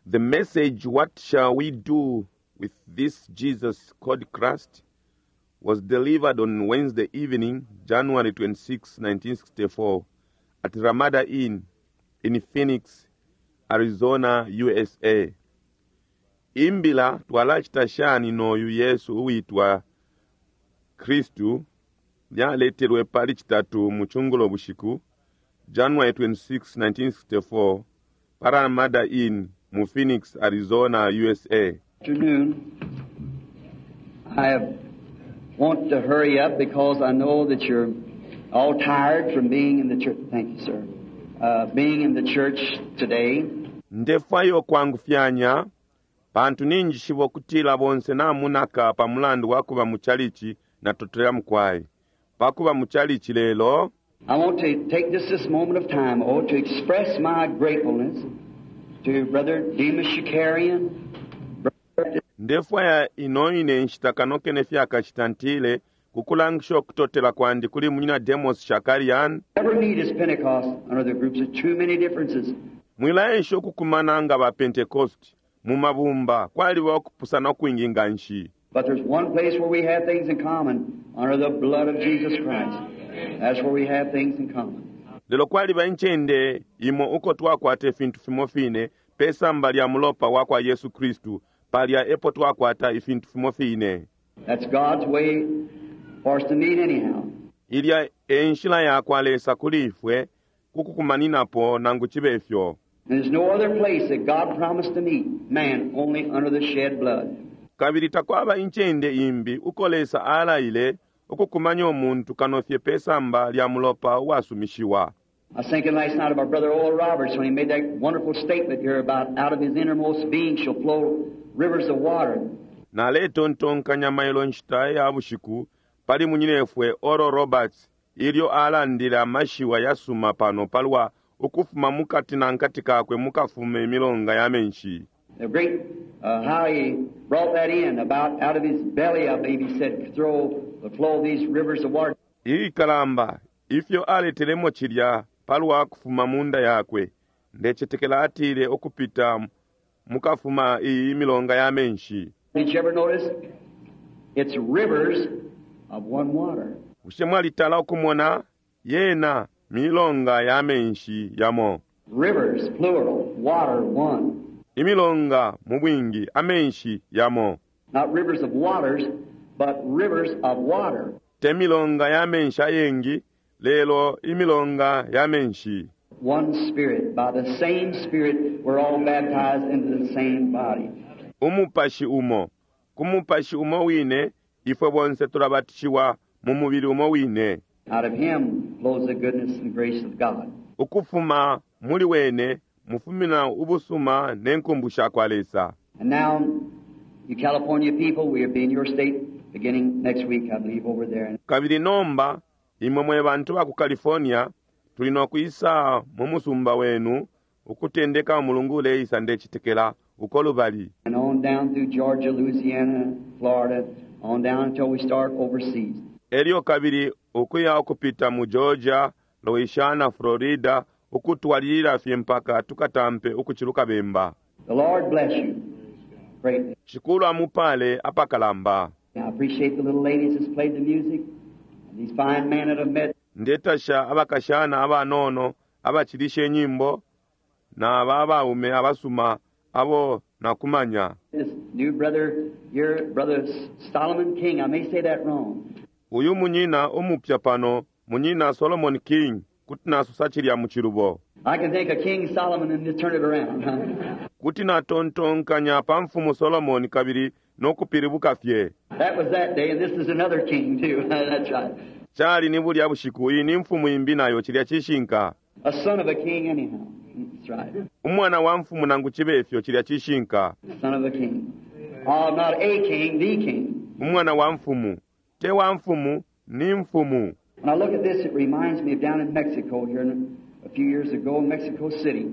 The message, What Shall We Do with This Jesus Called Christ, was delivered on Wednesday evening, January 26, 1964, at Ramada Inn in Phoenix, Arizona, USA. Imbila twalachita shani noyu Yesu uwitwa Kristu lyaletelwe pali citatu mu cungulo bushiku January 26, 1964 pa Ramada Inn mu Phoenix, Arizona, USA. Afternoon. I want to hurry up because I know that you're all tired from being in the church. Thank you, sir. Being in the church today. Ndefwayo kwangufyanya pantu ninjishiba ukutila bonse namunaka pa mulandu wa kuba mu chalichi na totela mukwai. Pakuba mu chalichi lelo I want to take just this moment of time, oh, to express my gratefulness to Brother Demas Shakarian, Brother ndefwaya ino ine nshita kano kene fyakashita ntile kukulangisha okutotela kwandi kuli munyina Demos Shakarian. Never meet as Pentecost under the groups of too many differences. Mwilaensha ukukumana nga ba Pentecost mu mabumba kwaliba okupusana okwingi nga nshi. But there's one place where we have things in common, under the blood of Jesus Christ. That's where we have things in common. Lelo kwaliba incende imo uko twakwata ifintu fimo fine pesamba lya mulopa wa kwa Yesu Kristu, palya epo twakwata ifintu fimo fine. That's God's way for us to meet anyhow. Ilya e nshila ya kwa Lesa kuli ifwe kukukumaninapo nangu chibe ifyo. And there's no other place that God promised to meet man only under the shed blood. Kabili takwaba incende imbi uko Lesa alaile ukukumanya umuntu kano fye pesamba lya mulopa uwasumishiwa. I was thinking last night of our brother Oral Roberts when he made that wonderful statement here about out of his innermost being shall flow rivers of water. Naletontonkanya mailo nshita ya bushiku pali munyinefwe Oral Roberts ilyo alandile amashiwa yasuma pano palwa ukufuma mukati na nkati kakwe mukafume imilonga ya menshi. The great, how he brought that in about out of his belly, I believe he said, throw the flow these rivers of water. Ilikalamba ifyo aletelemo chilya palwa kufuma munda yakwe ndecetekela atile okupita mukafuma iyi milonga ya menshi. Did you ever notice? It's rivers of one water. Bushe mwalitala okumona yena milonga ya menshi yamo. Rivers, plural, water, one. Imilonga mu bwingi, amenshi yamo. Not rivers of waters, but rivers of water. Te milonga ya menshi ayengi, lelo imilonga ya menshi. One Spirit. By the same Spirit, we're all baptized into the same body. Umupashi umo. Ku mupashi umo wine, ifwe bonse tulabatishiwa mu mubili umo wine. Out of Him flows the goodness and grace of God. Ukufuma muli wene, mufumina ubusuma ne nkumbu sha kwa Lesa. And now, you California people, we will be in your state beginning next week, I believe, over there. Kabili nomba, imwe mwe bantu ba ku California, tuli no kwisa mu musumba wenu, ukutendeka umulungu uleisa ndecitekela uko lubali. And on down through Georgia, Louisiana, Florida, on down until we start overseas. Elyo kabili ukuya ukupita mu Georgia, Louisiana, Florida, ukutwalilila fye mpaka tukatampe ukuchiluka bemba. The Lord bless you greatly. Shikulu amupale apakalamba. I appreciate the little ladies that's played the music and these fine men that have met. Ndetasha abakashana abanono abachilisha enyimbo na aba abaume abasuma abo nakumanya. This new brother here, Brother Solomon King, I may say that wrong. Uyu munyina umupya pano, munyina Solomon King, kuti nasusa chilya mu chilubo. I can think of King Solomon and just turn it around. Huh? Kuti natontonkanya pa mfumu Solomon kabili nokupilibuka fye. That was that day, and this is another king too. That's right. Chali ni bulya bushiku, iyi ni mfumu imbi nayo chilya chishinka. A son of a king anyhow. That's right. Umwana wa mfumu nangu chibe ifyo chilya chishinka. Son of a king. Oh, not a king, the king. Umwana wa mfumu. Te wa mfumu, ni mfumu. When I look at this, it reminds me of down in Mexico here in, a few years ago in Mexico City.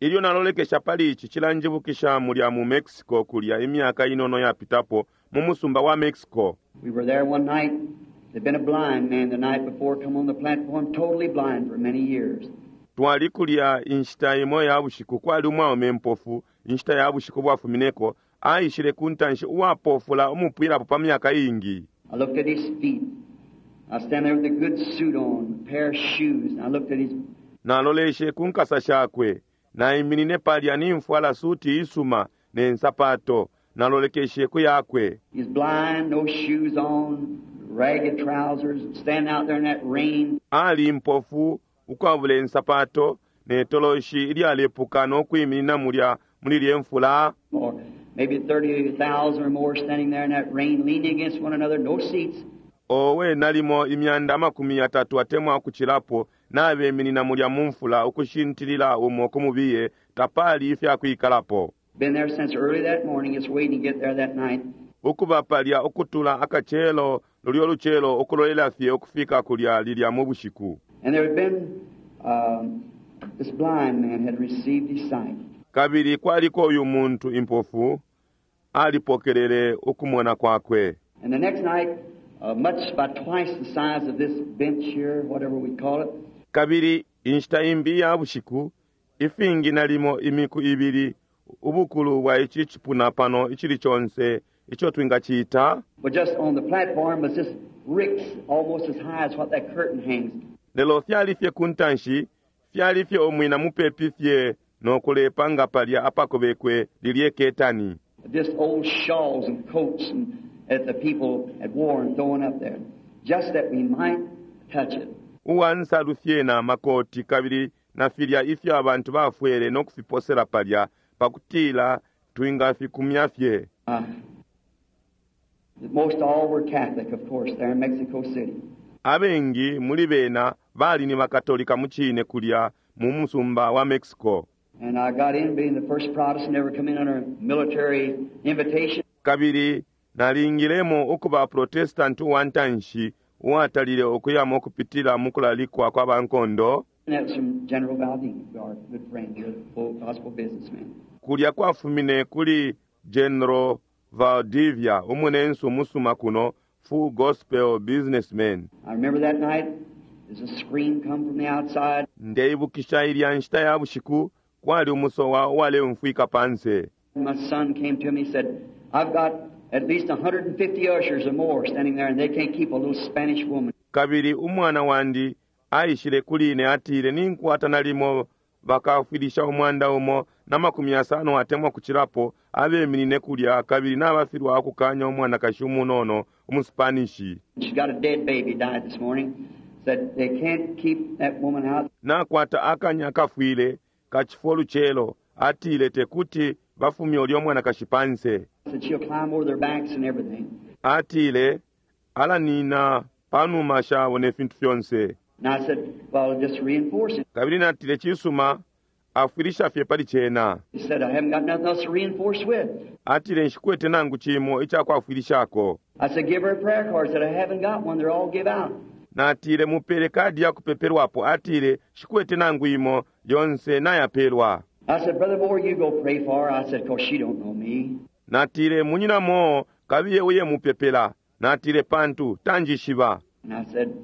Ilyo nalolekesha pali ichi chilanjibukisha mulya mu Mexico kulya imyaka inono yapitapo mu musumba wa Mexico. We were there one night. There'd been a blind man the night before come on the platform, totally blind for many years. Twali kulya inshita imo ya bushiku, kwali umwaume impofu inshita ya bushiku bwafumineko, aishile ku ntanshi uwapofula umupwilapo pa myaka iingi. I looked at his feet. I stand there with a good suit on, a pair of shoes, and I looked at his Naloleshe ku nkasa shakwe, naiminine palya nimfwala suti isuma ne nsapato, nalolekeshe ku yakwe. He's blind, no shoes on, ragged trousers, standing out there in that rain. Ali impofu ukwabula insapato ne toloshi ilyalepuka no kwiminina mulya muli lye mfula. Or maybe 30,000 or more standing there in that rain, leaning against one another, no seats. Owe nalimo imyanda 30 atemwa ukucilapo nabeminina mulya mu mfula ukushintilila umo ku mubiye, tapali ifyakwikalapo. Been there since early that morning, just waiting to get there that night. Ukuba palya ukutula akacelo lulyo lucelo ukulolela fye ukufika kulya lilya mu bushiku. And there had been this blind man had received his sight. Kabili kwaliko uyu muntu impofu alipokelele ukumona kwakwe. And the next night, much about twice the size of this bench here, whatever we call it. Kabili inshita imbi ya bushiku, ifingi nalimo imiku ibili ubukulu bwa ici cipuna pano icili conse ico twingaciita. But just on the platform was this ricks almost as high as what that curtain hangs. Lelo fyali fye ku ntanshi, fyali fye umwina mupepi fye no kulepa nga palya apakobekwe lilye ketani. Just old shawls and coats and that the people had worn thrown up there, just that we might touch it. Uwa nsalu fye na makoti kabili na filya ifyo abantu bafwele no kufiposela palya pakutila twingafikumya fye. Most all were Catholic, of course, there in Mexico City. Abengi muli bena bali ni bakatolika mu cine kulya mu musumba wa Mexico. And I got in being the first Protestant ever come in under military invitation. Kabili nalingilemo ukuba Protestant uwa ntanshi uwatalile ukuyamo kupitila mu kulalikwa kwa bankondo. And that was from General Valdivia, our good friend here, the full gospel businessman. Kulya kwafumine kuli General Valdivia, umunensu musuma kuno, full gospel businessman. I remember that night, there's a scream come from the outside. Ndeibukisha ilya nshita ya bushiku, kwali umusowa uwaleumfwika panse. My son came to me and said, I've got at least 150 ushers or more standing there and they can't keep a little Spanish woman. Kabili umwana wandi aishile kuli ine atile, ninkwata nalimo bakafwilisha 150 atemwa kucilapo abeminine kulya kabili nabafilwa akukanya umwanakashi umunono umuspanishi. She's got a dead baby died this morning. Said they can't keep that woman out. Nakwata akanya kafwile kachifo lucelo atile tekuti bafumye ulyo mwanakashi panse. Said she'll climb over their backs and everything. Atile alanina panuma shabo ne fintu fyonse. And I said, well, just reinforce it. Kabili natile chisuma afwilisha fye pali cena. He said, I haven't got nothing else to reinforce with. Atile nshikwete nangu chimo ichakwafwilishako. I said, give her a prayer card. He said, I haven't got one. They're all give out. Natile mupele kadi ya kupepelwapo. Atile shikwete nangu imo yonse nayapelwa. I said, Brother Moore, you go pray for her. I said, 'cause she don't know me. Natile munyina mo kabiye uye mupepela. Natile pantu tanjishiba. And I said,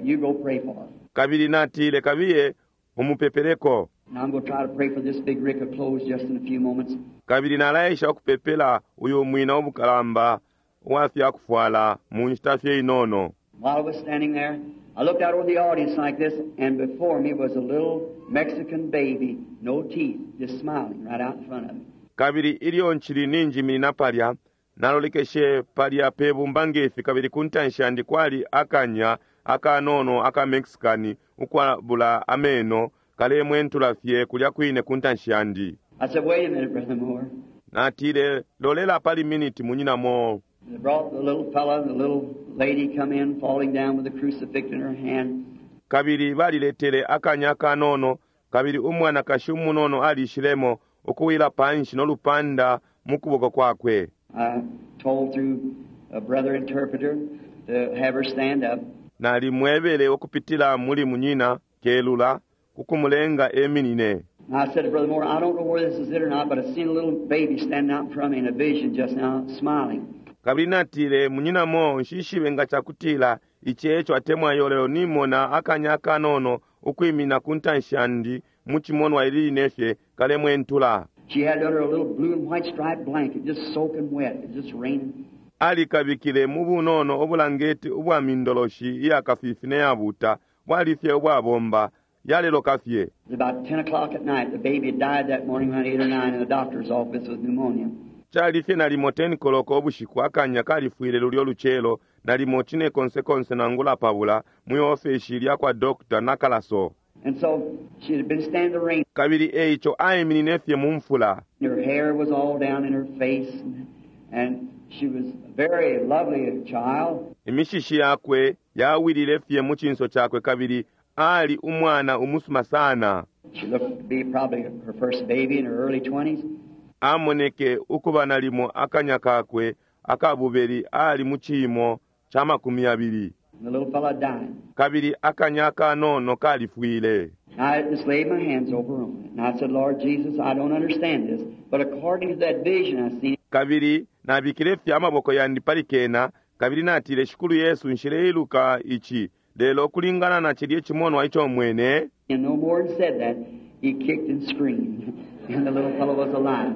you go pray for her. Kabili natile kabiye umupepeleko. And I'm going to try to pray for this big rick of clothes just in a few moments. Kabili nalaesha ukupepela uyu mwina ubukalamba uwafya kufwala mu nshita fye inono. While I was standing there, I looked out over the audience like this, and before me was a little Mexican baby, no teeth, just smiling right out in front of me. Kabili ilyo nchili ninjiminina palya, nalolekeshe palya pe bumba ngefi, kabili ku ntanshi yandi kwali akanya akanono aka Mexicani ukwabula ameno kalemwentula fye kulya kwine ku ntanshi yandi. I said, wait a minute, Brother Moore. Natile lolela pali miniti munyina Moore. They brought the little fella and the little lady come in, falling down with the crucifix in her hand. Kabili baliletele akanya kanono, kabili umwanakashi umunono alishilemo ukuwila panshi no lupanda mu kuboko kwakwe. I told through a brother interpreter to have her stand up. Nalimwebele ukupitila muli munyina kelula kukumulenga eminine. And I said to Brother Moore, I don't know whether this is it or not, but I seen a little baby standing out in front of me in a vision just now, smiling. Kabili natile munyina Moore, nshishibe nga chakutila ichi echo atemwa yolelo nimona akanya kanono ukwimina ku ntanshi yandi mu cimonwa ili line fye kalemwentula. She had under a little blue and white striped blanket, just soaking wet. It was just raining. Alikabikile mu bunono ubulangeti ubwa mindoloshi iya kafifi ne yabuta bwali fye ubwabomba yaleloka fye. It was about 10 o'clock at night. The baby had died that morning around 8 or 9 in the doctor's office with pneumonia. Cali fye nalimo 10 koloko ubushiku akanya kalifwile lulyo lucelo nalimo cine konsekonse nangula pabula mwi ofeshi lya kwa dokta nakalaso. And so she had been standing in the rain. Kabili eico aiminine fye mu mfula. Her hair was all down in her face, and she was a very lovely child. Imishishi yakwe yawilile fye mu cinso cakwe kabili ali umwana umusuma sana. She looked to be probably her first baby in her early 20s. Amoneke ukuba nalimo akanya kakwe akabubeli ali mu ciimo ca 20. And the little fellow died. Kabili akanya kanono kalifwile. I just laid my hands over on it. And I said, Lord Jesus, I don't understand this, but according to that vision I seen, Kabili nabikile fye amaboko yandi pali kena kabili natile Shikulu Yesu nshileiluka ici lelo kulingana na cilye cimonwa ico mwene. And no more than said that, he kicked and screamed, and the little fellow was alive.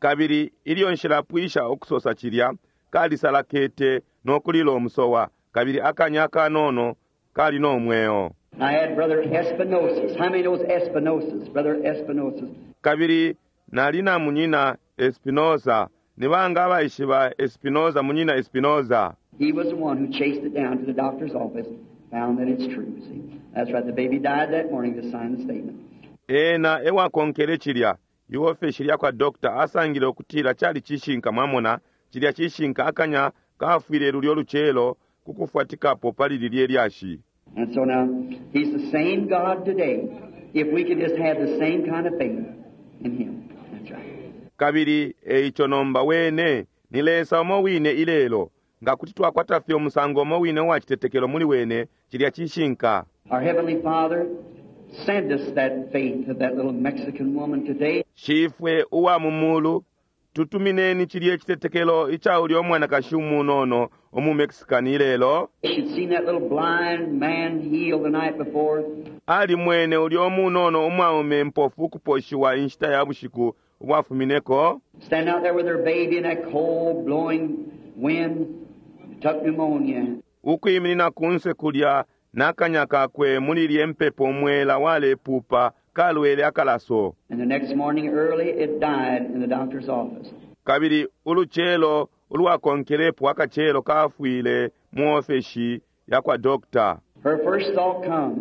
Kabili ilyo nshilapwisha ukusosa cilya kalisalakete no kulila umusowa kabili akanya kanono kali no mweo. And I had Brother Espinosa. How many knows Espinosa? Brother Espinosa. Kabili nali na munyina Espinosa. Ni banga abaishiba Espinosa, munyina Espinosa? He was the one who chased it down to the doctor's office, found that it's true. See, that's right. The baby died that morning to sign the statement. Ena ewakonkele cilya iofeshi lya kwa dokta asangile ukutila cali cishinka mwamona cilya cishinka akanya kafwile lulyo lucelo kukufwatikapo pali lilye lyashi. And so now, He's the same God today. If we could just have the same kind of faith in Him. That's right. Kabili eico nomba wene ni Lesa umo wine ilelo nga kuti twakwata fye umusango umo wine uwa citetekelo muli wene cilya cishinka. Our Heavenly Father, send us that faith of that little Mexican woman today. Shifwe uwa mu mulu tutumineni cilye citetekelo ica ulya umwanakashi umunono umu Mexican ilelo. She'd seen that little blind man healed the night before. Ali mwene ulya umunono umwaume mpofu ukuposhiwa inshita ya bushiku ubwafumineko. Standing out there with her baby in that cold blowing wind, took pneumonia. Ukwiminina kunse kulya nakanya kakwe muli lye mpepo umwela walepupa kalwele akalaso. And the next morning early it died in the doctor's office. Kabili ulucelo ulwakonkelepo akacelo kafwile mu ofeshi ya kwa dokta. Her first thought come,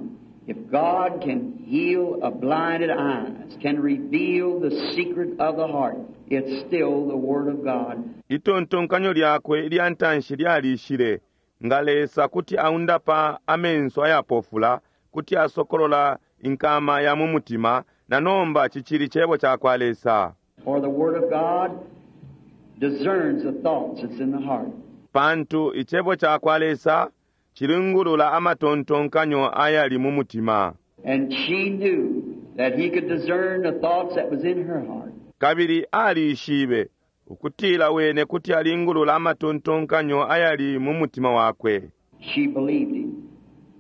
if God can heal a blinded eyes, can reveal the secret of the heart, it's still the Word of God. Itontonkanyo lyakwe ilya ntanshi lyalishile nga Lesa kuti aundapa amenso ayapofula, kuti asokolola inkama ya mu mutima, na nomba cicili cebo ca kwa Lesa. For the Word of God discerns the thoughts that's in the heart. Pantu icebo ca kwa Lesa cilingulula amatontonkanyo ayali mu mutima. And she knew that he could discern the thoughts that was in her heart. Kabili alishibe ukutila wene kuti alingulula amatontonkanyo ayali mu mutima wakwe. She believed him.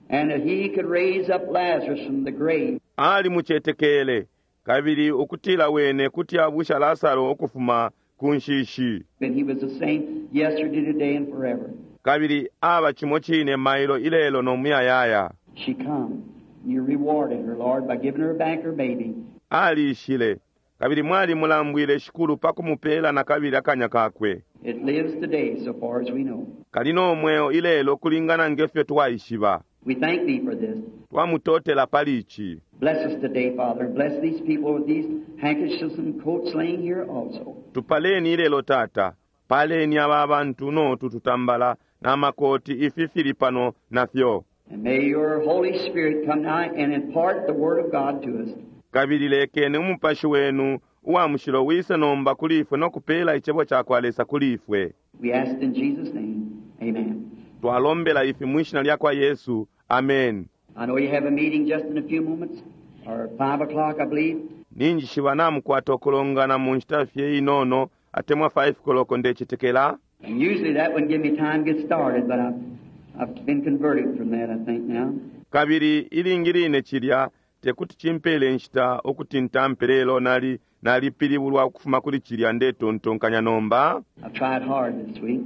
And that he could raise up Lazarus from the grave. Ali mucetekele kabili ukutila wene kuti abusha Lasaro ukufuma ku nshishi. And he was the same yesterday, today, and forever. Kabili aba cimo cine mailo ilelo no muyayaya. She come. You rewarded her, Lord, by giving her back her baby. Alishile kabili mwali mulambwile shikulu pa kumupela na kabili akanya kakwe. It lives today, so far as we know. Kali no mweo ilelo kulingana ngefyo twaishiba. We thank thee for this. Twamutotela pali ici. Bless us today, Father, and bless these people with these handkerchiefs and coats laying here also. Tupaleni ilelo tata, paleni aba bantu no tututambala na makoti ifi fili pano nafyo. And may your Holy Spirit come now and impart the Word of God to us. Kabili lekeni umupashi wenu uwa mushilo wise nomba kuli ifwe no kupela icebo ca kwa Lesa kuli ifwe. We ask in Jesus' name. Amen. Twalombela ifi mwishina lya kwa Yesu. Amen. I know you have a meeting just in a few moments, or 5 o'clock, I believe. Ninjishiba namukwata okulongana mu nshita fye inono atemwa 5 koloko ndecetekela. And usually that wouldn't give me time to get started, but I've been converted from that, I think, now. Kabili ilingi line cilya tekuti cimpele inshita ukuti ntampe lelo nali nalipilibulwa ukufuma kuli cilya ndetontonkanya nomba. I've tried hard this week.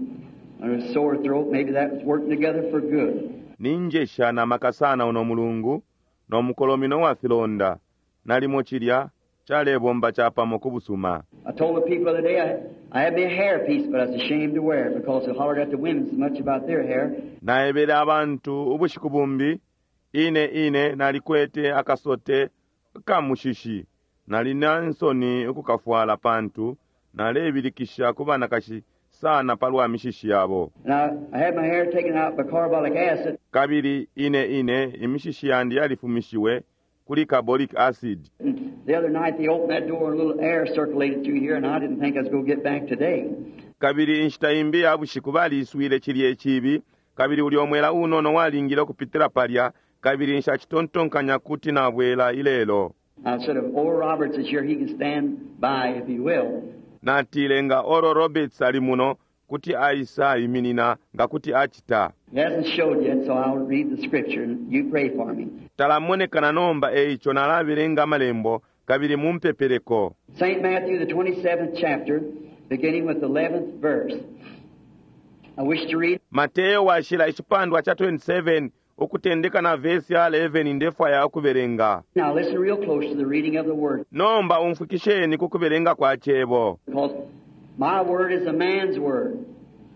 And a sore throat, maybe that was working together for good. Ninjesha na maka sana uno mulungu no mukolomino wa filonda nalimo cilya calebomba capamo ku busuma. I told the people the other day I had me a hairpiece, but I was ashamed to wear it because they hollered at the women so much about their hair. Naebele abantu ubushiku bumbi ine ine nalikwete akasote kamushishi nali na nsoni ukukafwala pantu nalebilikisha ku banakashi sana palwa mishishi yabo. And I had my hair taken out by carbolic acid. Kabili ine ine imishishi yandi yalifumishiwe kuli carbolic acid. And the other night they opened that door and a little air circulated through here, and I didn't think I was going to get back today. Kabili inshita imbi ya bushiku baliswile cilye cibi kabili ulyo mwela unono walingile ukupitila palya kabili nshacitontonkanya kuti nabwela ilelo. I said, if Oral Roberts is here, he can stand by if he will. Natile nga Oral Roberts ali muno kuti aisa iminina nga kuti acita. He hasn't showed yet, so I'll read the scripture and you pray for me. Talamonekana nomba eico nalabelenga amalembo kabili mumpepeleko. St. Matthew, the 27th chapter, beginning with the 11th verse. I wish to read Mateo washila icipandwa cha 27 ukutendeka na vesi ya 11 ndefwaya ukubelenga. Now listen real close to the reading of the word, Nomba umfwikisheni ku kubelenga kwa cebo. because my word is a man's word.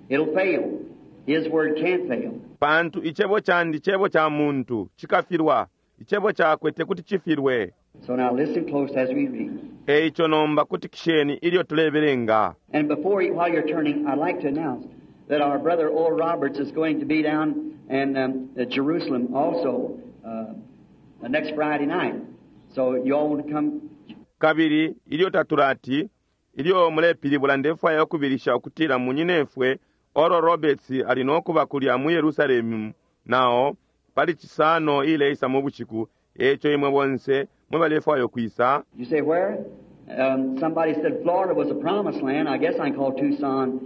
It'll fail. His word can't fail. Pantu icebo candi cebo ca muntu cikafilwa, icebo cakwe tekuti cifilwe. So now listen close as we read. Eico nomba kutikisheni ilyo tulebelenga. And before you, while you're turning, I'd like to announce that our brother Oral Roberts is going to be down in Jerusalem also next Friday night. So you all want to come. Kabili ilyo tatulati ilyo mulepilibula ndefwaya ukubilisha ukutila munyinefwe Oral Roberts ali nokuba kulya mu Yerusalemu nao pali Cisano ileisa mu bushiku eco imwe bonse mwe balefwaya ukwisa. You say where? Somebody said Florida was a promised land. I guess I can call Tucson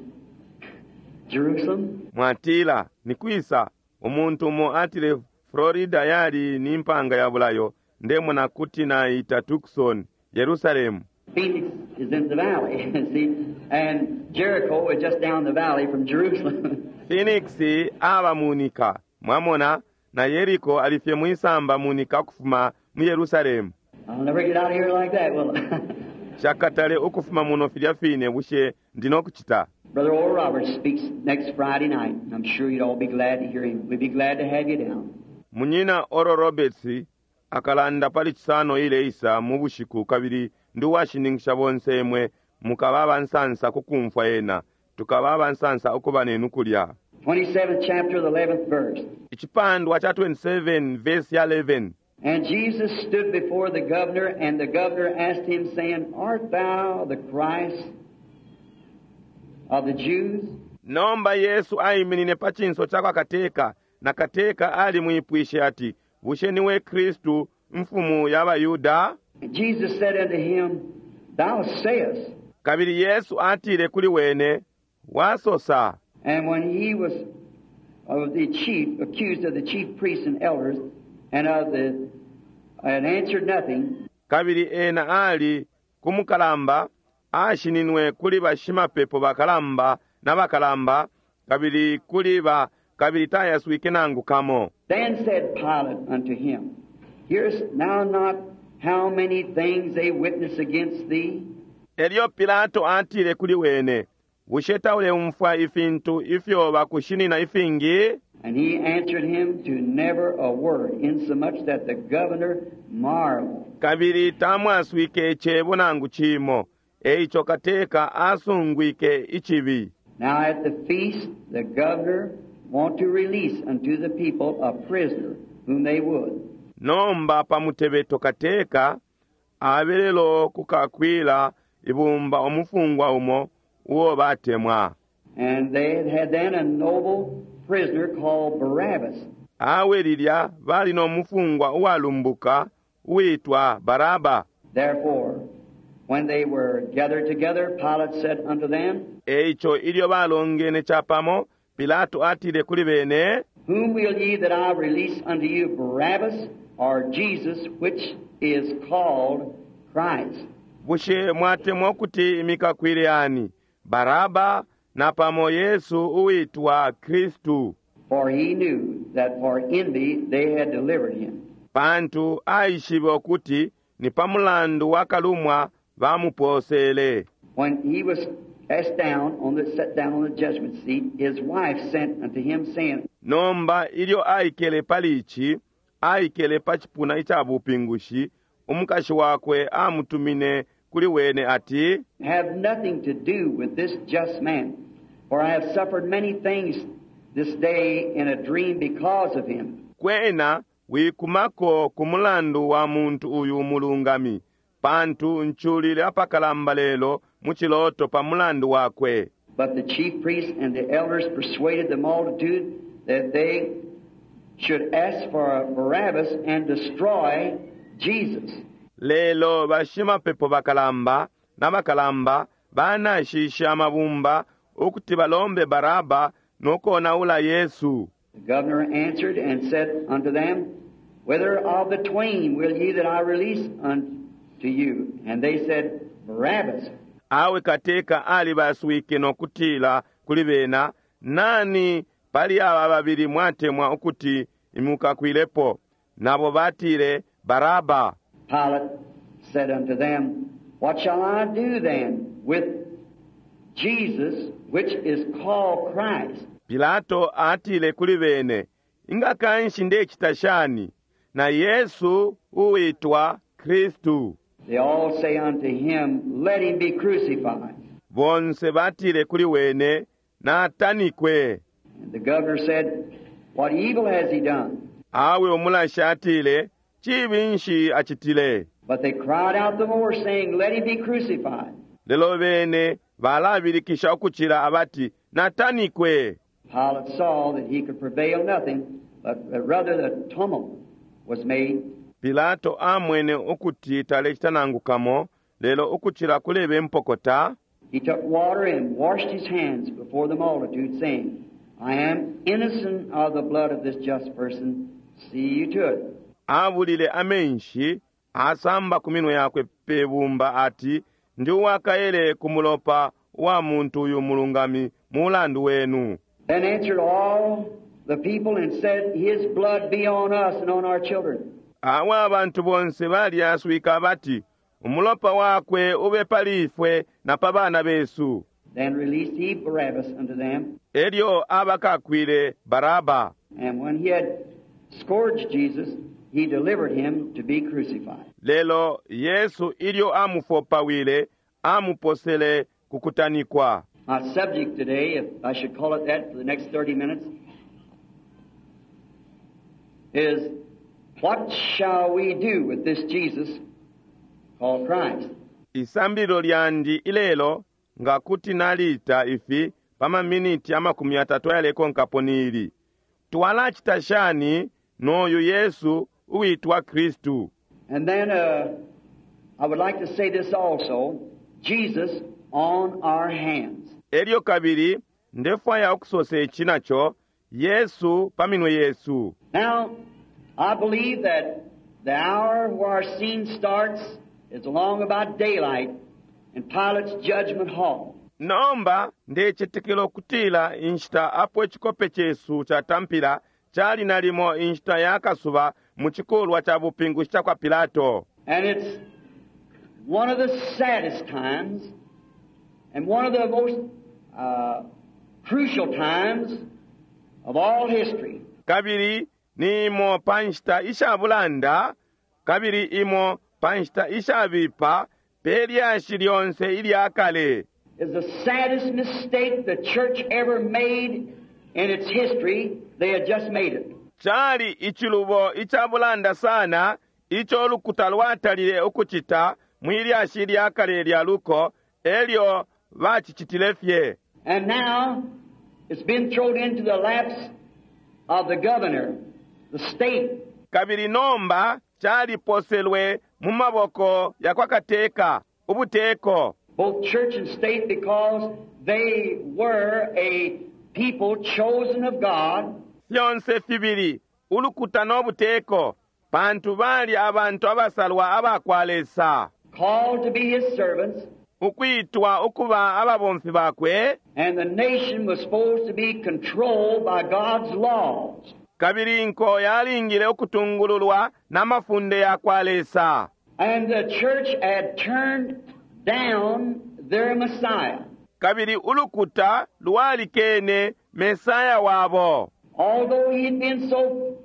Jerusalem. Mwatila nikwisa umuntu umo atile Florida yali ni mpanga ya bulayo ndemona kuti naita Tucson Yerusalemu. Phoenix is in the valley, see, and Jericho is just down the valley from Jerusalem. Phoenix aba munika mwamona na Yeriko alifye mwisamba munika kufuma mu Yerusalemu. I'll never get out of here like that, will I? Shakatale ukufuma muno filya fine bushe ndino kuchita. Brother Oral Roberts speaks next Friday night. I'm sure you'd all be glad to hear him. We'd be glad to have you down. Munyina Oral Roberts akalanda pali Cisano ileisa mu bushiku kabili ndi uwashininkisha bonse imwe mukaba abansansa kukumfwa ena tukaba abansansa ukuba nenu kulya. 27th chapter, the 11th verse. Icipandwa cha 27 verse ya 11. And Jesus stood before the governor, and the governor asked him, saying, Art thou the Christ of the Jews? Nomba Yesu aiminine pa cinso ca kwa kateka na kateka alimwipwishe ati, bushe niwe Kristu mfumu ya Bayuda? And Jesus said unto him, Thou sayest. Kabili Yesu atile kuli wene, wasosa. And when he was of the chief, accused of the chief priests and elders, and of the and answered nothing, Kabili ena ali kumukalamba ashininwe kuli bashimapepo bakalamba na bakalamba kabili kuli ba kabili tayaswike nangu kamo. Then said Pilate unto him, Hearest thou not how many things they witness against thee? Elyo Pilato atile kuli wene, bushe tauleumfwa ifintu ifyo bakushinina ifingi? And he answered him to never a word, insomuch that the governor marveled. Kabili tamwaswike icebo nangu cimo, eico kateka asungwike icibi. Now at the feast the governor want to release unto the people a prisoner whom they would. Nomba pamutebeto kateka abelelo kukakwila ibumba umufungwa umo uo batemwa. And they had then a noble prisoner called Barabbas. Awe lilya bali no mufungwa uwalumbuka uitwa Baraba. Therefore, when they were gathered together, Pilate said unto them, Eico ilyo balongene capamo, Pilato atile kuli bene, Whom will ye that I release unto you, Barabbas or Jesus, which is called Christ? Bushe mwatemwa ukuti imikakwile ani Baraba napamo Yesu uwitwa Kristu? For he knew that for envy they had delivered him. Pantu aishibe ukuti ni pa mulandu wa kalumwa bamupoosele. When he was cast down on the set down on the judgment seat, his wife sent unto him, saying, Nomba ilyo aikele pali ici, aikele pa cipuna ica bupingushi, umukashi wakwe amutumine kuli wene ati, Have nothing to do with this just man, for I have suffered many things this day in a dream because of him. Kwena wikumako ku mulandu wa muntu uyu mulungami, pantu nculile apakalamba lelo mu ciloto pa mulandu wakwe. But the chief priests and the elders persuaded the multitude that they should ask for Barabbas and destroy Jesus. Lelo bashimapepo bakalamba na bakalamba banashishe amabumba ukuti balombe Baraba no konaula Yesu. The governor answered and said unto them, Whether of the twain will ye that I release unto you? And they said, Barabbas. Awe kateka alibaswike no kutila kuli bena, Nani pali aba babili mwatemwa ukuti imukakwilepo? Nabo batile, Baraba. Pilate said unto them, What shall I do then with Jesus, which is called Christ? Pilato atile kuli bene, Inga kanshi ndecita shani na Yesu uwitwa Kristu? They all say unto him, Let him be crucified. Bonse batile kuli wene, Natanikwe. And the governor said, What evil has he done? Awe umulashi atile, Cibi nshi acitile? But they cried out the more, saying, Let him be crucified. Lelo bene balabilikisha ukucila abati, Natanikwe. Pilate saw that he could prevail nothing, but rather the tumult was made. Pilato amwene ukuti talecita nangu kamo, lelo ukucila kulebe mpokota. He took water and washed his hands before the multitude, saying, I am innocent of the blood of this just person. See you to it. Abulile amenshi, asamba ku minwe yakwe pe bumba ati, Ndi uwakaele ku mulopa wa muntu uyu mulungami mulandu wenu. Then answered all the people and said, His blood be on us and on our children. Awe abantu bonse balyaswike abati, Umulopa wakwe ube pali ifwe na pa bana besu. Then released he Barabbas unto them. Elyo abakakwile Baraba. And when he had scourged Jesus, he delivered him to be crucified. Lelo Yesu ilyo amufopawile, amuposele ku kutanikwa. My subject today, if I should call it that for the next 30 minutes, is what shall we do with this Jesus called Christ? Isambililo lyandi ilelo nga kuti naliita ifi pa maminiti 30 ayalekonkapo ni ili: Twalacita shani noyu Yesu uwitwa Kristu? And then I would like to say this also, Jesus on our hands. Elyo kabili ndefwaya ukusosa ici naco, Yesu pa minwe yesu. Now, I believe that the hour where our scene starts is along about daylight in Pilate's judgment hall. Nomba ndecetekela ukutila inshita apo icikope cesu catampila cali nalimo inshita ya kasuba mu cikulwa ca bupingushi ca kwa Pilato. And it's one of the saddest times and one of the most crucial times of all history. Kabili ni imo pa nshita isha bulanda, kabili imo pa nshita ishabipa pe lyashi lyonse ilya kale. Is the saddest mistake the church ever made in its history. They had just made it. Cali icilubo ica bulanda sana ico ulukuta lwatalile ukucita mwi lyashi lya kale lya luko, elyo bacicitile fye. And now it's been thrown into the laps of the governor, the state. Kabili nomba caliposelwe mu maboko ya kwa kateka, ubuteko. Both church and state, because they were a people chosen of God. Fyonse fibili ulukuta no buteko, pantu bali abantu abasalwa aba kwa Lesa, called to be his servants, ukwitwa ukuba ababomfi bakwe, and the nation was supposed to be controlled by God's laws. Kabili inko yalingile ukutungululwa n'amafunde ya kwa Lesa. And the church had turned down their Messiah. Kabili ulukuta lwalikene Mesaya wabo. Although he had been so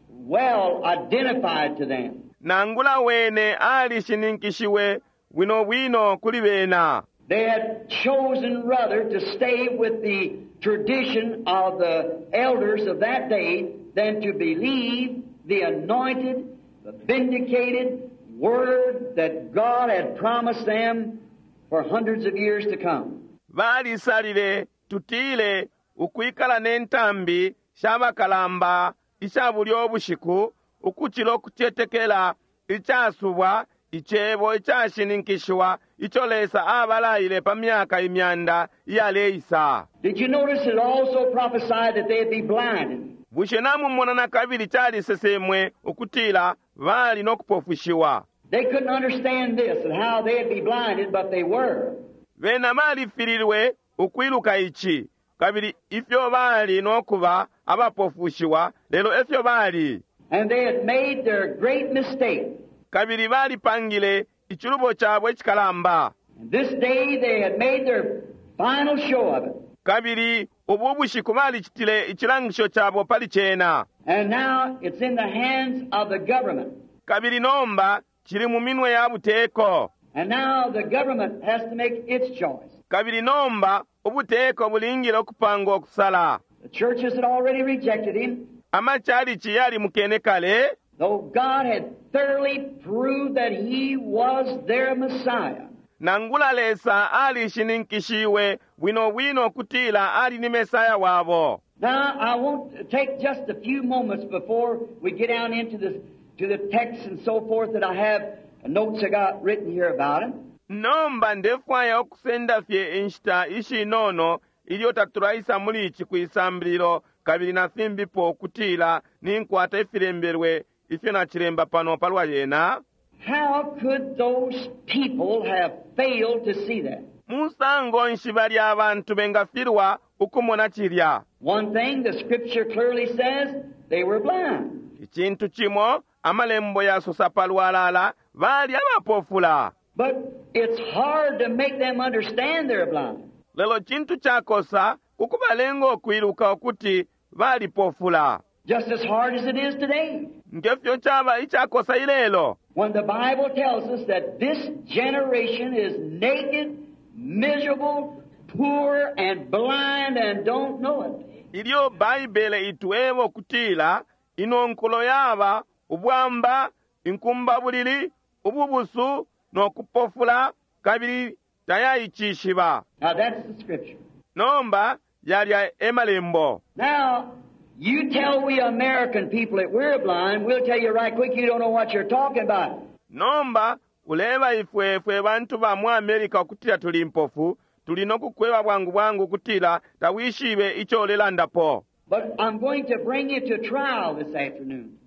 well identified to them. Nangula wene alishininkishiwe bwino bwino kuli bena. They had chosen rather to stay with the tradition of the elders of that day than to believe the anointed, the vindicated word that God had promised them for hundreds of years to come. Balisalile tutile ukwikala ne ntambi sha bakalamba isha bulyo bushiku ukucila ukucetekela icasubwa icebo icashininkishiwa ico Lesa abalaile pa myaka imyanda iyaleisa. Did you notice it also prophesied that they'd be blinded? Bushe namumona na kabili calisesemwe ukutila bali no kupofushiwa? They couldn't understand this and how they'd be blinded, but they were. Bena balifililwe ukwiluka ici, kabili ifyo bali no kuba abapofushiwa, lelo efyo bali. And they had made their great mistake. Kabili balipangile icilubo cabo icikalamba. And this day they had made their final show of it. Kabili ubu bushiku balicitile icilangisho cabo pali cena. And now it's in the hands of the government. Kabili nomba cili mu minwe ya buteko. And now the government has to make its choice. Kabili nomba ubuteko bulingile ukupanga ukusala. The churches had already rejected him, Amachalichi yali mukene kale, though God had thoroughly proved that he was their Messiah. Nangula Lesa alishininkishiwe bwino bwino kutila ali ni Mesaya wabo. Now, I want to take just a few moments before we get down into the text and so forth that I have notes I got written here about it. Nomba ndefwaya ukusenda fye inshita ishinono ilyo tatulaisa muli ici kwisambililo kabili na fimbipo kutila ninkwata ifilembelwe ifyo nacilemba pano palwa yena. How could those people have failed to see that? Musango nshi balya abantu bengafilwa ukumona cilya? One thing the scripture clearly says, they were blind. Icintu cimo amalembo yasosa palwalala bali abapofula. But it's hard to make them understand they're blind. Lelo cintu cakosa kukubalenga ukwiluka ukuti balipofula. Just as hard as it is today. Ngefyo caba icakosa ilelo. When the Bible tells us that this generation is naked, miserable, poor, and blind and don't know it. Ilyo Baibele itwebo kutila ino nkulo yaba ubwamba, inkumbabulili, ububusu no kupofula kabili tayaicishiba. Now that's the scripture. Nomba yalya emalembo. Now, you tell we American people that we're blind, we'll tell you right quick you don't know what you're talking about. Nomba uleba ifwe fwe bantu ba mu America kutila tuli mpofu, tuli no kukweba bwangu bwangu kutila tawishibe icho ulelandapo. But I'm going to bring you to trial this afternoon.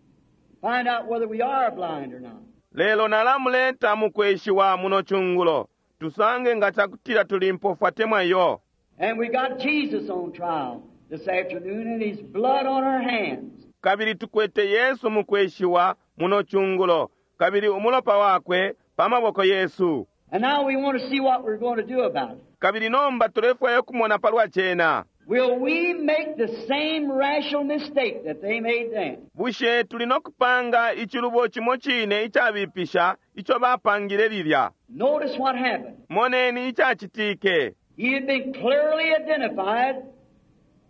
Find out whether we are blind or not. Lelo nalamuleta mukweshiwa muno chungulo. Tusange nga chakutila tuli mpofu atemwa iyo. And we got Jesus on trial this afternoon and his blood on our hands. Kabili tukwete Yesu mukweshiwa muno chungulo. Kabili umulopa wakwe pamaboko Yesu. And now we want to see what we're going to do about it. Kabili nomba tulefwaya kumona palwa chena. Will we make the same rational mistake that they made then? Bushe tuli nokupanga ichilubo chimo chine ichabipisha icho bapangile lilya. Notice what happened. Moneni ichachitike. He had been clearly identified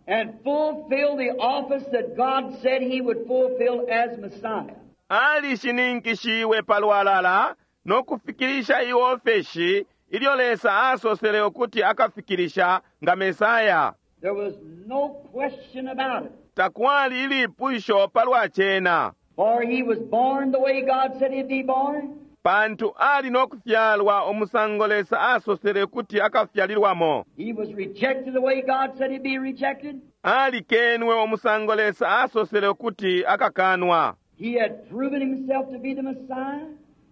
and fulfilled the office that God said he would fulfill as Messiah. Alishininkishiwe palwalala nokufikirisha iofeshi ilyo Lesa asosele ukuti akafikirisha nga Mesaya. There was no question about it. Takwali ilipusho palwa chena. For he was born the way God said he'd be born. Pantu ali no kufyalwa umusango Lesa asosele kuti akafyalilwamo. He was rejected the way God said he'd be rejected. Alikenwe umusango Lesa asosele ukuti akakanwa. He had proven himself to be the Messiah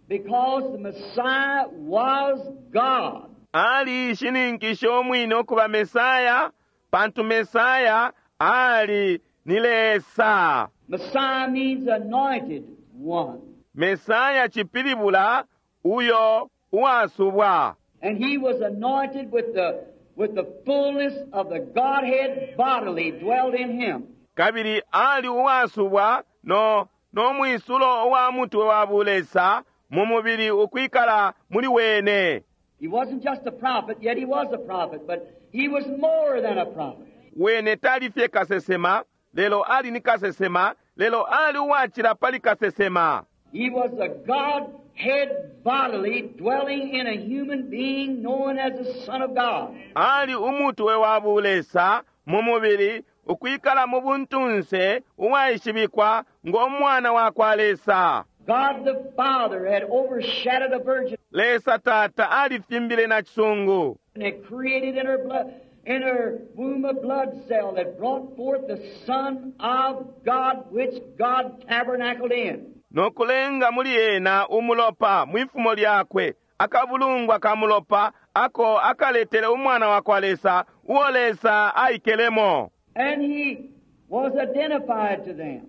because the Messiah was God. Ali shininkishe umwine ukuba Mesaya, pantu Mesaya ali ni Lesa. Messiah means anointed one. Mesaya chipilibula uyo uwasubwa. And he was anointed with the fullness of the Godhead bodily dwelled in him. Kabili ali uwasubwa no mwisulo uwa mutwe wa bulesa mu mubili ukwikala muli wene. He wasn't just a prophet, yet he was a prophet, but he was more than a prophet. Wene tali fye kasesema, lelo ali ni kasesema, lelo ali uwachila pali kasesema. He was the Godhead bodily dwelling in a human being known as the Son of God. Ali umutwe wa bulesa mu mubili ukwikala mu buntunse uwaishibikwa ngo mwana wa kwa Lesa. God the Father had overshadowed a virgin Lesa Tata alifimbile na chisungu. and had created in her blood, in her womb a blood cell that brought forth the Son of God, which God tabernacled in. Nokulenga muli ena umulopa mwifumo lyakwe akabulungwa ka mulopa ako akaletele umwana wa kwa Lesa uo Lesa aikelemo. And he was identified to them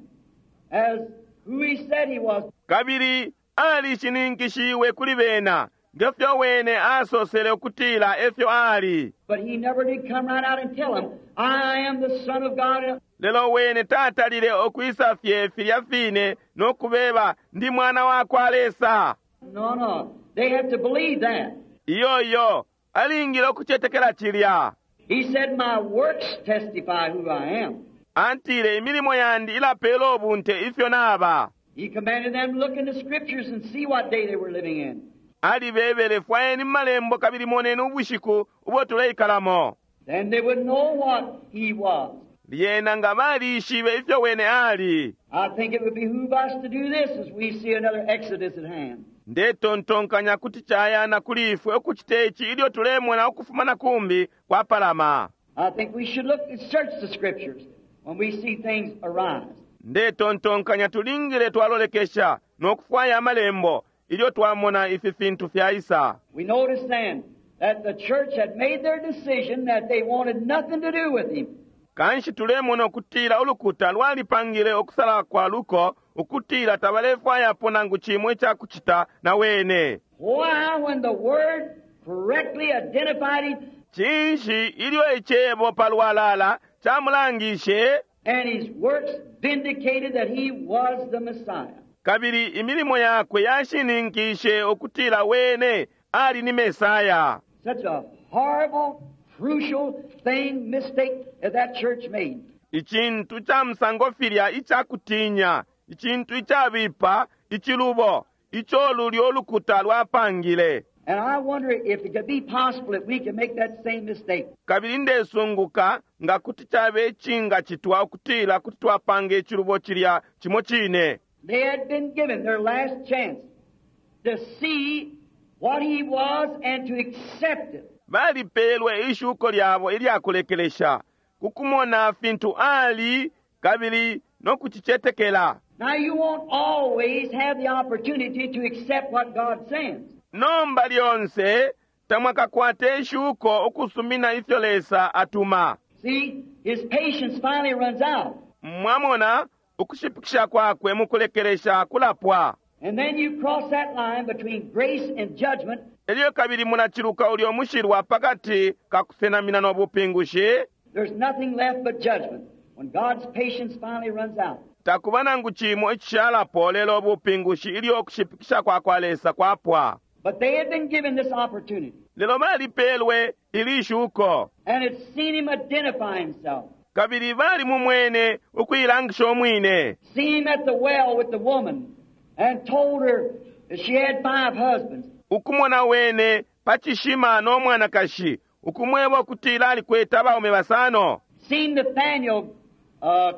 as who he said he was. Kabili alishininkishiwe kuli bena ngefyo wene asosele ukutila efyo ali. But he never did come right out and tell them, I am the Son of God. Lelo wene tatalile okwisa fye filya fine nokubeba ndi mwana wa kwa Lesa. No. They have to believe that. Iyo iyo alingile okucetekela chilya. He said, My works testify who I am. Antile imilimo yandi ilapela obunte ifyo naba. He commanded them to look in the scriptures and see what day they were living in. Alibebele fwayeni malembo kabili moneni ubushiku ubo tuleikalamo. Then they would know what he was. Lyena nga balishibe ifyo wene ali. I think it would behoove us to do this as we see another exodus at hand. Ndetontonkanya kuti chayana kuli ifwe okuchita ichi ilyo tulemona ukufuma na kumbi kwa palama. I think we should look and search the scriptures when we see things arise. Ndetontonkanya tulingile twalolekesha nokufwaya amalembo ilyo twamona ifi fintu fyaisa. We notice then that the church had made their decision that they wanted nothing to do with him. Kanshi tulemona ukutila ulukuta lwalipangile okusala kwa luko ukutila tabalefwayapo nangu chimwe ichakuchita na wene. Why, when the word correctly identified him Chinshi ilyo icebo palwalala chamulangishe and his works vindicated that he was the Messiah. kabili imilimo yakwe yashininkishe ukutila wene ali ni Mesaya. Such a horrible, crucial thing, mistake that that church made. Icintu cha musango filya ichakutinya, icintu ichabipa, ichilubo, icho lulyo ulukuta lwapangile. And I wonder if it could be possible that we can make that same mistake. Kabili ndesunguka nga kuti chabe ichinga chitwa ukutila kuti twapanga ichilubo chilya chimo chine. They had been given their last chance to see what he was and to accept it. Balipelwe ishuko lyabo ilyakulekelesha kukumona fintu ali kabili nokuchichetekela. Now you won't always have the opportunity to accept what God sends. Nomba lyonse tamwakakwate ishuko ukusumina ifyo Lesa atuma. See, his patience finally runs out. Mwamona ukushipikisha kwakwe mukulekelesha kulapwa. And then you cross that line between grace and judgment. Elyo kabili munachiluka ulyo mushilwa pakati kakusenamina n'obupingushi. There's nothing left but judgment when God's patience finally runs out. Takuba nangu chimo icishalapo lelo obupingushi ilyo okushipikisha kwa kwa Lesa kwapwa. But they had been given this opportunity. Lelo balipelwe ilishuko. And had seen him identify himself. Kabili bali mumwene ukuilangisha omwine. Seen him at the well with the woman and told her that she had 5 husbands. Ukumona wene pachishima n'omwanakashi ukumweba okutila alikweta abaume basano. Seen Nathanael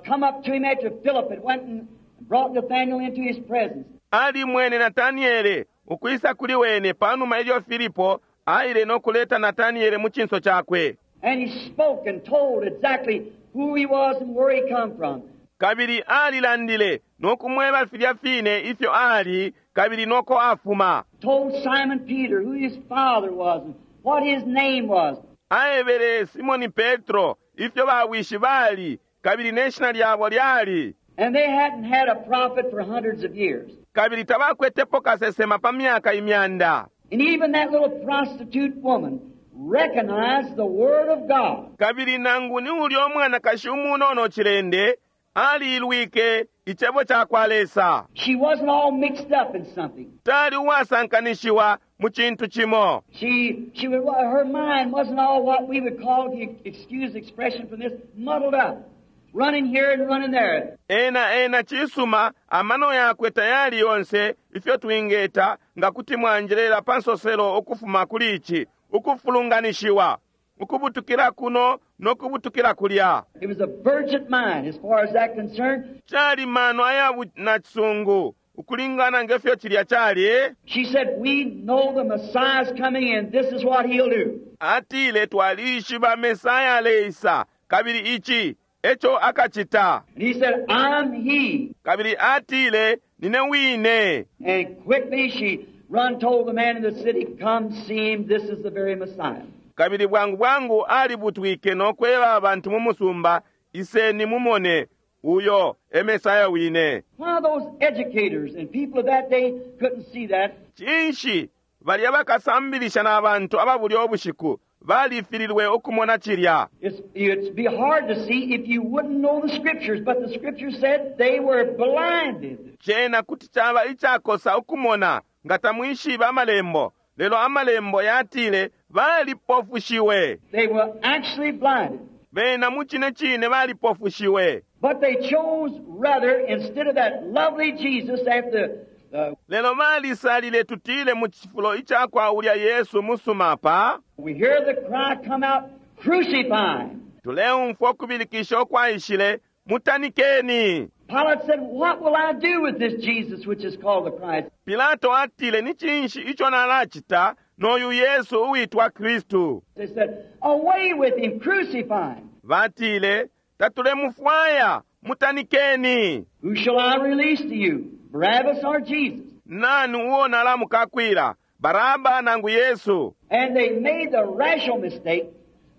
come up to him after Philip had went and brought Nathanael into his presence. Ali mwene Nathaniele ukwisa kuli wene panuma ilyo Filipo aile no kuleta Nataniele mu cinso cakwe. And he spoke and told exactly who he was and where he come from. Kabili alilandile no kumweba filya fine ifyo ali kabili noko afuma. Told Simon Peter who his father was and what his name was. Aebele Simoni Petro ifyo bawishi bali kabili ne shina lyabo lyali. And they hadn't had a prophet for hundreds of years. Kabili tabakwetepo kasesema pa myaka imyanda. And even that little prostitute woman recognized the Word of God. Kabili nangu ni ulya umwanakashi umunono cilende aliilwike icebo ca kwa Lesa. She wasn't all mixed up in something. Tali uwasankanishiwa mu cintu cimo. Her mind wasn't all what we would call, if you excuse the expression from this, muddled up. Running here and running there. Ena ena cisuma amano yakwe tayali yonse ifyo twingeta nga kuti mwanjelela pa nsoselo ukufuma kuli ici ukufulunganishiwa ukubutukila kuno nokubutukila kulya. It was a virgin mind as far as that concerned. Cali mano aya nacisungu ukulingana ngefyo cilya cali. She said, we know the Messiah's coming and this is what he'll do. Atile twalishiba Mesaya aleisa kabili ici eco akacita. And he said, I'm he. Kabili atile nine wine. And quickly she run told the man in the city, come see him, this is the very Messiah. Kabili bwangu bwangu alibutwike no kweba abantu mu musumba, iseni mumone uyo e Mesaya wine. One of those educators and people of that day couldn't see that. Cinshi balya bakasambilisha na bantu ababulya ubushiku balifililwe ukumona cilya. It's be hard to see if you wouldn't know the scriptures, but the scriptures said they were blinded. Cena kuti caba icakosa ukumona nga tamwishiba amalembo, lelo amalembo yatile balipofushiwe. They were actually blinded. Bena mu cine cine balipofushiwe. But they chose rather, instead of that lovely Jesus after the, Lelo balisalile tutile mu cifulo icakwa ulya Yesu musuma pa. We hear the cry come out, crucify him. Tuleumfwa ukubilikisha ukwaishile, mutanikeni. Pilate said, what will I do with this Jesus which is called the Christ? Pilato atile, ni cinshi ico nalacita noyu Yesu uwitwa Kristu? They said, away with him, crucify him. Batile, tatulemufwaya, mutanikeni. Who shall I release to you, Barabbas or Jesus? Nani uo nalamukakwila, Baraba nangu Yesu? And they made the rational mistake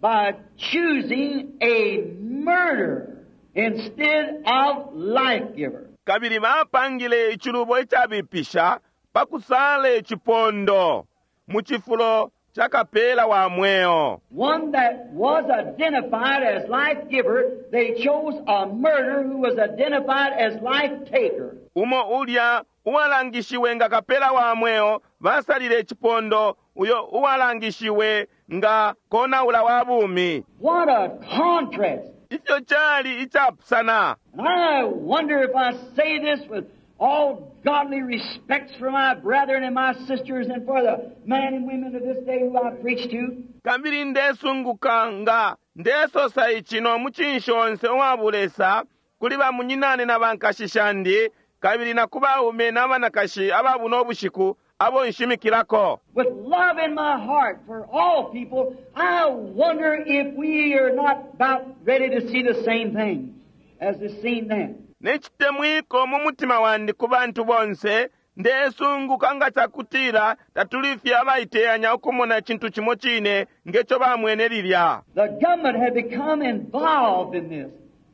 by choosing a murderer instead of life giver. Kabili bapangile icilubo icabipisha pa kusala icipondo mu cifulo ca kapela wa mweo. One that was identified as life giver, they chose a murderer who was identified as life taker. Umo ulya uwalangishiwe nga kapela wa mweo, basalile icipondo uyo uwalangishiwe nga konaula wa bumi. What a contrast! Ifyo cali icapusana. And I wonder if I say this with all godly respects for my brethren and my sisters and for the men and women of this day who I preach to. Kabili ndesunguka nga ndesosa ici no mucinshi onse uwa bulesa kuli bamunyinane na bankashi shandi kabili na ku baume na banakashi aba buno bushiku abo nshimikilako. With love in my heart for all people, I wonder if we are not about ready to see the same thing as is seen then. Ne citemwiko mu mutima wandi ku bantu bonse, ndesunguka nga cakutila tatuli fye abaiteyanya ukumona icintu cimo cine ngeco bamwene lilya. The government had become involved in this,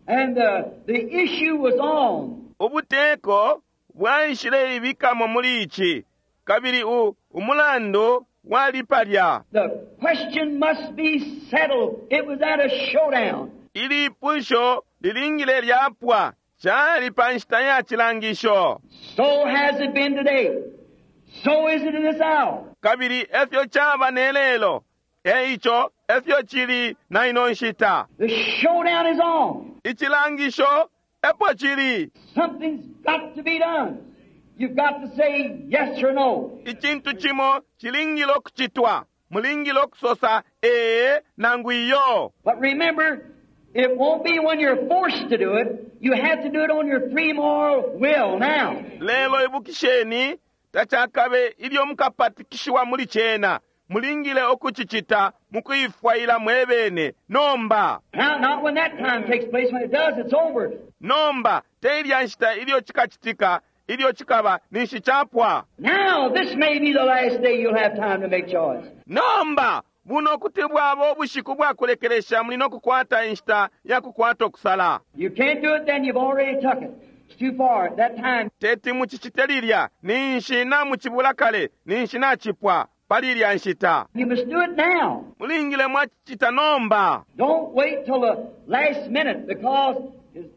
and the issue was on. Ubuteko bwaishile ibikamo muli ici, kabili umulandu wali palya. The question must be settled. It was at a showdown. Ilipusho lilingile lyapwa, cali pa nshita ya cilangisho. So has it been today. So is it in this hour. Kabili efyo caba ne lelo, eico efyo cili na ino nshita. The showdown is on. Icilangisho epo cili. Something's got to be done. You've got to say yes or no. Icintu cimo cilingile okucitwa. Mulingile okusosa ee nangu iyo. But remember, it won't be when you're forced to do it. You have to do it on your free moral will now. Lelo ibukisheni, Tacakabe ilyo mukapatikishiwa muli cena. Mulingile ukucicita mukuifwaila mwebene nomba. Now, not when that time takes place. When it does, it's over. Nomba te ilya nshita ilyo cikacitika, ilyo cikaba ninshi capwa. Now, this may be the last day you'll have time to make choice. Nomba buno kuti bwaba ubushiku bwakulekelesha muli no kukwata inshita ya kukwata ukusala. You can't do it then, you've already took it. It's too far. At that time, Teti mucicite lilya ninshi namucibula kale, ninshi nacipwa pali ilya nshita. you must do it now. Mulingile mwacicita nomba. Don't wait till the last minute because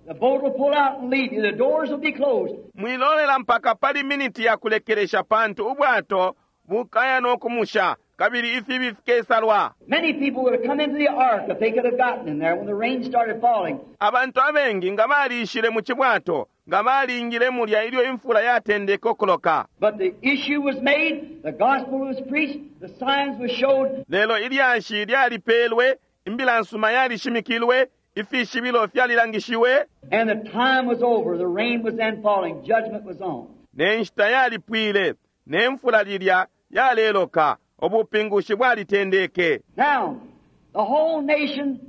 the boat will pull out and leave you. The doors will be closed. Mwilolela mpaka pali miniti ya kulekelesha pantu ubwato bukaya no kumusha kabili ifibi fikesalwa. Many people would have come into the ark if they could have gotten in there when the rain started falling. Abantu abengi nga baliishile mu cibwato, nga balingile mulya ilyo imfula yatendeke ukuloka. But the issue was made, the gospel was preached, the signs were showed, Lelo ilyashi lyalipelwe, imbila nsuma yalishimikilwe, ifishibilo fyalilangishiwe, and the time was over. The rain was then falling, judgment was on. ne nshita yalipwile, ne mfula lilya yaleloka, ubupingushi bwalitendeke. Now, the whole nation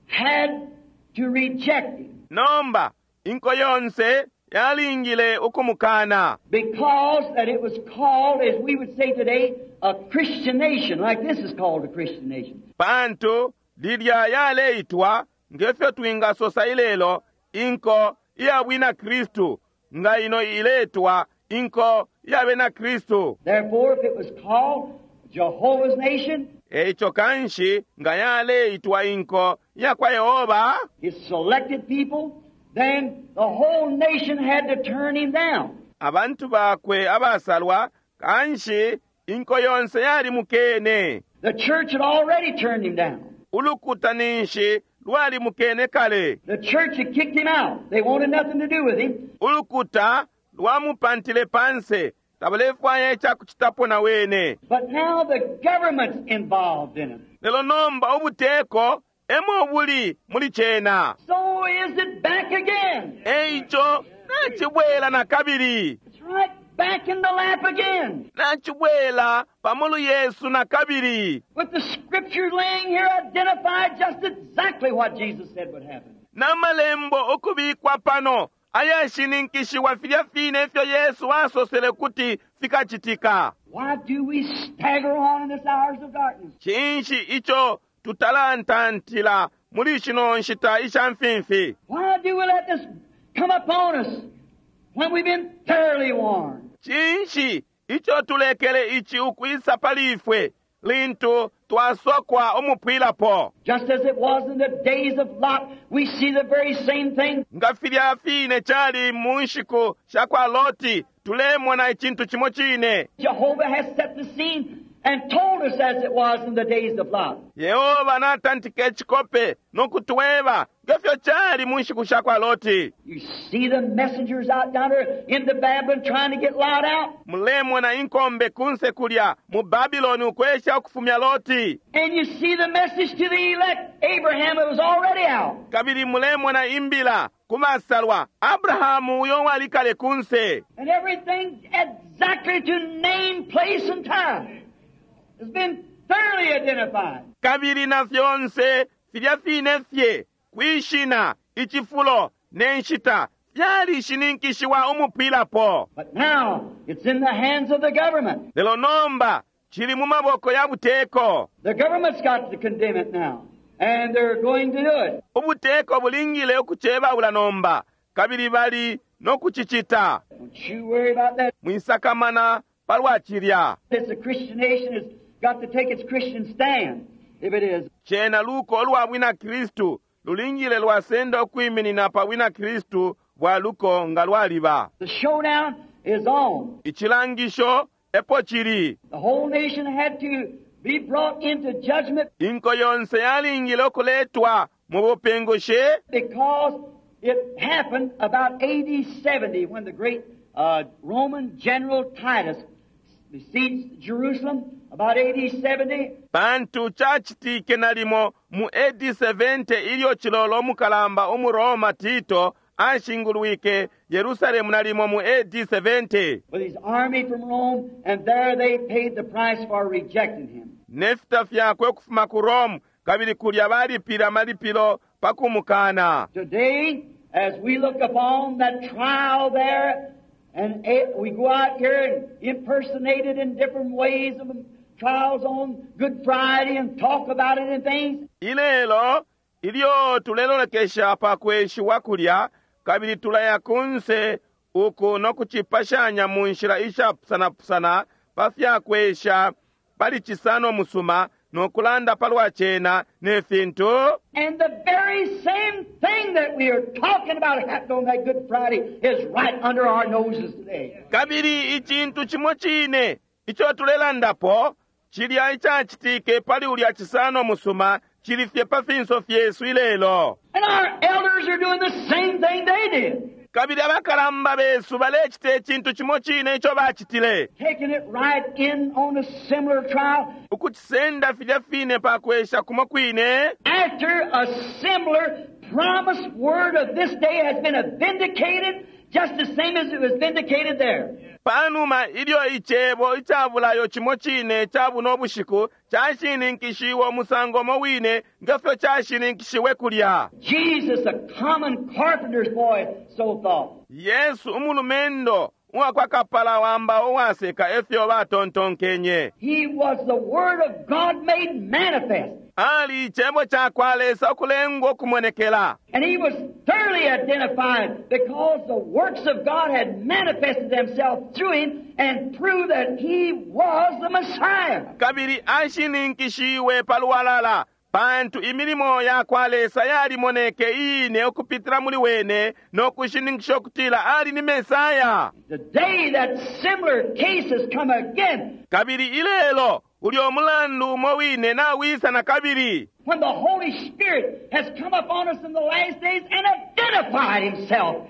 had to reject him Nomba inko yonse yalingile ukumukana. because that it was called, as we would say today, a Christian nation, like this is called a Christian nation. Pantu lilya yaleitwa ngefyo twingasosa ilelo inko iya bwina Kristu, nga ino iletwa inko iya bena Kristu. Therefore, if it was called Jehovah's nation, Eico kanshi nga yaleitwa inko ya kwa Yehova, his selected people, then the whole nation had to turn him down. abantu bakwe abasalwa, kanshi inko yonse yalimukene. The church had already turned him down. Ulukuta ninshi lwalimukene kale. The church had kicked him out. They wanted nothing to do with him. Ulukuta lwamupantile panse, tabalefwaya icakucitapo na wene. But now the government's involved in it. Lelo nomba ubuteko emo buli muli cena. So is it back again. Eico nacibwela na kabili. It's right back in the lap again. Nacibwela pamulu Yesu na kabili. With the scripture laying here identified just exactly what Jesus said would happen. N'amalembo ukubikwa pano ayashininkishiwa filya fine ifyo Yesu asosele kuti fikacitika. Why do we stagger on in this hours of darkness? Cinshi ico tutalantantila muli shino nshita isha mfimfi? Why do we let this come upon us when we've been thoroughly warned? Cinshi ico tulekele ici ukwisa pali ifwe lintu twasokwa umupwilapo? Just as it was in the days of Lot, we see the very same thing. Nga filya fine cali mu nshiku sha kwa Loti, tulemona icintu cimo cine. Jehovah has set the scene and told us as it was in the days of Lot. Yehova natantika icikope no kutweba ngefyo cali mu nshiku sha kwa Loti. You see the messengers out down there in the Babylon trying to get Lot out. Mulemona inkombe kunse kulya mu Babiloni ukwesha ukufumya Loti. And you see the message to the elect, Abraham, it was already out. Kabili mulemona imbila ku basalwa Abrahamu uyo walikale kunse. And everything exactly to name, place, and time has been thoroughly identified. Kabili na fyonse filya fine fye kwishina icifulo ne nshita fyalishininkishiwa umupwilapo. But now it's in the hands of the government. Lelo nomba cili mu maboko ya buteko. The government's got to condemn it now. And they're going to do it. Ubuteko bulingile ukucebaula nomba kabili bali no kucicita. Don't you worry about that. Mwisakamana palwa cilya. It's a Christian nation. It's got to take its Christian stand, if it is. Cena luko lwa bwina Kristu lulingile lwasenda ukwiminina pa bwina Kristu bwa luko nga lwaliba. The showdown is on. Icilangisho epo cili. The whole nation had to be brought into judgment Inko yonse yalingile ukuletwa mu bupingushi because it happened about AD 70 when the great Roman general Titus besieged Jerusalem about AD 70. Pantu cacitike nalimo mu AD 70 ilyo cilolo umukalamba umuroma Tito Ashingulwike Yerusalemu nalimo mu AD 70 with his army from Rome, and there they paid the price for rejecting him. Ne fita fyakwe ukufuma ku Rome, kabili kulya balipile amalipilo pa kumukana. Today, as we look upon that trial there, and we go out here and impersonate it in different ways of trials on Good Friday and talk about it and things. Ilelo ilyo tulelolekesha pa kweshiwa kulya, kabili tulaya kunse uku no kucipashanya mu nshila ishapusanapusana pa fya kwesha pali Cisano Musuma no kulanda palwa cena ne fintu. And the very same thing that we are talking about happened on that Good Friday is right under our noses today. Kabili icintu cimo cine ico tulelandapo cilya icacitike pali ulya Cisano Musuma cili fye pa finso fyesu ilelo. And our elders are doing the same thing they did. Kabili abakalamba besu balecita icintu cimo cine ico bacitile. Taking it right in on a similar trial. Ukucisenda filya fine pa kwesha kumo kwine. After a similar promised word of this day has been vindicated, just the same as it was vindicated there. Panuma ilyo icebo ica bulayo cimo cine ca buno bushiku cashininkishiwe umusango umo wine nge fyo cashininkishiwe kulya. Jesus, a common carpenter's boy, so thought. Yesu umulumendo uwa kwa kapala wa mbao uwaseka efyo batontonkenye. He was the Word of God made manifest. Ali icebo ca kwa Lesa ukulengwa ukumonekela. And he was thoroughly identified because the works of God had manifested themselves through him and proved that he was the Messiah. Kabili ashininkishiwe palwalala pantu imilimo ya kwa Lesa yalimoneke iine ukupitila muli wene no kushininkisha ukutila ali ni Mesaya. Today that similar case has come again. Kabili ilelo ulyo mulandu umo wine nawisa na kabili. When the Holy Spirit has come upon us in the last days and identified himself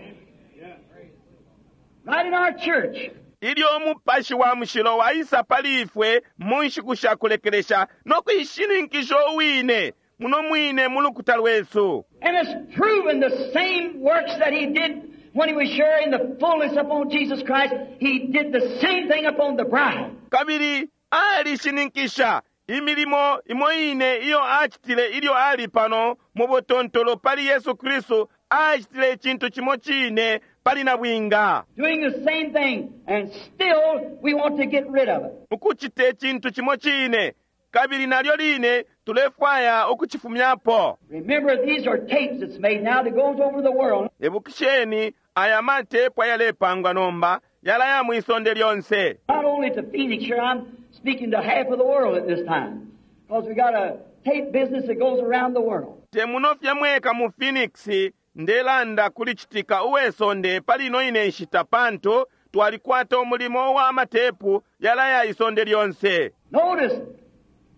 right in our church. Ilyo Umupashi wa Mushilo waisa pali ifwe mu nshiku sha kulekelesha no kuishininkisha uwine muno mwine mu lukuta lwesu. And has proven the same works that he did when he was sharing the fullness upon Jesus Christ. He did the same thing upon the bride. Kabili alishininkisha imilimo imo ine iyo acitile ilyo ali pano mu butontolo pali Yesu Kristu, acitile icintu cimo cine pali nabwinga. Doing the same thing, and still we want to get rid of it. Ukucita icintu cimo cine, kabili nalyo line tulefwaya ukucifumyapo. Remember, these are tapes that's made now that goes over the world. Ibukisheni, aya matepu ayalepangwa nomba yalaya mwi sonde lyonse. Not only to Phoenix here, I'm speaking to half of the world at this time, because we got a tape business that goes around the world. Te muno fye mweka mu Phoenix ndelanda kuli citika uwe sonde pali ino ine nshita, pantu twalikwata umulimo wa matepu yalaya isonde lyonse. Notice,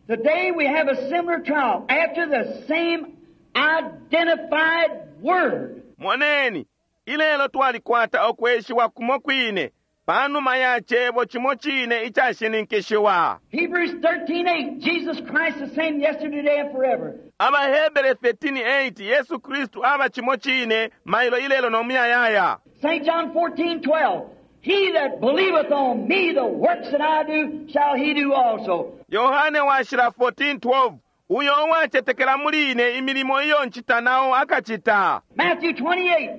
today we have a similar trial after the same identified word. Moneni, ilelo twalikwata ukweshiwa kumo kwine panuma ya cebo cimo cine icashininkishiwa. Hebrews 13:8, Jesus Christ the same yesterday, today, and forever. AbaHebere 13:8, Yesu Kristu aba cimo cine mailo ilelo no muyayaya. St. John 14:12, He that believeth on me, the works that I do, shall he do also. Yohane washila 14:12, uyo uwacetekela muli ine imilimo iyo ncita nao akacita. Matthew 28,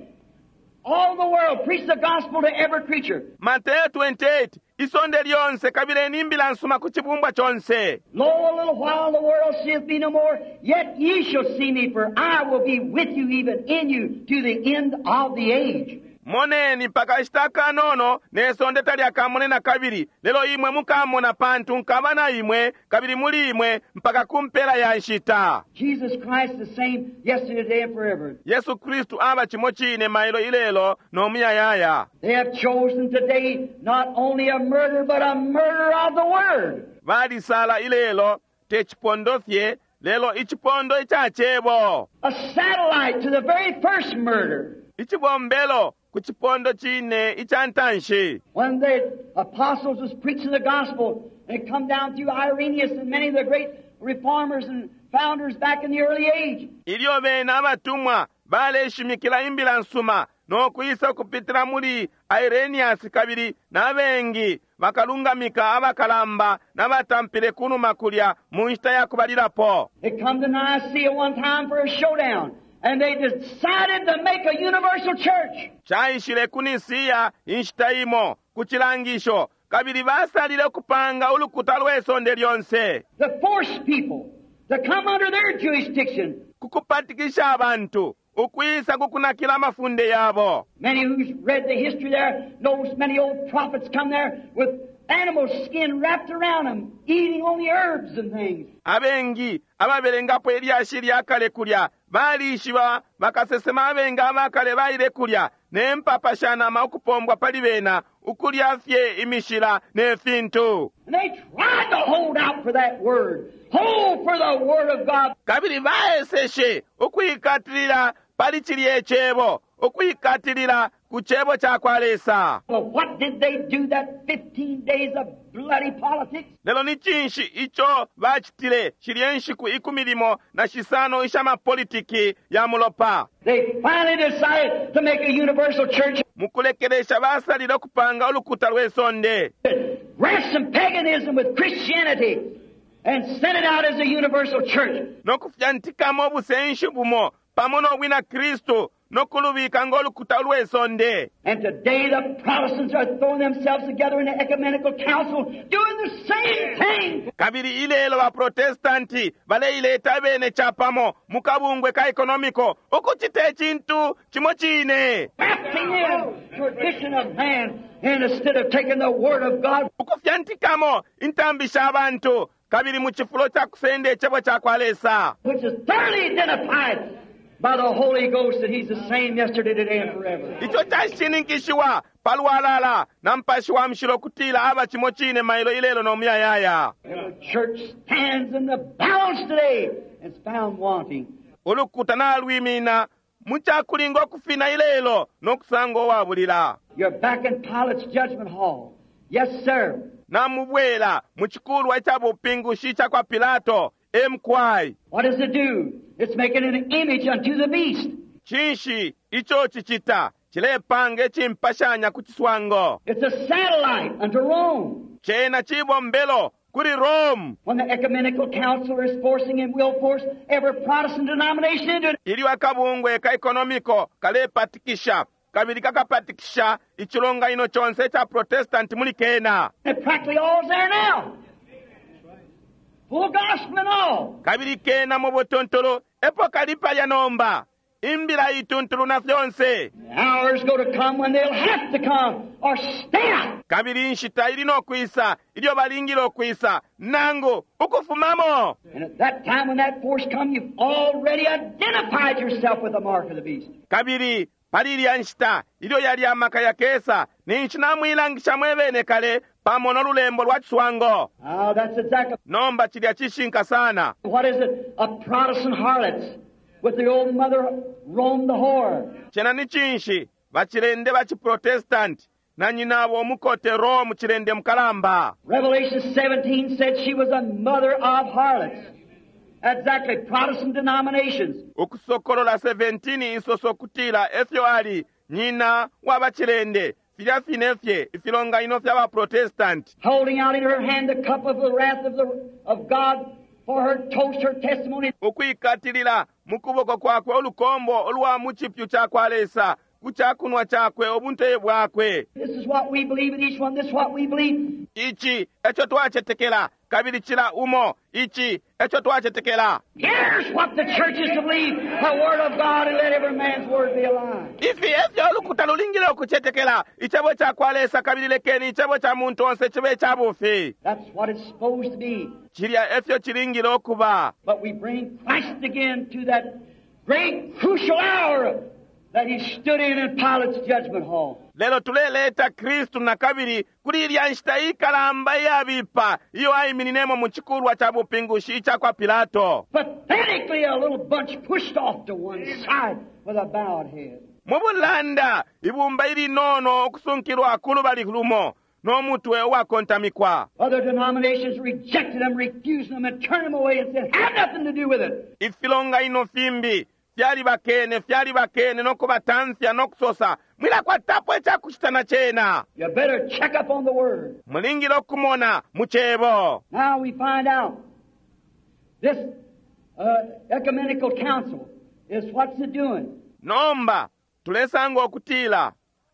all the world preach the gospel to every creature. Mateo 28, isonde lyonse kabileni imbila nsuma ku cibumbwa conse. Lo, a little while the world seeth me no more, yet ye shall see me, for I will be with you, even in you, to the end of the age. Moneni pakashita kanono ne sonde talyakamone na kabili, lelo imwe mukamona pantu nkaba na imwe kabili muli imwe mpaka ku mpela ya nshita. Jesus Christ the same yesterday, today, and forever. Yesu Kristu aba cimo cine mailo ilelo no muyayaya. They have chosen today not only a murder, but a murder of the Word. Balisala ilelo te cipondo fye, lelo icipondo ica cebo. A satellite to the very first murder. Icibombelo ku cipondo cine ica ntanshi. When the apostles was preaching the gospel, and it come down through Irenaeus and many of the great reformers and founders back in the early age. Ilyo bena abatumwa Baleshimikila imbila nsuma no kwisa ukupitila muli Irenaeus kabili na bengi bakalungamika abakalamba na batampile kunuma kulya mu nshita ya kubalilapo. It come to Nicaea one time for a showdown, and they decided to make a universal church. Caishile ku Nisiya inshita imo ku cilangisho, kabili basalile ukupanga ulukuta lwe sonde lyonse. To force people to come under their jurisdiction. Ku kupatikisha abantu ukwisa ku kunakila amafunde yabo. Many who's read the history there knows many old prophets come there with animal skin wrapped around them, eating only herbs and things. Abengi ababelengapo ilyashi lya kale kulya balishiba bakasesema abengi abakale baile kulya ne mpapa sha nama ukupombwa pali bena, ukulya fye imishila ne fintu. And they tried to hold out for that word, hold for the word of God. Kabili baeseshe ukwikatilila pali cilye cebo, ukwikatilila ku cebo ca kwa Lesa. But what did they do that 15 days of bloody politics? Lelo ni cinshi ico bacitile shilye nshiku 15 isha mapolitiki ya mulopa? They finally decided to make a universal church. Mukulekelesha basalile ukupanga ulukuta lwe sonde. Grasp some paganism with Christianity and sent it out as a universal church. No kufyantikamo ubusenshi bumo pamo no bwina Kristu no kulubika ngo lukuta lwe sonde. And today the Protestants are throwing themselves together in the ecumenical council doing the same thing. Kabili ilelo ba Protestanti baleileta bene chapamo mu kabungwe ka economico ukucita icintu cimo cine. Grafting in tradition of man instead of taking the word of God. Ukufyantikamo intambi sha bantu kabili mu cifulo ca kusenda icebo ca kwa Lesa. Which is thoroughly identified by the Holy Ghost that He's the same yesterday, today, and forever. Ico cashininkishiwa palwalala na mpashi wa mushilo kutila aba cimo cine mailo ilelo no muyayaya. The church stands in the balance today and is found wanting. Ulukuta nalwimina mu cakulinga ukufina ilelo no kusanga uwabulila. You're back in Pilate's judgment hall. Yes, sir. Namubwela mu cikulwa ica bupingushi ica kwa Pilato. MQI. What does it do? It's making an image unto the beast. Cinshi ico cicita? Cilepanga icimpashanya ku ciswango. It's a satellite unto Rome. Cena cibombelo kuli Rome. When the ecumenical council is forcing and will force every Protestant denomination into it. Ilyo akabungwe ka economico kalepatikisha kabili kakapatikisha icilonganino conse ca Protestant muli kena. And practically all's there now. Full gospel and all. Kabili kena mu butuntulu epo kali palya nomba. Imbila ituntulu na fyonse. The hour's going to come when they'll have to come or stay out. Kabili inshita ili no kwisa ilyo balingile ukwisa nangu ukufumamo. And at that time when that force comes, you've already identified yourself with the mark of the beast. Kabili pali ilya nshita ilyo yali amaka yakesa ninshi namwilangisha mwebene kale pamo no lulembo lwa ciswango. Ah, that's exactly. Nomba cilya cishinka sana. What is it? A Protestant harlots with the old mother Rome the whore. Cena ni cinshi? Bacilende ba ciprotestant na nyinabo umukote Rome cilende mukalamba. Revelation 17 said she was a mother of harlots. Exactly, Protestant denominations. Ukusokolola 17 isoso kutila efyo ali nyina wa bacilende filya fine fye ifilonganino fya ba Protestant. Holding out in her hand the cup of the wrath of God for her toast, her testimony. Ukwikatilila mu kuboko kwakwe ulukombo ulwa mu cipyu ca kwa Lesa ku cakunwa cakwe ubunte bwakwe. This is what we believe in each one. This is what we believe. Ici eco twacetekela kabili cila umo. Ici eco twacetekela. Here's what the church is to believe, the Word of God, and let every man's word be a lie. Ifi efyo ulukuta lulingile ukucetekela icebo ca kwa Lesa kabili lekeni icebo ca muntu onse cibe ca bufi. That's what it's supposed to be. Cilya efyo cilingile ukuba. But we bring Christ again to that great crucial hour that he stood in Pilate's judgment hall. Lelo tuleleta Kristu na kabili kuli ilya nshita ikalamba iyabipa iyo aimininemo mu cikulwa ca bupingushi ica kwa Pilato. Pathetically, a little bunch pushed off to one side with a bowed head. Mu bulanda ibumba ilinono ukusunkilwa ku lubali lumo no mutwe uwakontamikwa. Other denominations rejected them, refused them, and turned them away and said, have nothing to do with it. Ifilonganino fimbi Fyalibakene, fyalibakene no kubatamfya no kusosa, mwilakwatapo icakucita na cena. You better check up on the Word. Mulingile ukumona mu Cebo. Now we find out this ecumenical council is what's it doing? Nomba tulesanga ukutila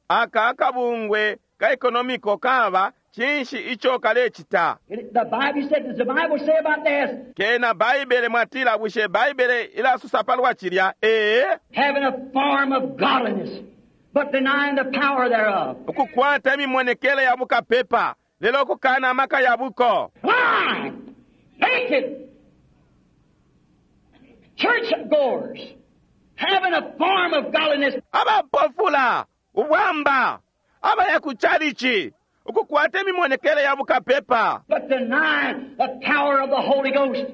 aka akabungwe ka economical kaba cinshi ico kalecita. The Bible said, does the Bible say about this? Kena Baibele mwatila, bushe Baibele ilasosa palwa cilya? Ee. Having a form of godliness, but denying the power thereof. Ukukwata imimonekele ya bukapepa, lelo kukana amaka ya buko. Blind, naked, church goers, having a form of godliness. Abapofula, ubwamba, abaya ku chalichi, ukukwata imimonekele ya bukapepa. But denying the power of the Holy Ghost,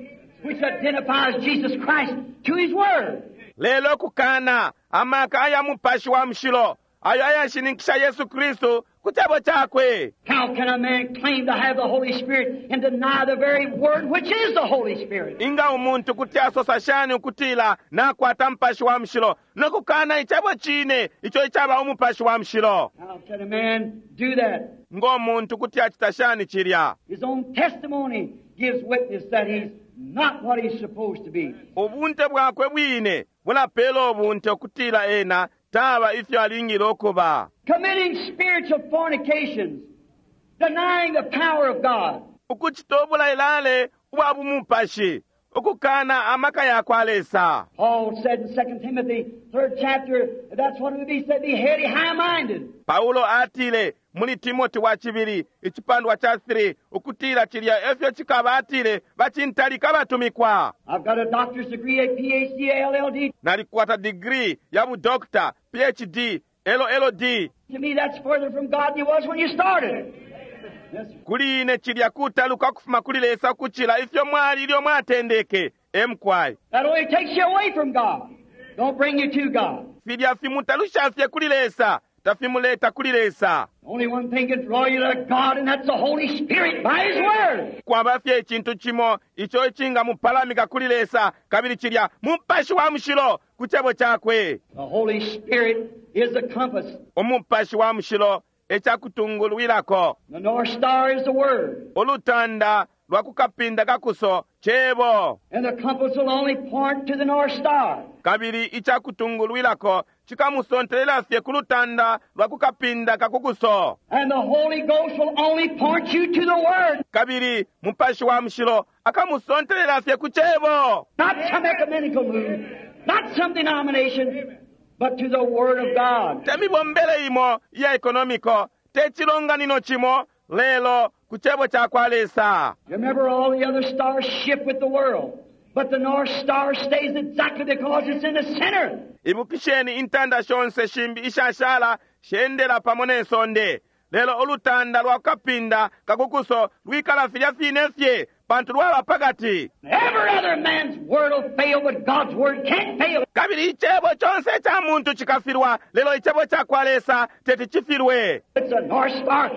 which identifies Jesus Christ to His Word. Lelo kukana amaka aya mupashi wa mushilo, ayo ayashininkisha Yesu Kristu ku cebo cakwe. How can a man claim to have the Holy Spirit and deny the very Word which is the Holy Spirit? Inga umuntu kuti asosa shani ukutila nakwata mupashi wa mushilo no kukana icebo cine ico icaba umupashi wa mushilo? How can a man do that? Ngo muntu kuti acita shani cilya? His own testimony gives witness that he's not what he's supposed to be. Ubunte bwakwe bwine bulapela ubunte ukutila ena taba ifyo alingile ukuba. Committing spiritual fornications, denying the power of God. Ukucita ubulailale ubwa bumupashi, ukukana amaka ya kwa Lesa. Paul said in 2 Timothy, 3rd chapter, that's what it would be, said, be heady, high-minded. Paulo atile muli Timoti wa cibili icipandwa ca 3 ukutila cilya efyo cikaba atile bacintalika batumikwa. I've got a doctor's degree, a PhD, a LLD. Nalikwata degree ya bu doctor, PhD, LLD. To me, that's further from God than you was when you started. Yes, sir. Kuli ine cilya kutaluka kufuma kuli Lesa kucila ifyo mwali ilyo mwatendeke. Emkwai. That only takes you away from God. Don't bring you to God. Filya fimutalusha fye kuli Lesa, tafimuleta kuli Lesa. Only one thing can draw you to God, and that's the Holy Spirit by His Word. Kwaba fye icintu cimo ico icingamupalamika kuli Lesa, kabili cilya mupashi wa mushilo ku cebo cakwe. The Holy Spirit is the compass. Umupashi wa mushilo ecakutungulwilako. The North Star is the Word. Ulutanda lwa kukapinda kakuso cebo. And the compass will only point to the North Star. Kabili icakutungulwilako cikamusontelela fye ku lutanda lwa kukapinda kakukuso. And the Holy Ghost will only point you to the Word. Kabili mupashi wa mushilo akamusontelela fye ku cebo. Not some ecumenical move, not some denomination, but to the Word of God. Temibombele imo ya ekonomiko, te cilonganino cimo, lelo ku cebo ca kwa Lesa. Remember, all the other stars shift with the world, but the North Star stays exactly because it's in the center. Ibukisheni intanda shonse shimbi ishashala shendela pamo ne sonde. Lelo ulutanda lwa kapinda kakukuso lwikala filya fine fye pantu lwaba pakati. Every other man's word will fail, but God's word can't fail. Kabili icebo conse ca muntu cikafilwa, lelo icebo ca kwa Lesa teti cifilwe. It's a North Star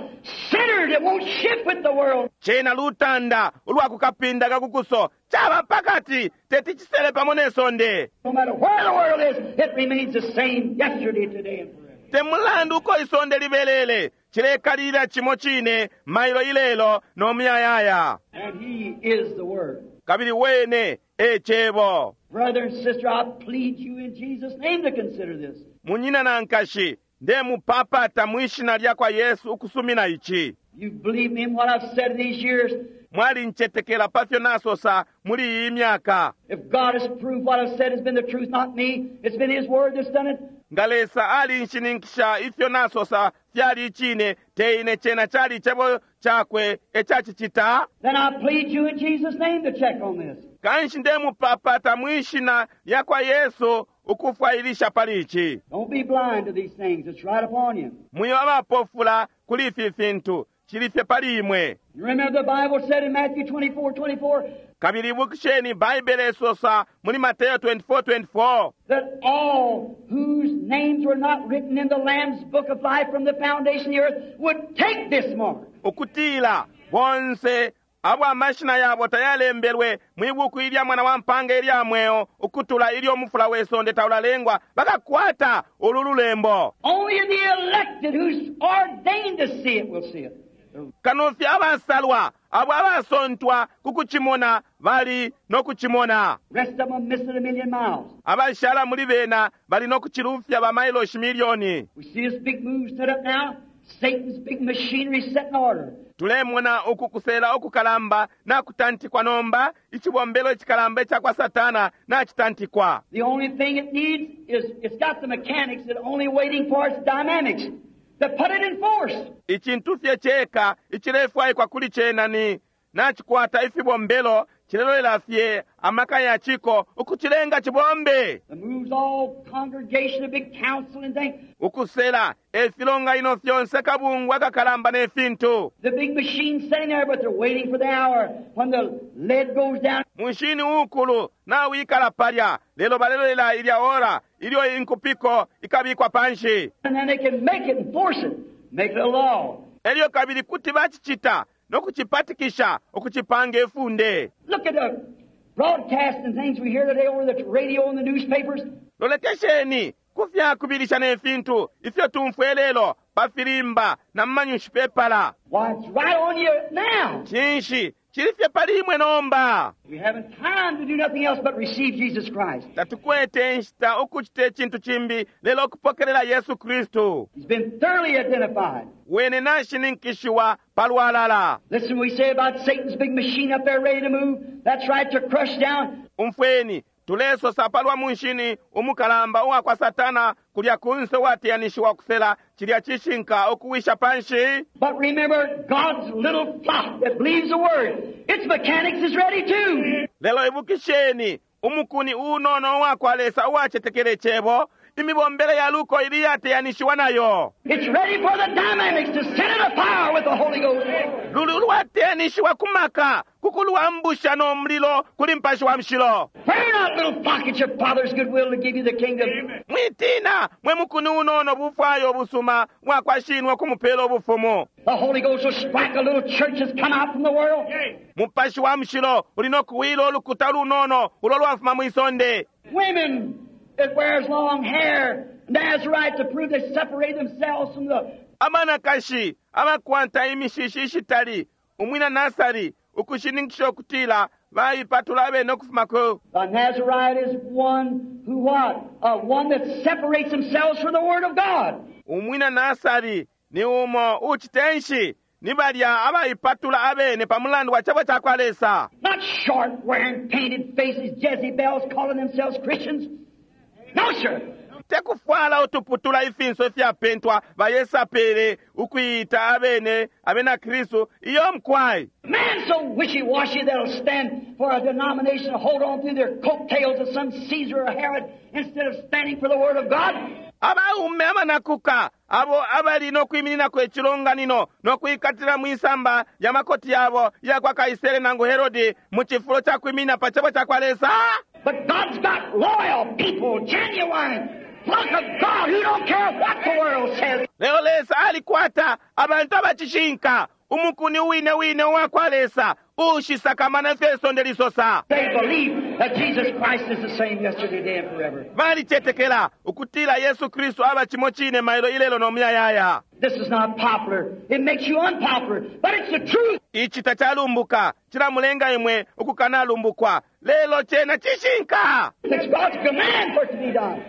centered. It won't shift with the world. Cena lutanda ulwa kukapinda kakukuso caba pakati teti cisele pamo ne sonde. No matter where the world is, it remains the same yesterday, today, and forever. Te mulandu uko isonde libelele, cilekalilila cimo cine mailo ilelo no muyayaya. And He is the Word. Kabili wene e cebo. Brother and sister, I plead you in Jesus' name to consider this. Munyina na nkashi, ndemupapata mwishina lya kwa Yesu ukusumina ici. You believe me in what I've said these years. Mwalincetekela pafyo nasosa muli iyi myaka. If God has proved what I've said has been the truth, not me, it's been His Word that's done it. Nga Lesa alinshininkisha ifyo nasosa fyali icine, te ine cena cali icebo cakwe ecacicita. Then I plead you in Jesus' name to check on this. Kanshi ndemupapata mwishina lya kwa Yesu ukufwailisha pali ici. Don't be blind to these things. It's right upon you. Mwiba abapofula kuli ifi fintu, cili fye pali imwe. You remember the Bible said in Matthew 24, 24, Kabili ibukisheni Baibele isosa muli Mateo 24:24 that all whose names were not written in the Lamb's book of life from the foundation of the earth would take this mark. Ukutila bonse Abo amashina yabo tayalembelwe mwi buku ilya Mwana wa Mpaanga ilya Mweo ukutula ilyo umufula we sonde taulalengwa bakakwata ulu lulembo. Only the elected who's ordained to see it will see it. Kano fye abasalwa, abo abasontwa ku kucimona, bali no kucimona. Rest of them will miss it a million miles. Abashala muli bena bali no kucilufya ba mailoshi milioni. We see this big move set up now, Satan's big machinery set in order. Tulemona uku kusela ukukalamba nakutantikwa nomba, icibombelo icikalamba ica kwa Satana nacitantikwa. The only thing it needs is, it's got the mechanics, it's only waiting for its dynamics to put it in force. Icintu fye ceka icilefwaikwa kuli cena ni, nacikwata ifibombelo, cilelolela fye amaka ya ciko ukucilenga cibombe. The moves all congregation, a big council and things. Ukusela e filonganino fyonse, kabungwe akakalamba ne fintu. The big machine sitting there, but they're waiting for the hour when the lead goes down. Munshini uukulu nawikala palya, lelo balelolela ilya ora ilyo inkupiko ikabikwa panshi. And then they can make it and force it, make it a law. Elyo kabili kuti bacicita no kucipatikisha ukucipanga ifunde. Look at the broadcasts and things we hear today over the radio and the newspapers. Lolekesheni ku fya kubilisha ne fintu ifyo tumfwa ilelo pa filimba na mu manyunshipepala. Why, it's right on you now. Cinshi cili fye pali imwe nomba? We haven't time to do nothing else but receive Jesus Christ. Tatukwete inshita ukucita icintu cimbi lelo ukupokelela Yesu Kristu. He's been thoroughly identified. Wene nashininkishiwa palwalala. Listen, we say about Satan's big machine up there ready to move. That's right, to crush down. Umfweni, tulesosa palwa munshini umukalamba uwa kwa Satana kulya kunse uwateyanishiwa kusela cilya cishinka ukuwisha panshi. But remember, God's little flock that believes the word, its mechanics is ready too. Lelo ibukisheni, umukuni unono uwa kwa Lesa uwacetekele cebo, imibombele ya luko ili iyateyanishiwa nayo. It's ready for the dynamics to set it afire with the Holy Ghost. Luli ulwateyanishiwa ku maka, ku kulwambusha no mulilo kuli Mupashi wa Mushilo. Fear not, little flock, it's your Father's good will to give you the kingdom. Mwitina, mwe mukuni unono bufwayo busuma bwa kwa Shinwe kumupela ubufumu. The Holy Ghost will strike a little church that's come out from the world. Mupashi wa Mushilo uli no kuwila ulukuta lunono ulo lwafuma mwisonde. Women that wears long hair, Nazarite, to prove they separate themselves from the Abanakashi abakwata imishishi ishitali, umwina Nasari, ukushininkisha ukutila baipatula abene ukufuma ku. The Nazarite is one who what? One that separates themselves from the Word of God. Umwina Nasari ni umo ucitenshi ni balya abaipatula abene pa mulandu wa cebo ca kwa Lesa. Not short, wearing painted faces, Jezebels calling themselves Christians. No, sir. Te kufwala utuputula ifinso ifyapentwa bayesapele ukuita abene abena Kristu iyo mkwai. Man so wishy-washy they'll stand for a denomination and hold on through their coattails of some Caesar or Herod instead of standing for the Word of God. Abaume abanakuka abo abali no kwimininako icilonganino no kwikatila mwisamba ya makoti yabo ya kwa Kaisere nangu Herodi mu cifulo ca kwiminina pa cebo ca kwa Lesa. But God's got loyal people, genuine, flock of God who don't care what the world says. Lelo Lesa alikwata abantu abacishinka, umukuni wine wine uwa kwa Lesa uushisakamana ifyo isonde lisosa. They believe that Jesus Christ is the same yesterday, today, and forever. Balicetekela ukutila Yesu Kristu aba cimo cine mailo ilelo no muyayaya. This is not popular. It makes you unpopular, but it's the truth. Ici tacalumbuka, cilamulenga imwe ukukanalumbukwa, lelo cena cishinka. It's God's command for it to be done,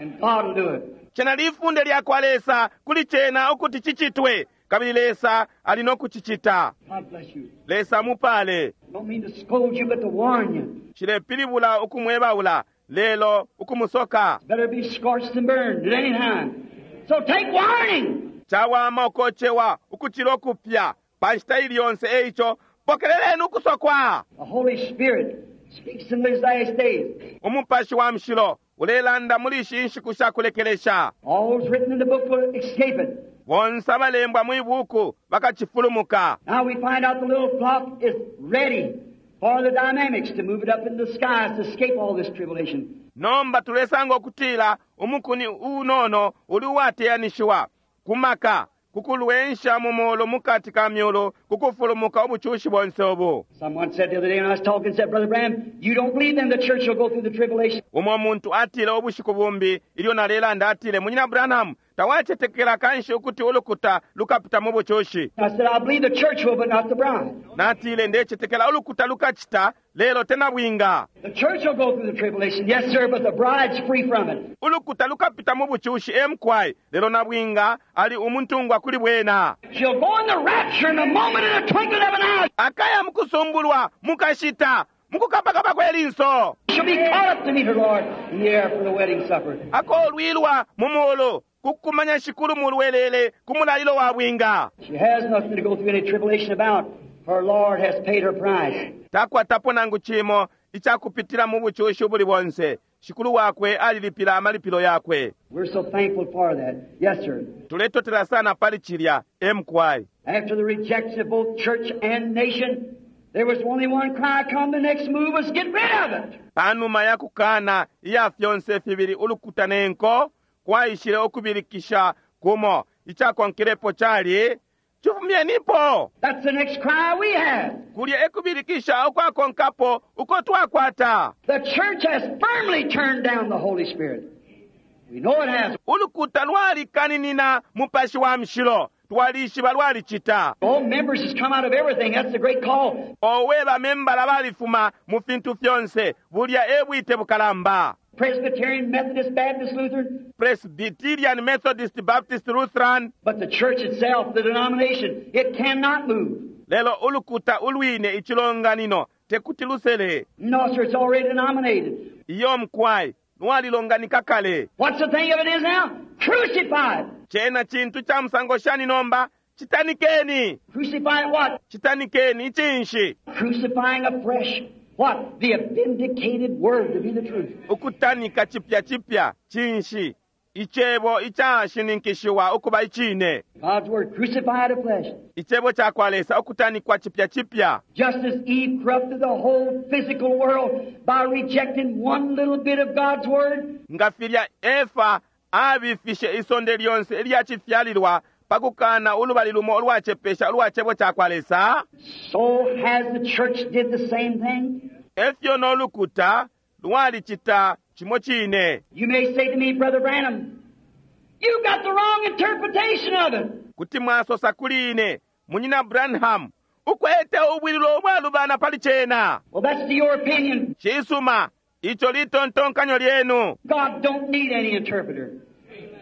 and God will do it. Cena lifunde lya kwa Lesa kuli cena ukuti cicitwe, kabili Lesa ali no kucicita. God bless you. Lesa mupale. I don't mean to scold you, but to warn you. Cilepilibula ukumwebaula, lelo ukumusoka. Better be scorched than burned at any time. So take warning. Cawama ukocewa ukucila ukupya pa nshita ili yonse. Eico pokeleleni ukusokwa. The Holy Spirit speaks in these last days. Umupashi wa Mushilo ulelanda muli ishi nshiku sha kulekelesha. All who's written in the book will escape it. Bonse abalembwa mwi buku bakacifulumuka. Now we find out the little flock is ready for the dynamics to move it up in the skies to escape all this tribulation. Nomba tulesanga ukutila umukuni unono uli uwateyanishiwa ku maka Ku kulwensha mu mulu mukati ka myulu, ku kufulumuka ubucushi bonse ubu. Someone said the other day when I was talking, said, Brother Branham, you don't believe then the church will go through the tribulation. Umo muntu atile ubushiku bumbi ilyo nalelanda atile, Munyina Branham, tawacetekela kanshi ukuti ulukuta lukapita mu bucushi. I said, I believe the church will, but not the bride. Natile ndecetekela ulukuta lukacita, lelo te nabwinga. The church will go through the tribulation, yes, sir, but the bride's free from it. Ulukuta lukapita mu bucushi e mukwai, lelo nabwinga ali umuntungwa kuli bwena. She'll go in the rapture in a moment, in a twinkling of an eye. Akaya mukusumbulwa mukashita mukukapakapa kwe linso. She'll be caught up to meet her Lord in the air for the wedding supper. Akolwilwa mu mulu kukumanya Shikulu mu lwelele ku mulalilo wa bwinga. She has nothing to go through any tribulation about. Her Lord has paid her price. Takwatapo nangu cimo icakupitila mu bucushi ubuli bonse. Shikulu wakwe alilipila amalipilo yakwe. We're so thankful for that. Yes, sir. Tuletotela sana pali cilya e mukwai. After the rejection of both church and nation, there was only one cry come. The next move was get rid of it. Panuma ya kukana iya fyonse fibili ulukuta ne nko, kwaishile ukubilikisha kumo. Icakonkelepo cali, Cifumyenipo! That's the next cry we have. Kulya e kubilikisha ukwakonkapo uko twakwata. The church has firmly turned down the Holy Spirit. We know it has. Ulukuta lwalikaninina Mupashi wa Mushilo. Twalishiba lwalicita. All members has come out of everything. That's the great call. Owe bamembala balifuma mu fintu fyonse. Bulya e bwite bukalamba. Presbyterian, Methodist, Baptist, Lutheran. Presbyterian, Methodist, Baptist, Lutheran. But the church itself, the denomination, it cannot move. Lelo ulukuta ulwine icilonganino tekuti lusele. No, sir, it's already denominated. Iyo mukwai, lwalilonganika kale. What's the thing of it is now? Crucified. Cena cintu ca musango shani nomba? Citanikeni. Crucify what? Citanikeni cinshi? Crucifying afresh. What? The vindicated word to be the truth. Ukutanika cipya cipya cinshi? Icebo icashininkishiwa ukuba icine. God's word crucified afresh. Icebo ca kwa Lesa ukutanikwa cipya cipya. Just as Eve corrupted the whole physical world by rejecting one little bit of God's word, Nga filya Efa abifishe isonde lyonse ilya cifyalilwa pa kukana ulubali lumo ulwacepesha ulwa cebo ca kwa Lesa, so has the church did the same thing. efyo no lukuta lwalicita cimo cine. You may say to me, Brother Branham, you got the wrong interpretation of it. Kuti mwasosa kuli ine, Munyina Branham, ukwete ubwililo ubwalubana pali cena. Well, that's to your opinion. Cisuma, ico litontonkanyo lyenu. God don't need any interpreter.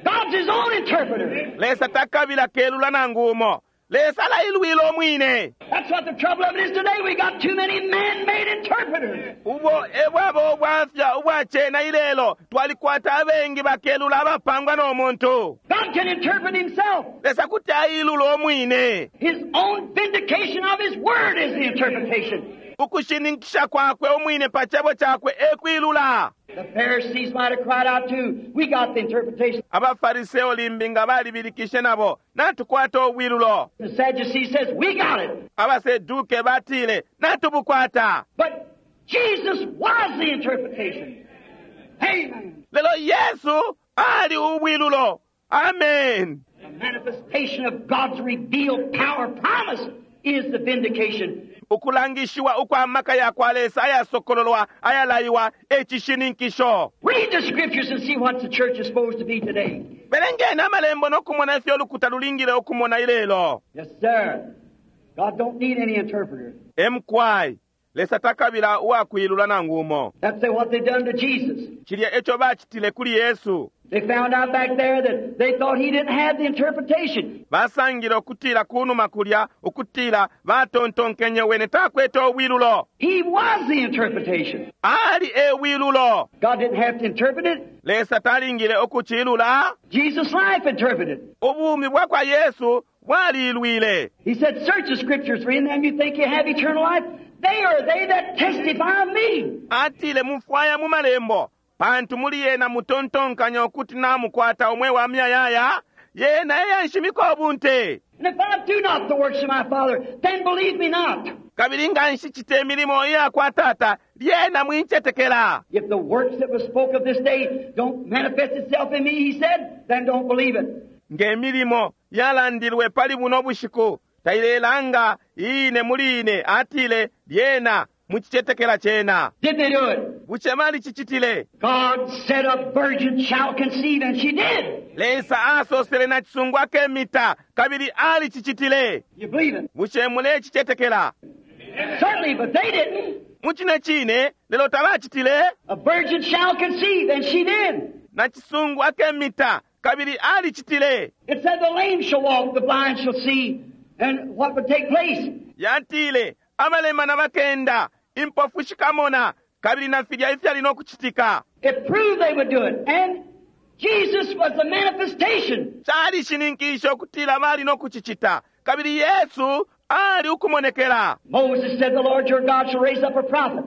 God's his own interpreter. Lesa takabila kelula nangu umo. Lesa alailwila umwine. That's what the trouble of it is today. We got too many man-made interpreters. Ubo ebwaba ubwafya ubwacena ilelo twalikwata abengi bakelula abapangwa no muntu. God can interpret himself. Lesa kuti ailula umwine. His own vindication of his word is the interpretation. Ukushininkisha kwakwe umwine pa cebo cakwe ekwilula. The Pharisees might have cried out too. We got the interpretation. Abafariseo limbi nga balibilikishe nabo, natukwata ubwilulo. The Sadducees says, we got it. Abaseduke batile, natubukwata. But Jesus was the interpretation. Amen. Lelo Yesu ali ubwilulo. Amen. The manifestation of God's revealed power promise is the vindication. Ukulangishiwa ukwa maka ya kwa Lesa ayasokololwa ayalaiwa e cishininkisho. Read the scriptures and see what the church is supposed to be today. Belengeni amalembo no kumona ifyo ulukuta lulingile ukumona ilelo. Yes, sir. God don't need any interpreter. Emkwai, Lesa takabila uwakwilula nangu umo. That's what they done to Jesus. Cilya eco bacitile kuli Yesu. They found out back there that they thought he didn't have the interpretation. Basangile ukutila kunuma kulya ukutila batontonkenye wene takwete ubwilulo. He was the interpretation. Ali e bwilulo. God didn't have to interpret it. Lesa talingile ukucilula. Jesus' life interpreted. Ubumi bwa kwa Yesu bwalilwile. He said, search the scriptures, for in them you think you have eternal life. They are they that testify of me. Atile mufwaya mu malembo pantu muli yena mutontonkanya ukuti namukwata umwe wa myayaya yena eyanshimika ubunte. And if I do not the works of my Father, then believe me not. Kabili nga nshicita imilimo iya kwa Tata, lyena mwincetekela. If the works that was spoke of this day don't manifest itself in me, he said, then don't believe it. Nge milimo yalandilwe pali buno bushiku tailelanga iine muli ine, atile, lyena mucicetekela cena. Did they do it? Bushe balicicitile? God said a virgin shall conceive, and she did. Lesa asosele na cisungu akemita, kabili alicicitile. You believe it? Bushe mulecicetekela? Certainly, but they didn't. Mucine cine, lelo tabacitile. A virgin shall conceive, and she did. Na cisungu akemita, kabili alicitile. It said the lame shall walk, the blind shall see, and what would take place? Yatile, abalemana bakenda, impofu shikamona, kabili na filya ifyali no kucitika. It proved they would do it. And Jesus was the manifestation. Calishininkishe ukutila bali no kucicita, kabili Yesu ali ukumonekela. Moses said, The Lord your God shall raise up a prophet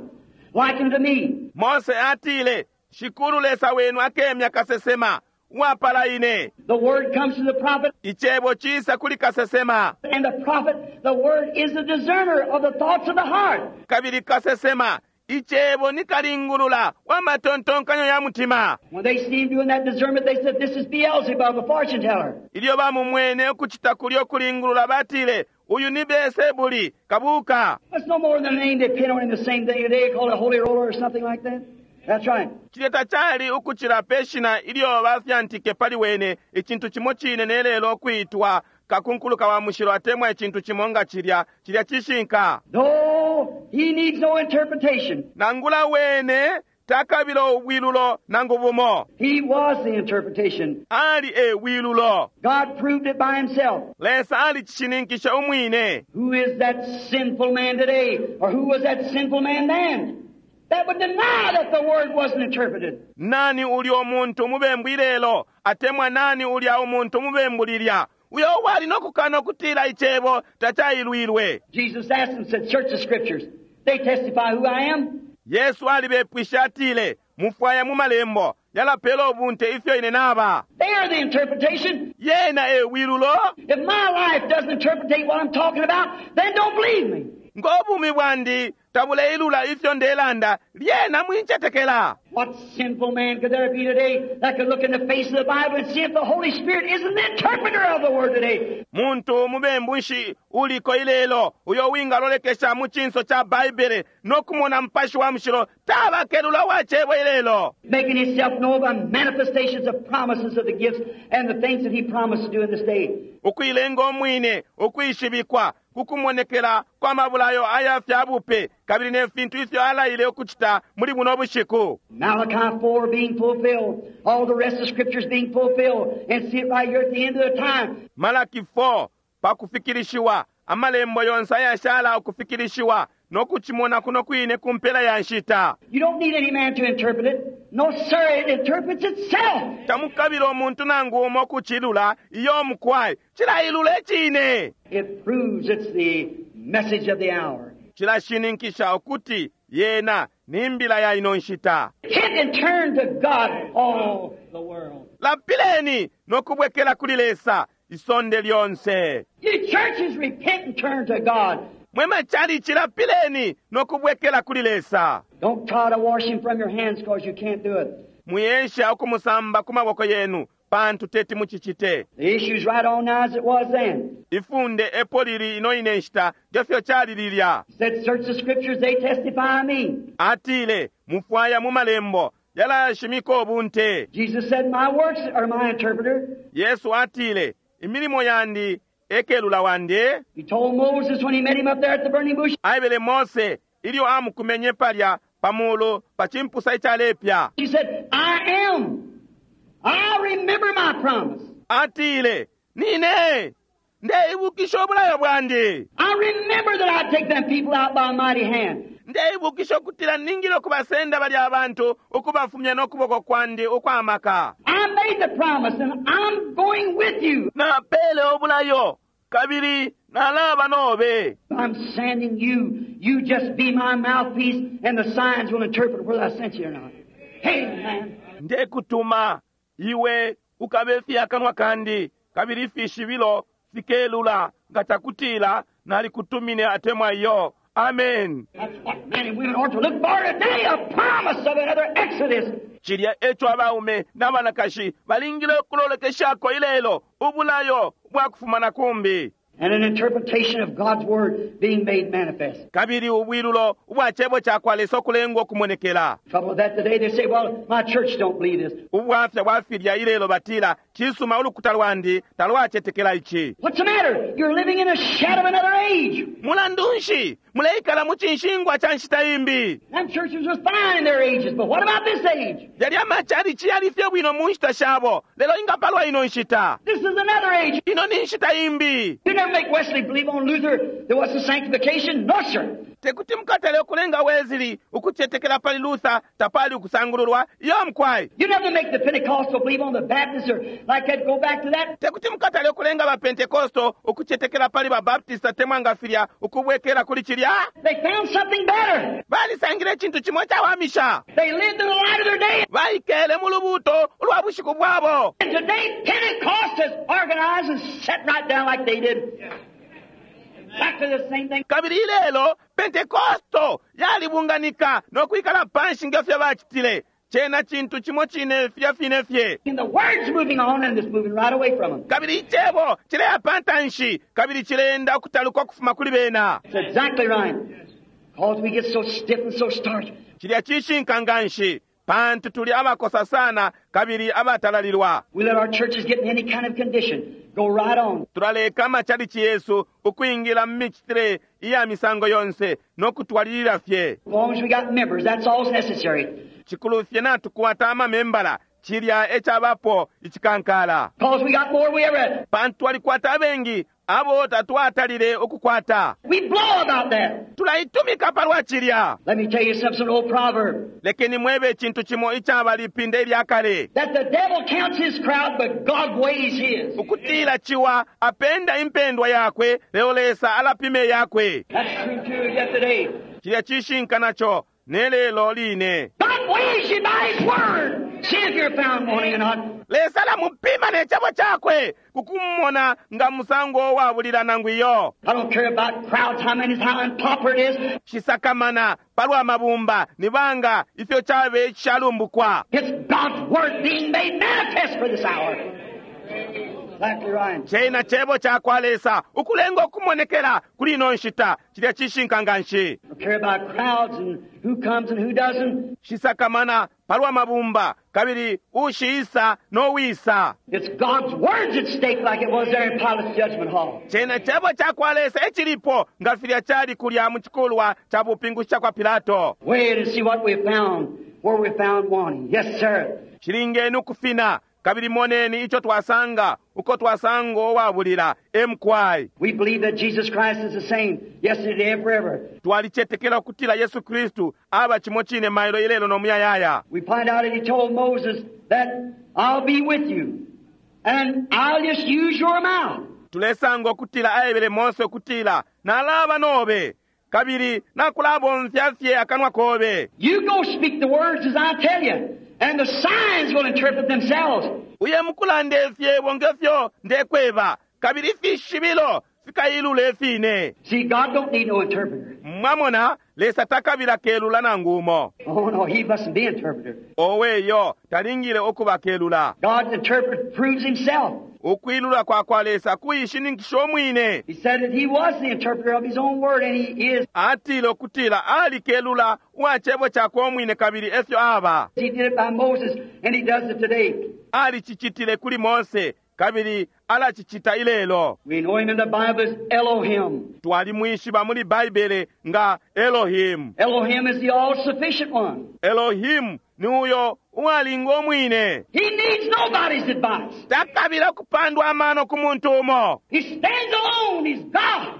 like unto me. Mose atile, Shikulu Lesa wenu akemya kasesema, uwapala ine. The word comes to the prophet, Icebo cisa kuli kasesema, and the prophet, the word is the discerner of the thoughts of the heart. kabili kasesema, icebo ni kalingulula wa matontonkanyo ya mutima. When they see him doing that discernment, they said, This is Beelzebub, the fortune teller. Ilyo bamumwene ukucita kulyo kulingulula batile, uyu ni Beelsebuli, kabuka. That's no more than a name they pin on him the same thing today, called a holy roller or something like that. That's right. Cilya tacali ukucila pe shina ilyo bafyantike pali wene, icintu cimo cine ne lelo kwitwa kakunkuluka wa mushilo atemwa icintu cimo nga cilya, cilya cishinka. No, he needs no interpretation. Nangula wene takabila ubwilulo nangu bumo. He was the interpretation. Ali e bwilulo. God proved it by himself. Lesa alicishininkisha umwine. Who is that sinful man today? Or who was that sinful man then? That would deny that the word wasn't interpreted. Nani ulya umuntu umubembu ilelo, atemwa nani ulya umuntu umubembu lilya, uyo uwali no kukana ukutila icebo tacailwilwe. Jesus asked them, said, Search the scriptures. They testify who I am. Yesu alibepwishe atile, mufwaya mu malembo, yalapela ubunte ifyo ine naba. They are the interpretation. Yena e bwilulo, If my life doesn't interpretate what I'm talking about, then don't believe me. ngo bumi bwandi tabuleilula ifyo ndelanda, lyena mwincetekela. What sinful man could there be today that could look in the face of the Bible and see if the Holy Spirit isn't the interpreter of the Word today? Muntu mubembu nshi uliko ilelo uyo wingalolekesha mu cinso ca Baibele no kumona Mupashi wa Mushilo tabakelula wa cebo ilelo. Making himself known by manifestations of promises of the gifts and the things that he promised to do in this day. Ukuilenga umwine ukwishibikwa kukumonekela kwa mabulayo aya fya bupe kabili ne fintu ifyo alaile ukucita muli buno bushiku. Malachi 4 being fulfilled, all the rest of the scriptures being fulfilled, and see it right here at the end of the time. Malaki 4 pakufikilishiwa amalembo yonse ayashala ukufikilishiwa no kucimona kuno kwine ku mpela ya nshita. You don't need any man to interpret it. No, sir, it interprets itself. Tamukabila umuntu nangu umo kucilula iyo mukwai cilailula icine. It proves it's the message of the hour. Cilashininkisha ukuti yena ni mbila ya ino nshita. Repent and turn to God, all the world. Lapileni no kubwekela kuli Lesa isonde lyonse. You churches, repent and turn to God. Mwe machalichi lapileni no kubwekela kuli Lesa. Don't try to wash him from your hands because you can't do it. Muyesha ukumusamba ku maboko yenu pantu teti mucicite. The issue's right on now as it was then. Ifunde epo lili ino ine nshita ngefyo cali lilya. He said, search the scriptures, they testify of me. Atile mufwaya mu malembo yalashimika ubunte. Jesus said, my works are my interpreter. Yesu atile imilimo yandi ekelula wandi. He told Moses when he met him up there at the burning bush, Aebele Mose ilyo amukumenye palya pamulu pa chimpusa icalepya. he said, I am. I remember my promise. Atile nine ndeibukisha obulayo bwandi. I remember that I take them people out by a mighty hand. Ndeibukisha ukutila ningile ukubasenda balya abantu ukubafumya n'okuboko kwandi ukwamaka. I made the promise and I'm going with you. Napele obulayo kabili nalaba nobe. I'm sending you. You just be my mouthpiece and the signs will interpret whether I sent you or not. Hey, man. Ndekutuma iwe ukabe fyakanwa kandi kabili ifishibilo fikelula nga takutila nalikutumine atemwa iyo. Amen. That's what men and women ought to look for today, a promise of another exodus. Cilya eco abaume n'abanakashi balingile ukulolekeshako ilelo, ubulayo bwa kufuma na kumbi. And an interpretation of God's Word being made manifest. Kabili ubwilulo ubwa cebo ca kwa Lesa ukulengwa ukumonekela. Trouble with that today, they say, "Well, my church don't believe this." Ubwafya bwa filya ilelo batila, "Cisuma, ulukuta lwandi talwacetekela ici." What's the matter? You're living in the shadow of another age. Mulandu nshi muleikala mu cinshingwa ca nshita imbi? Them churches was fine in their ages, but what about this age? Yalya macalici yali fye bwino mu nshita shabo, lelo ingapalwa ino nshita? This is another age. Ino ni nshita imbi. You never make Wesley believe on Luther there was a sanctification. No, sir. Tekuti mukatale ukulenga Wesley ukucetekela pali Luther tapali ukusangululwa. Iyo mukwai. You never make the Pentecostal believe on the Baptist or like that, go back to that. Tekuti mukatale ukulenga ba Pentecostal ukucetekela pali ba Baptist atemwa nga filya ukubwekela kuli cilya. They found something better. Balisangile icintu cimo icawamisha. They lived in the light of their day. Baikele mu lubuuto ulwa bushiku bwabo. And today, Pentecost has organized and sat right down like they did. Back to the same thing. Kabili ilelo Pentekosto yalibunganika no kwikala panshi nge fyo bacitile. Cena cintu cimo cine filya fine fye. And the word's moving on and it's moving right away from them. Kabili icebo cileya pantanshi kabili cileenda ukutaluka ukufuma kuli bena. It's exactly right. Because we get so stiff and so starched. Cilya cishinka nganshi pantu tuli abakosa sana kabili abatalalilwa. We let our churches get in any kind of condition. Go right on. Tulaleka amacalici yesu ukwingila mu micitile iya misango yonse no kutwalilila fye. As long as we got members, that's all that's necessary. Cikulu fye natukwata amamembala, cilya ecabapo icikankala. Because we got more we ever had. Pantu twalikwata abengi abo tatwatalile ukukwata. We blow about that. Tulaitumika palwa cilya. Let me tell you something, an old proverb. Lekeni mwebe icintu cimo icaba lipinda ilya kale. That the devil counts his crowd, but God weighs his. Ukutila ciwa apenda impendwa yakwe, lelo Lesa alapime yakwe. That's true too yet today. Cilya cishinka naco ne lelo line. God weighs you by his word. See if you're found wanting or not. Lesa alamupima ne cebo cakwe kukumona nga musango wabulila nangu iyo. I don't care about crowds, how many, how unpopular it is. Shisakamana palwa mabumba ni banga ifyo cabe icishalumbukwa. It's God's word being made manifest for this hour. Exactly right. Cena cebo cakwa Lesa ukulenga ukumonekela kuli ino nshita. Cilya cishinka nganshi. I don't care about crowds and who comes and who doesn't. Shisakamana palwa mabumba kabili ushiisa no wisa. It's God's words at stake like it was there in Pilate's judgment hall. Cena cebo cakwa Lesa ecilipo nga filya cali kulya mu cikulwa ca bupingushi cakwa Pilato. Wait and see what we found, where we found wanting. Yes, sir. Cilingeni ukufina kabili moneni ico twasanga uko twasanga uwabulila emkwai. We believe that Jesus Christ is the same yesterday and forever. Twalicetekela ukutila Yesu Kristu aba cimo cine mailo ilelo no muyayaya. We find out that he told Moses that I'll be with you and I'll just use your mouth. Tulesanga ukutila aebele Mose ukutila nalaba nobe kabili nakulabomfya fye akanwa kobe. You go speak the words as I tell you, and the signs will interpret themselves. Uye mukulanda ifyebo ngefyo ndekweba kabili ifishibilo fikailula ifine. See, God don't need no interpreter. Mwamona Lesa takabila kelula nangu umo. Oh no, he mustn't be interpreter. Oweyo talingile ukuba kelula. God's interpreter proves himself. Ukwilula kwa kwa Lesa kuishininkisha umwine. He said that he was the interpreter of his own word, and he is. Atile ukutila ali kelula uwa cebo cakwe umwine kabili efyo aba. He did it by Moses, and he does it today. Alicicitile kuli Mose kabili alacicita ilelo. We know him in the Bible as Elohim. Twalimwishiba muli Baibele nga Elohim. Elohim is the all-sufficient one. Elohim ni uyo uwalinga umwine. He needs nobody's advice. Takabila kupandwa amano ku muntu umo. He stands alone. He's God.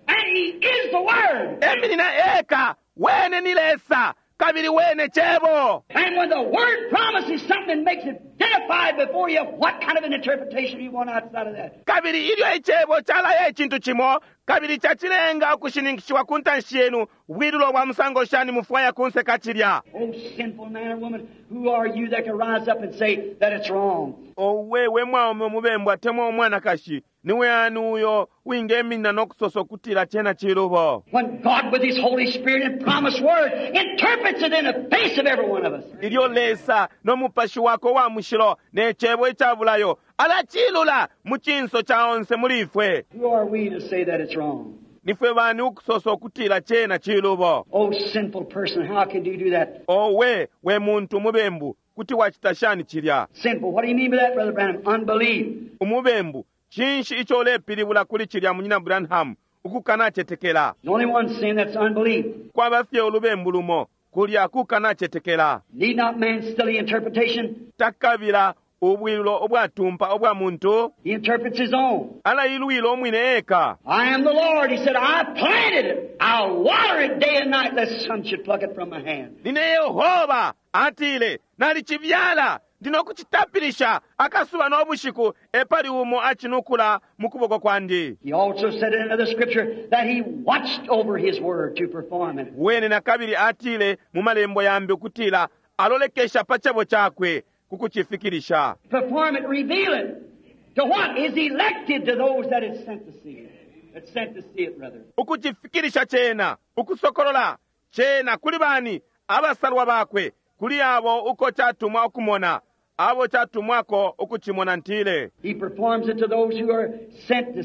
And he is the Word. Eminina eka wene ni Lesa kabili wene cebo. And when the Word promises something and makes it identified before you, what kind of an interpretation do you want outside of that? Kabili ilyo icebo calaya icintu cimo kabili cacilenga ukushininkishiwa ku ntanshi yenu, bwilulo bwa musango shani mufwaya kunse kacilya. Oh, sinful man or woman, who are you that can rise up and say that it's wrong? Owe we mwaume umubembu atemwa umwanakashi, Niwe ani uyo wingeminina no kusosa ukutila cena cilubo? When God with His Holy Spirit and promised word interprets it in the face of every one of us. Ilyo Lesa no mupashi wakwe wa mushilo ne cebo ica bulayo alacilula mu cinso ca onse muli ifwe. Who are we to say that it's wrong? Nifwe bani ukusosa ukutila cena cilubo? Oh, sinful person, how can you do that? Owe, we muntu umubembu, kuti wacita shani cilya? Sinful. What do you mean by that, Brother Branham? Unbelief. Umubembu, cinshi ico ulepilibula kuli cilya Munyina Branham? Ukukanacetekela. There's only one sin, that's unbelief. Kwaba fye ulubembu lumo, kulya kukanacetekela. Need not man's silly interpretation. Takabila ubwilulo ubwatumpa ubwa muntu. He interprets his own. Alailwila umwine eka. I am the Lord. He said, I planted it. I'll water it day and night, lest some should pluck it from my hand. Nine Yehova atile, nalicibyala, ndi no kucitapilisha akasuba no bushiku, epali umo acinukula mu kuboko kwandi. He also said in another scripture that he watched over his word to perform it. Wene na kabili atile mu malembo yambi ukutila alolekesha pa cebo cakwe ku kucifikilisha. Perform it, reveal it. To what is elected to those that is sent to see it. That's sent to see it, rather. Ukucifikilisha cena, ukusokolola cena kuli bani abasalwa bakwe, kuli abo uko catumwa ukumona, abo catumwako ukucimona ntile. He performs it to those who are sent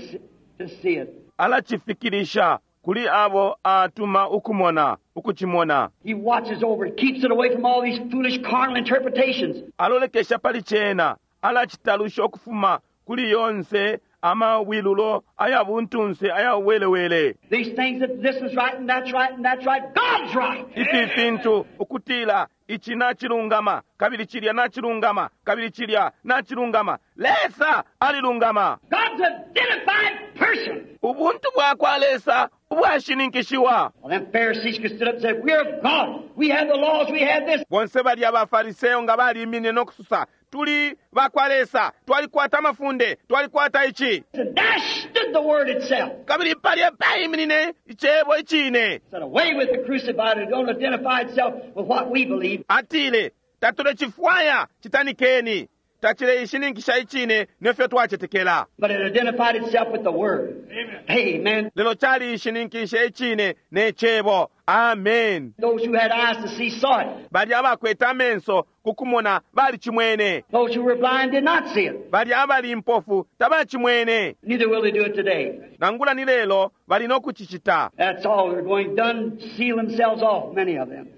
to see it. Alacifikilisha kuli abo atuma ukumona, ukucimona. He watches over it, keeps it away from all these foolish carnal interpretations. Alolekesha pali cena, alacitalusha ukufuma kuli yonse amawilulo aya buntunse aya welewele. These things that this is right and that's right and that's right, God's right. Ifi fintu ukutila ichi nachilungama, kabili chilya nachilungama, kabili chilya nachilungama. Lesa alilungama. God's identified person. Ubuntu bwakwa Lesa ubwashininkishiwa. Well, them Pharisees could stood up and said, we're of God. We have the laws, we have this. Bonse balya abaFariseyo nga balimine no kususa, tuli bakwa Lesa, twalikwata amafunde, twalikwata ichi. And there stood the word itself. Kabili palya paiminine icebo icine. Said, away with the crucified who don't identify itself with what we believe. Atile, tatulecifwaya citanikeni, tacileishininkisha icine nefyo twacetekela. But it identified itself with the word. Amen. Amen. Lelo caliishininkishe icine ne cebo. Amen. Those who had eyes to see saw it. Balya abakwete amenso kukumona balicimwene. Those who were blind did not see it. Balya abali impofu tabacimwene. Neither will they do it today. Nangula ni lelo bali no kucicita. That's all. They're going done, seal themselves off, many of them.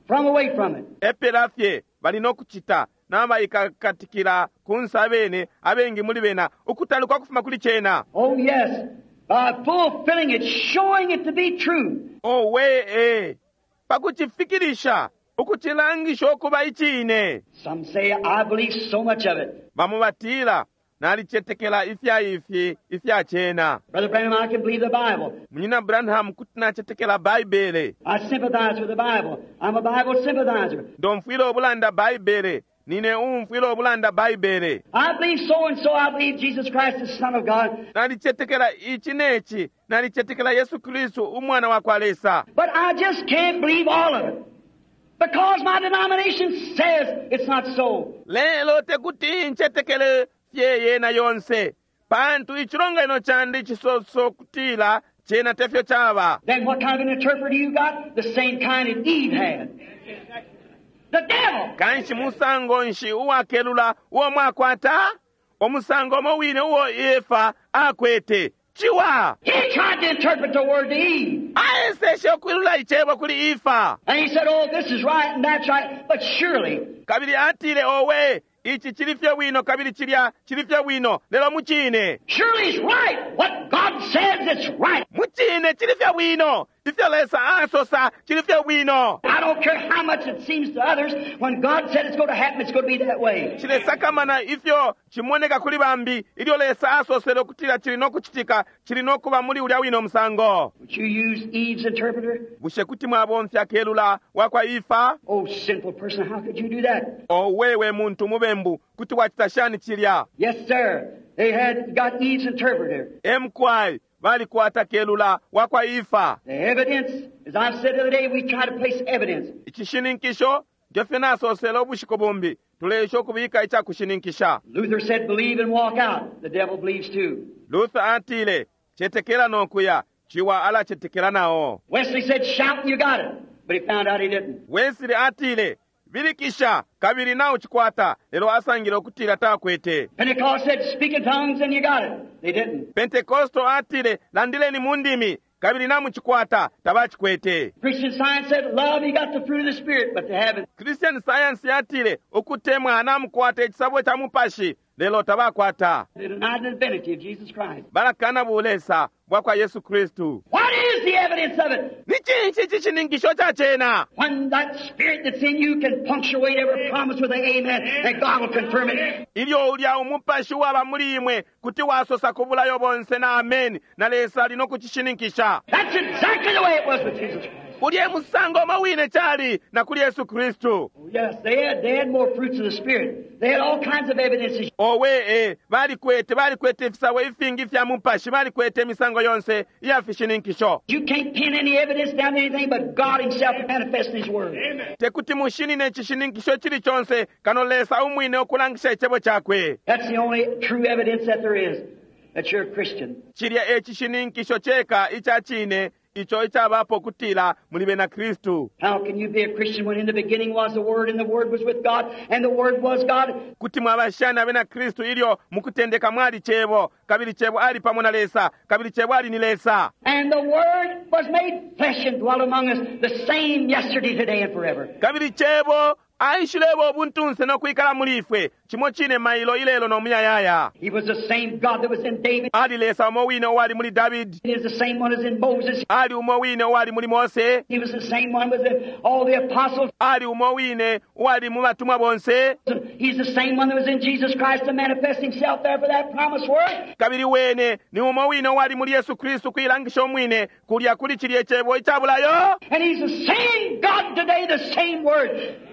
From away from it. Epela fye bali no kucita. Nabaikakatikila kunsa abene, abengi muli bena, ukutaluka kufuma kuli cena. Oh yes, by fulfilling it, showing it to be true. Oh we eh, pakucifikilisha, ukucilangisha ukuba icine. Some say, I believe so much of it. Bamo batila, nalicetekela ifya ifi, ifya cena. Brother Branham, I can believe the Bible. Munyina Branham, kuti nacetekela Baibele. I sympathize with the Bible. I'm a Bible sympathizer. Ndomfwila ubulanda Baibele. Nine umfwila ubulanda Baibele. I believe so and so. I believe Jesus Christ is the Son of God. Nalicetekela ichi neci. Nalicetekela Yesu Kristu umwana wa kwa Lesa. But I just can't believe all of it. Because my denomination says it's not so. Lelo tekuti ncetekele fye yena yonse. Pantu icilonganino candi cisoso kutila cena tefyo caba. Then what kind of an interpreter you got? The same kind that Eve had. The devil. Kanshi musango nshi uwakelula uo mwakwata? Omusango omo wine uo Efa akwete. Ciwa. He tried to interpret the word to Eve. Aeseshe ukwilula icebo kuli Efa. And he said, oh, this is right and that's right. But surely. Kabili atile, owe, ichi chili fye bwino, kabili chilya chili fye bwino, lelo mucine. Surely it's right. What God says, it's right. Mucine chili fye bwino. Ifyo Lesa asosa chili fye bwino. I don't care how much it seems to others. When God said it's going to happen, it's going to be that way. Chilesakamana ifyo chimoneka kuli bambi, ilyo Lesa asosele ukutila chili no kuchitika, chili no kuba muli ulya wino musango. Would you use Eve's interpreter? Bushe kuti mwabomfya kelula wakwa Efa? Oh, sinful person, how could you do that? Owe we muntu mubembu, kuti wachita shani chilya? Yes, sir. They had got Eve's interpreter. Emkwai, balikwata kelula wakwa Efa. The evidence, as I've said the other day, we try to place evidence. Icishininkisho, ngefyo nasosele ubushiku bumbi, tuleesha ukubika icakushininkisha. Luther said, believe and walk out. The devil believes too. Luther atile, cetekela no kuya, ciwa alacetekela nao. Wesley said, shout and you got it. But he found out he didn't. Wesley atile, bilikisha kabili naucikwata, lelo asangile ukutila takwete. Pentecost said, speak in tongues and you got it. They didn't. Pentecostal atile, landileni mu ndimi kabili namucikwata, tabacikwete. Christian Science said, love, you got the fruit of the Spirit, but they haven't. Christian Science yatile, ukutemwa namukwata icisabo ca mupashi, lelo tabakwata. They denied the divinity of Jesus Christ. Balakana bulesa bwa kwa Yesu Kristu. What is the evidence of it? Ni cinshi icishininkisho ca cena? When that spirit that's in you can punctuate every promise with an amen, and God will confirm it. Ilyo ulya umupashi waba muli imwe kuti wasosa ku bulayo bonse na ameni, na Lesa ali no kucishininkisha. That's exactly the way it was with Jesus Christ. Ulye musango umo wine cali na kuli Yesu Kristu. Oh, yes, they had more fruits of the Spirit. They had all kinds of evidences. Owe e, balikwete ifisabo ifingi fya mupashi, balikwete imisango yonse iya fishininkisho. You can't pin any evidence down to anything but God Himself manifesting His Word. Tekuti mushinine icishininkisho cili conse kano Lesa umwine ukulangisha icebo cakwe. That's the only true evidence that there is that you're a Christian. Cilya e cishininkisho ceka ica cine ico icabapo kutila muli bena Kristu. How can you be a Christian when in the beginning was the Word, and the Word was with God, and the Word was God? Kuti mwaba shani abena Kristu ilyo mukutendeka mwali cebo, kabili cebo ali pamo na Lesa, kabili cebo ali ni Lesa. And the Word was made flesh and dwelt among us, the same yesterday, today, and forever. Kabili cebo aishileba ubuntunse no kwikala muli ifwe, cimo cine mailo ilelo no muyayaya. He was the same God that was in David. Ali Lesa umo wine uwali muli David. He is the same one as in Moses. Ali umo wine uwali muli Mose. He was the same one was in all the apostles. Ali umo wine uwali mu batumwa bonse. He's the same one that was in Jesus Christ to manifest himself there for that promised word. Kabili wene ni umo wine uwali muli Yesu Kristu kuilangisha umwine kulya kuli cilye cebo icabulayo. And he's the same God today, the same word.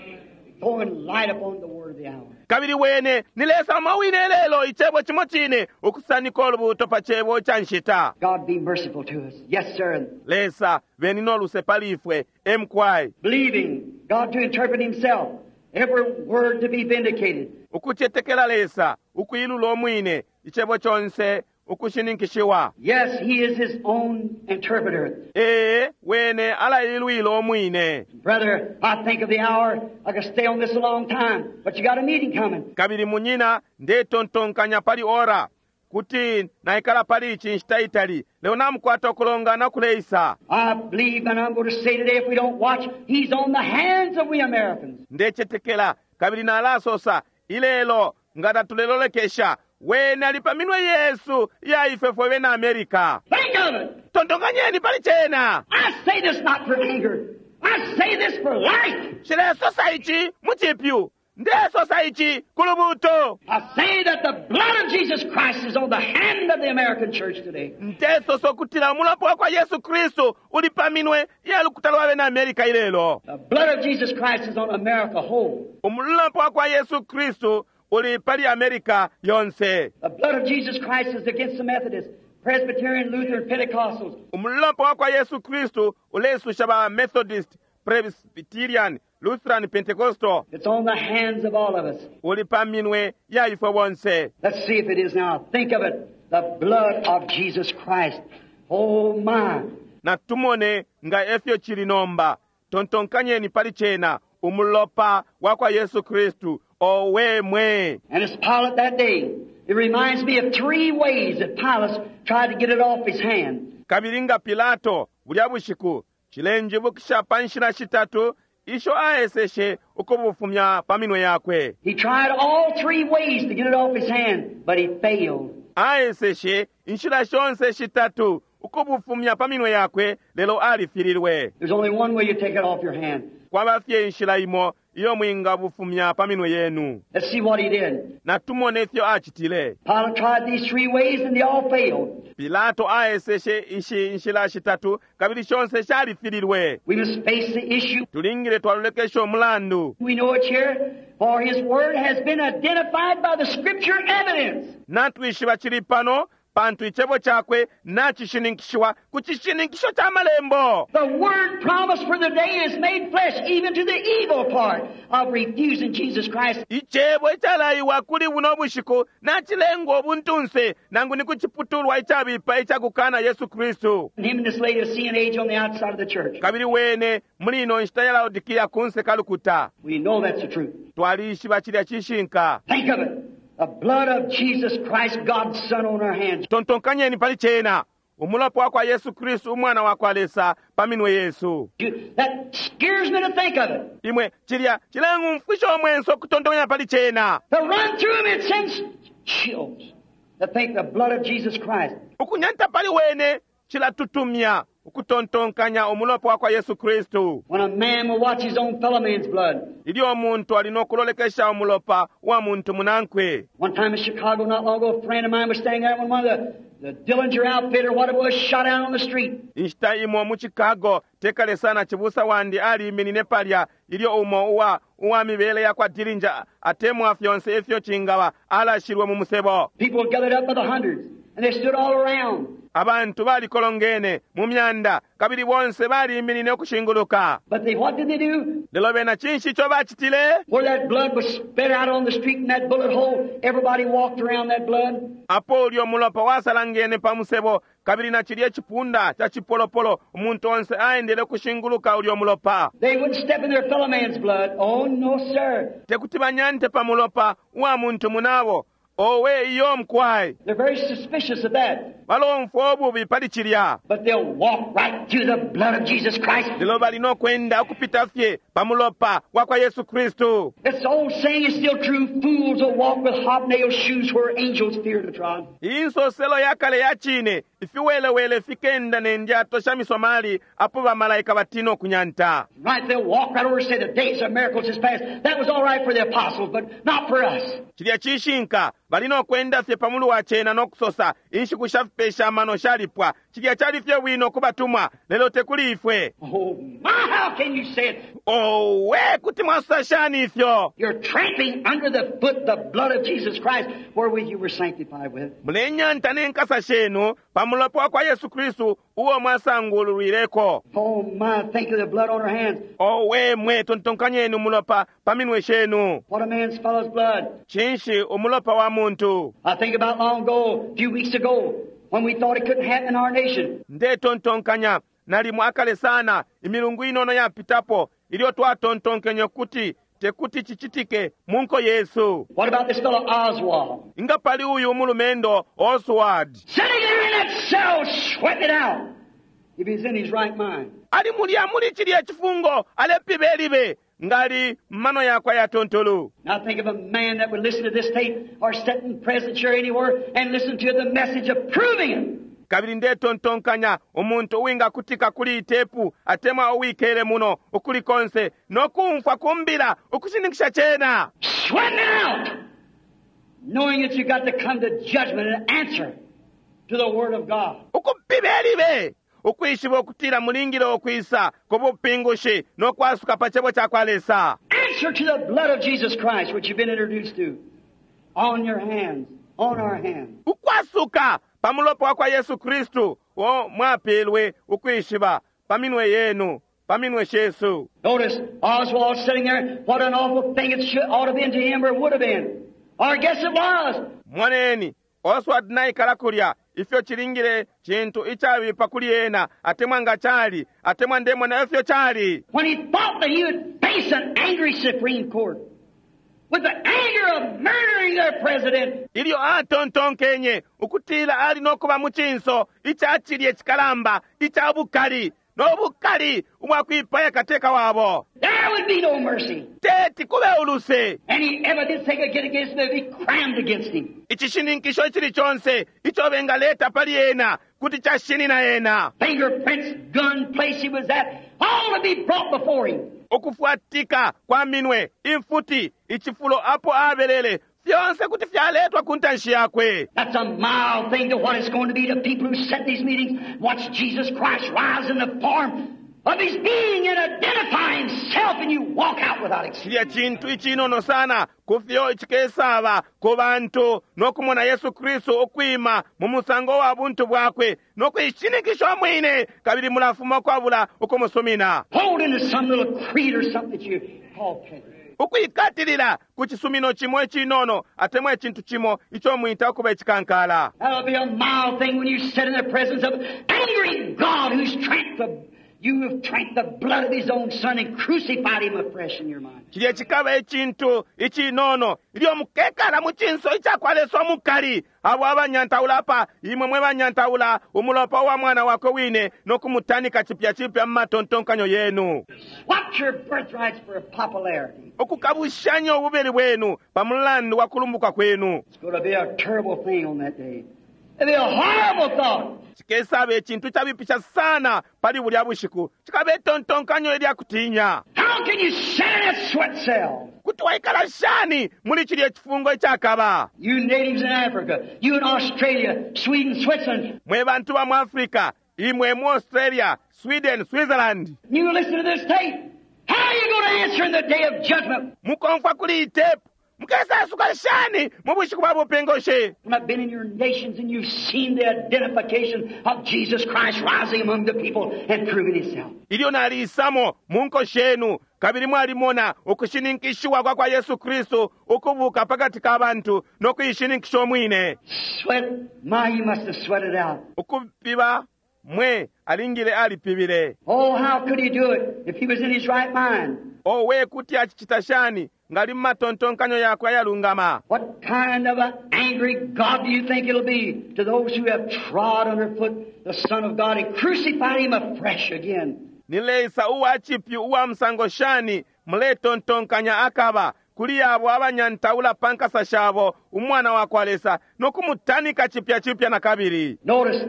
Throwing light upon the word of the hour. Kabili wene ni Lesa umo wine lelo icebo cimo cine ukusanika ulubuto pa cebo ca nshita. God be merciful to us. Yes, sir. Lesa beni no luse pali ifwe emkwai. Believing God to interpret himself. Every word to be vindicated. Ukucetekela Lesa ukuilula umwine icebo conse ukushininkishiwa. Yes, he is his own interpreter. Ee, wene alailwila umwine. Brother, I think of the hour. I could stay on this a long time, but you got a meeting coming. Kabili munyina ndetontonkanya pali ora kuti naikala pali ici nshita itali lelo namukwata ukulongana kuleisa. I believe, and I'm going to say today, if we don't watch, he's on the hands of we Americans. Ndecetekela kabili nalasosa ilelo nga tatulelolekesha wene ali pa minwe yesu ya ifwe fwe bena America. Think of it. Tontonkanyeni pali cena. I say this not for anger. I say this for life. Nshilesosa ici mu cipyu. Ndesosa ici ku lubuto. I say that the blood of Jesus Christ is on the hand of the American church today. Ndesosa ukutila umulopa wa kwa Yesu Kristu uli pa minwe ya lukuta lwa bena America ilelo. The blood of Jesus Christ is on America whole. Umulopa wa kwa Yesu Kristu uli pali America yonse. The blood of Jesus Christ is against the Methodists, Presbyterian, Lutheran, Pentecostals. Umulopa wa kwa Yesu Kristu ulesusha ba Methodist, Presbyterian, Lutheran, Pentecostal. It's on the hands of all of us. Uli pa minwe ya ifwe bonse. Let's see if it is now. Think of it. The blood of Jesus Christ. Oh my. Na tumone nga efyo chili nomba. Tontonkanyeni pali cena. Umulopa wa kwa Yesu Kristu. Owe mwe. And it's Pilate that day. It reminds me of three ways that Pilate tried to get it off his hand. Kabili nga Pilato bulya bushiku chilenjibukisha pa nshila shitatu isho aeseshe ukubufumya pa minwe yakwe. He tried all three ways to get it off his hand, but he failed. Aeseshe inshila shonse shitatu ukubufumya pa minwe yakwe lelo alifililwe. There's only one way you take it off your hand. Kwaba fye inshila imo iyo mwingabufumya pa minwe yenu. Let's see what he did. Na tumone ifyo acitile. Pilate tried these three ways and they all failed. Pilato aeseshe ishi inshila shitatu kabili shonse shalifililwe. We must face the issue. Tulingile twalolekesha umulandu. We know it's here, for his word has been identified by the scripture evidence. Natwishiba chili pano. pantu icebo cakwe nacishininkishiwa ku cishininkisho ca malembo. The word promised for the day is made flesh, even to the evil part of refusing Jesus Christ. Icebo icalaiwa kuli buno bushiku nacilengwa ubuntunse, nangu ni ku ciputulwa icabipa icakukana Yesu Kristu. And him in this Laodicean age on the outside of the church. Kabili wene muli ino nshita ya Laodikia kunse kalukuta. We know that's the truth. Twalishiba cilya cishinka. Think of it. The blood of Jesus Christ, God's Son, on our hands. Tontonkanyeni pali cena. Umulopa wa kwa Yesu Kristu umwana wa kwa Lesa pa minwe yesu. That scares me to think of it. Imwe cilya cilengumfwisha omwenso okutontonkanya pali cena. To run through him, it sends chills. To think the blood of Jesus Christ. Ukunyanta pali wene cilatutumya ukutontonkanya umulopa wa kwa Yesu Kristu. When a man will watch his own fellow man's blood. Ilyo umuntu ali nokulolekesha umulopa wa muntu munankwe. One time in Chicago, not long ago, a friend of mine was standing there when one of the Dillinger outfit or what it was shot out on the street. Inshita imo mu Chicago, tekale sana chibusa wandi aliiminine palya ilyo umo uwa mibele ya kwa Dillinger atemwa fyonse ifyo cingaba alashilwe mu musebo. People gathered up by the hundreds and they stood all around. Abantu balikolongene mu myanda kabili bonse baliiminine ukushinguluka. But what did they do? Lelo bena cinshi ico bacitile? Where that blood was spread out on the street in that bullet hole, everybody walked around that blood. Apo ulyo mulopa wasalangene pa musebo kabili na cilya cipunda ca cipolopolo umuntu onse aendele kushinguluka ulyo mulopa. They wouldn't step in their fellow man's blood. Oh, no, sir. Tekuti banyante pa mulopa wa muntu munabo. Owe iyo mkwai. They're very suspicious of that. Balomfwa obubi pali cilya. But they'll walk right through the blood of Jesus Christ. Lelo bali nokwenda ukupita fye pa mulopa wa kwa Yesu Kristu. This old saying is still true. Fools will walk with hobnail shoes where angels fear to trod. Iyi nsoselo ya kale ya cine, ifiwelewele fikenda ne ndyato sha misomali apo bamalaika batina okunyanta. Right, they'll walk right over and say the days of miracles is past. That was all right for the apostles, but not for us. Cilya cishinka, bali nokwenda fye pa mulu wa cena nokusosa inshiku sha fipesha amano shalipwa. Cilya cali fye bwino ku batumwa, lelo tekuli ifwe. Oh my, how can you say it? Owe, kuti mwasosa shani ifyo? You're trampling under the foot the blood of Jesus Christ, wherewith you were sanctified with. Mulenyanta n'enkasa shenu pa mulopa wa kwa Yesu Kristu uwo mwasangululwireko. Oh my, think of the blood on our hands. Owe mwe tontonkanyeni umulopa pa minwe shenu. What a man's fellow's blood. Cinshi umulopa wa muntu? I think about long ago, a few weeks ago, when we thought it couldn't happen in our nation. Ndetontonkanya nalimo akale sana imilungu inono yapitapo ilyo twatontonkenye kuti tekuti cicitike mu nko yesu. What about this fellow Oswald? Nga pali uyu umulumendo Oswald. Sitting there in that cell, sweating it out, if he's in his right mind. Ali mulya muli cilya cifungo alepibelibe ngali mano yakwe ya tontolo. Now think of a man that would listen to this tape or sit in presence here anywhere and listen to the message of proving it. Kabili ndetontonkanya umuntu uwingakutika kuli itepu atemwa uwikele muno ukuli konse nokumfwa kumbila ukushininkisha cena. Sweating it out, knowing that you got to come to judgment and answer to the Word of God. Ukupibelibe ukwishiba ukutila mulingile ukwisa ku bupingushi nokwasuka pa cebo ca kwa Lesa. Answer to the blood of Jesus Christ, which you've been introduced to, on your hands, on our hands. Ukwasuka pa mulopa wa kwa Yesu Kristu wo mwapelwe ukwishiba pa minwe yenu, pa minwe shesu. Notice Oswald sitting there. What an awful thing it should, ought to have been to him or would have been. Or I guess it was. Moneni, Oswald naikala kulya ifyo chilingile chintu ichabipa kuli ena atemwa nga chali atemwa ndemona ifyo chali. When he thought that he would face an angry Supreme Court with the anger of murdering their president. Ilyo atontonkenye ukutila ali nokuba mu cinso icacilye cikalamba ica bukali nobukali ubwakwipaya kateka wabo. There would be no mercy. Teti kube uluse. Any evidence they could get against him, they'd be crammed against him. Icishininkisho icili conse ico bengaleta pali ena kuti cashinina ena. Fingerprints, gun, place he was at, all to be brought before him. Ukufuatika kwa minwe, imfuti, icifulo apo abelele, fyonse kuti fyaletwa ku ntanshi yakwe. That's a mild thing to what it's going to be to people who set these meetings, watch Jesus Christ rise in the form Of his being and identifying himself, and you walk out without Cilya accepting. cintu icinono sana kufyo cikesaba ku bantu nokumona Yesu Kristu ukwima mu musango wa buntu bwakwe nokuishinikisha umwine, kabili mulafuma ukwabula ukumusumina. Holding to some little creed or something that you call petty. Ukwikatilila ku cisumino cimo icinono atemwa icintu cimo ico mwita ukuba icikankala. That'll be a mild thing when you sit in the presence of angry God who's tramped the, you have drank the blood of his own son and crucified him afresh in your mind. Cilya cikaba icintu icinono ilyo mukekala mu cinso icakwa Lesa omukali, abo abanyantaula apa, imwe mwe banyantaula umulopa wa mwana wakwe wine nokumutanika cipya cipya mu matontonkanyo yenu. Swap your birthrights for popularity. Ukukabushanya ububeli bwenu pa mulandu wa kulumbuka kwenu. It's going to be a terrible thing on that day. It'll be a horrible thought. Cikesaba icintu cabipisha sana pali bulya bushiku, cikaba itontonkanyo ilya kutinya. How can you sit in that sweat cell? Kuti waikala shani muli cilya cifungo icakaba? You natives in Africa, you in Australia, Sweden, Switzerland, Mwe bantu ba mu Africa, imwe mu Australia, Sweden, Switzerland, you listen to this tape. How are you going to answer in the day of judgment? mukomfwa kuli iyi tepu, mukesasuka shani mu bushiku bwa bupingushi? When I've been in your nations and you've seen the identification of Jesus Christ rising among the people and proving himself. Ilyo naliisamo mu nko shenu, kabili mwalimona ukushininkishiwa kwa kwa Yesu Kristu ukubuka pakati ka bantu nokuishininkisha umwine. Sweat, my, you must have sweated out. Ukupiba mwe alingile alipibile. Oh, how could he do it if he was in his right mind? Owe kuti acicita shani ngali mu matontonkanyo yakwe ayalungama. What kind of an angry God do you think it'll be to those who have trod underfoot the Son of God and crucified him afresh again? Ni Lesa uwa cipyu uwa musango shani muletontonkanya akaba kuli abo abanyantaula pa nkasa shabo umwana wa kwa Lesa nokumutanika cipya cipya na kabili. Notice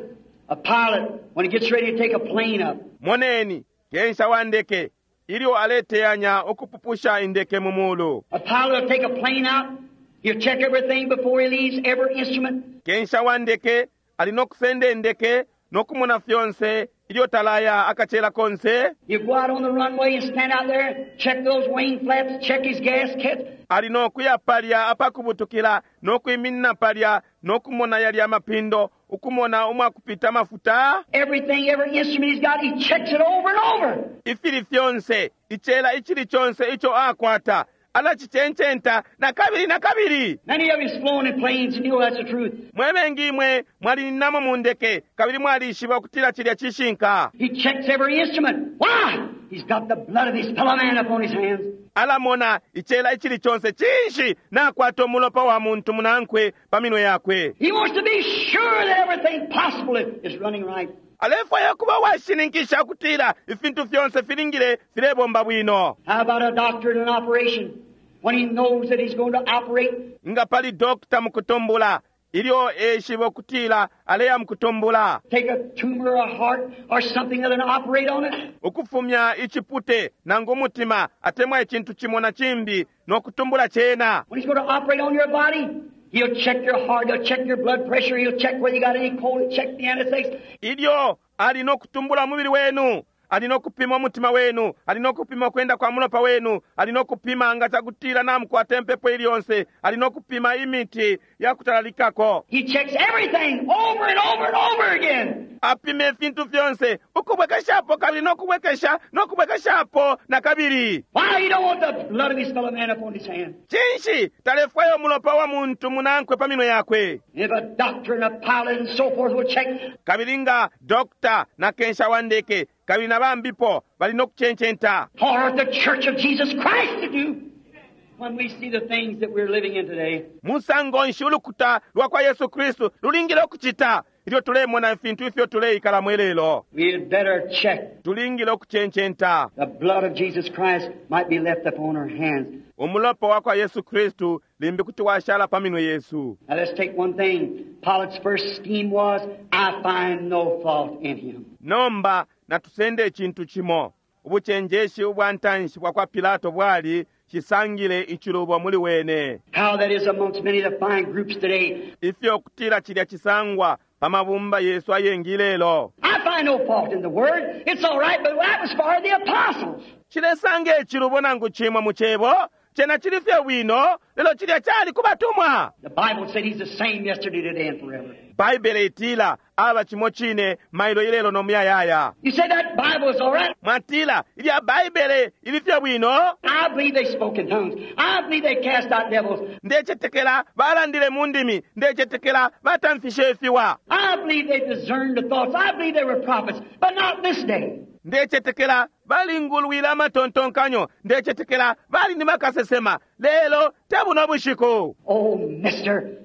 a pilot when he gets ready to take a plane up. Moneni kensha wa ndeke ilyo aleteyanya ukupupusha indeke mu mulu. A pilot will take a plane out. He'll check everything before he leaves, every instrument. Kensha wa ndeke ali nokusenda indeke nokumona fyonse ilyo talaya akachela konse. He'll go out on the runway and stand out there, check those wing flaps, check his gas kit. Ali nokuya palya apakubutukila nokwiminina palya nokumona yalya mapindo ukumona umwakupita mafuta. Everything, every instrument he's got, he checks it over and over. Ifili fyonse icela icili chonse icho akwata alacicencenta na kabili na kabili. Many of you's flown in planes and you know that's the truth. Mwe bengi imwe mwalininamo mu ndeke kabili mwalishiba ukutila cilya cishinka. He checks every instrument. Why? He's got the blood of his fellow man upon his hands. Alamona icela icili chonse cinshi nakwata umulopa wa muntu munankwe pa minwe yakwe. He wants to be sure that everything possible is running right. Alefwaya kuba washininkisha ukutila ifintu fyonse filingile filebomba bwino. How about a doctor in an operation? When he knows that he's going to operate, Nga pali dokta mukutumbula ilyo eshiba ukutila aleya mukutumbula, take a tumor or a heart or something other and operate on it. ukufumya icipute nangu umutima atemwa icintu cimo na cimbi nokutumbula cena. When he's going to operate on your body, he'll check your heart, he'll check your blood pressure, he'll check whether you got any cold, he'll check the anesthetics. Ilyo ali nokutumbula umubili wenu, ali nokupima umutima wenu, ali nokupima kwenda kwa mulopa wenu, ali nokupima nga cakutila namukwata empepo ili yonse, ali nokupima imiti yakutalalikako. He checks everything over and over and over again. Apima ifintu fyonse ukubwekeshapo kabili nokubwekesha nokubwekeshapo na kabili. Why he don't want the blood of his fellow man upon his hand? Cinshi talefwaya umulopa wa muntu munankwe pa minwe yakwe? If a doctor and a pilot and so forth will check, Kabili nga dokta na kensha wa ndeke kabili na bambipo bali nokucencenta. what ought the Church of Jesus Christ to do when we see the things that we're living in today? Musango nshi ulukuta lwa kwa Yesu Kristu lulingile ukucita ilyo tulemona ifintu ifyo tuleikalamo ilelo? We had better check. Tulingile ukucencenta. The blood of Jesus Christ might be left upon our hands. Umulopa wa kwa Yesu Kristu limbi kuti washala pa minwe yesu. Now let's take one thing. Pilate's first scheme was, I find no fault in him. Nomba natusende icintu cimo. Ubucenjeshi ubwa ntanshi bwa kwa Pilato bwali cisangile icilubo muli wene. How that is amongst many of the fine groups today. Ifyo kutila cilya cisangwa pa mabumba yesu ayengi lelo. I find no fault in the word. It's all right, but that was for the apostles. Nshilesanga icilubo nangu cimo mu cebo, cena cili fye bwino, lelo cilya cali ku batumwa. The Bible said he's the same yesterday, today, and forever. Baibele itila aba cimo cine mailo ilelo no muyayaya. You say that Bible is all right. Mwatila ilya Baibele ili fye bwino. I believe they spoke in tongues. I believe they cast out devils. Ndecetekela balandile mu ndimi, ndecetekela batamfishe ifiwa. I believe they discerned the thoughts. I believe they were prophets, but not this day. Ndecetekela balingulwile amatontonkanyo, ndecetekela bali ni bakasesema, lelo te buno bushiku. Oh, mister,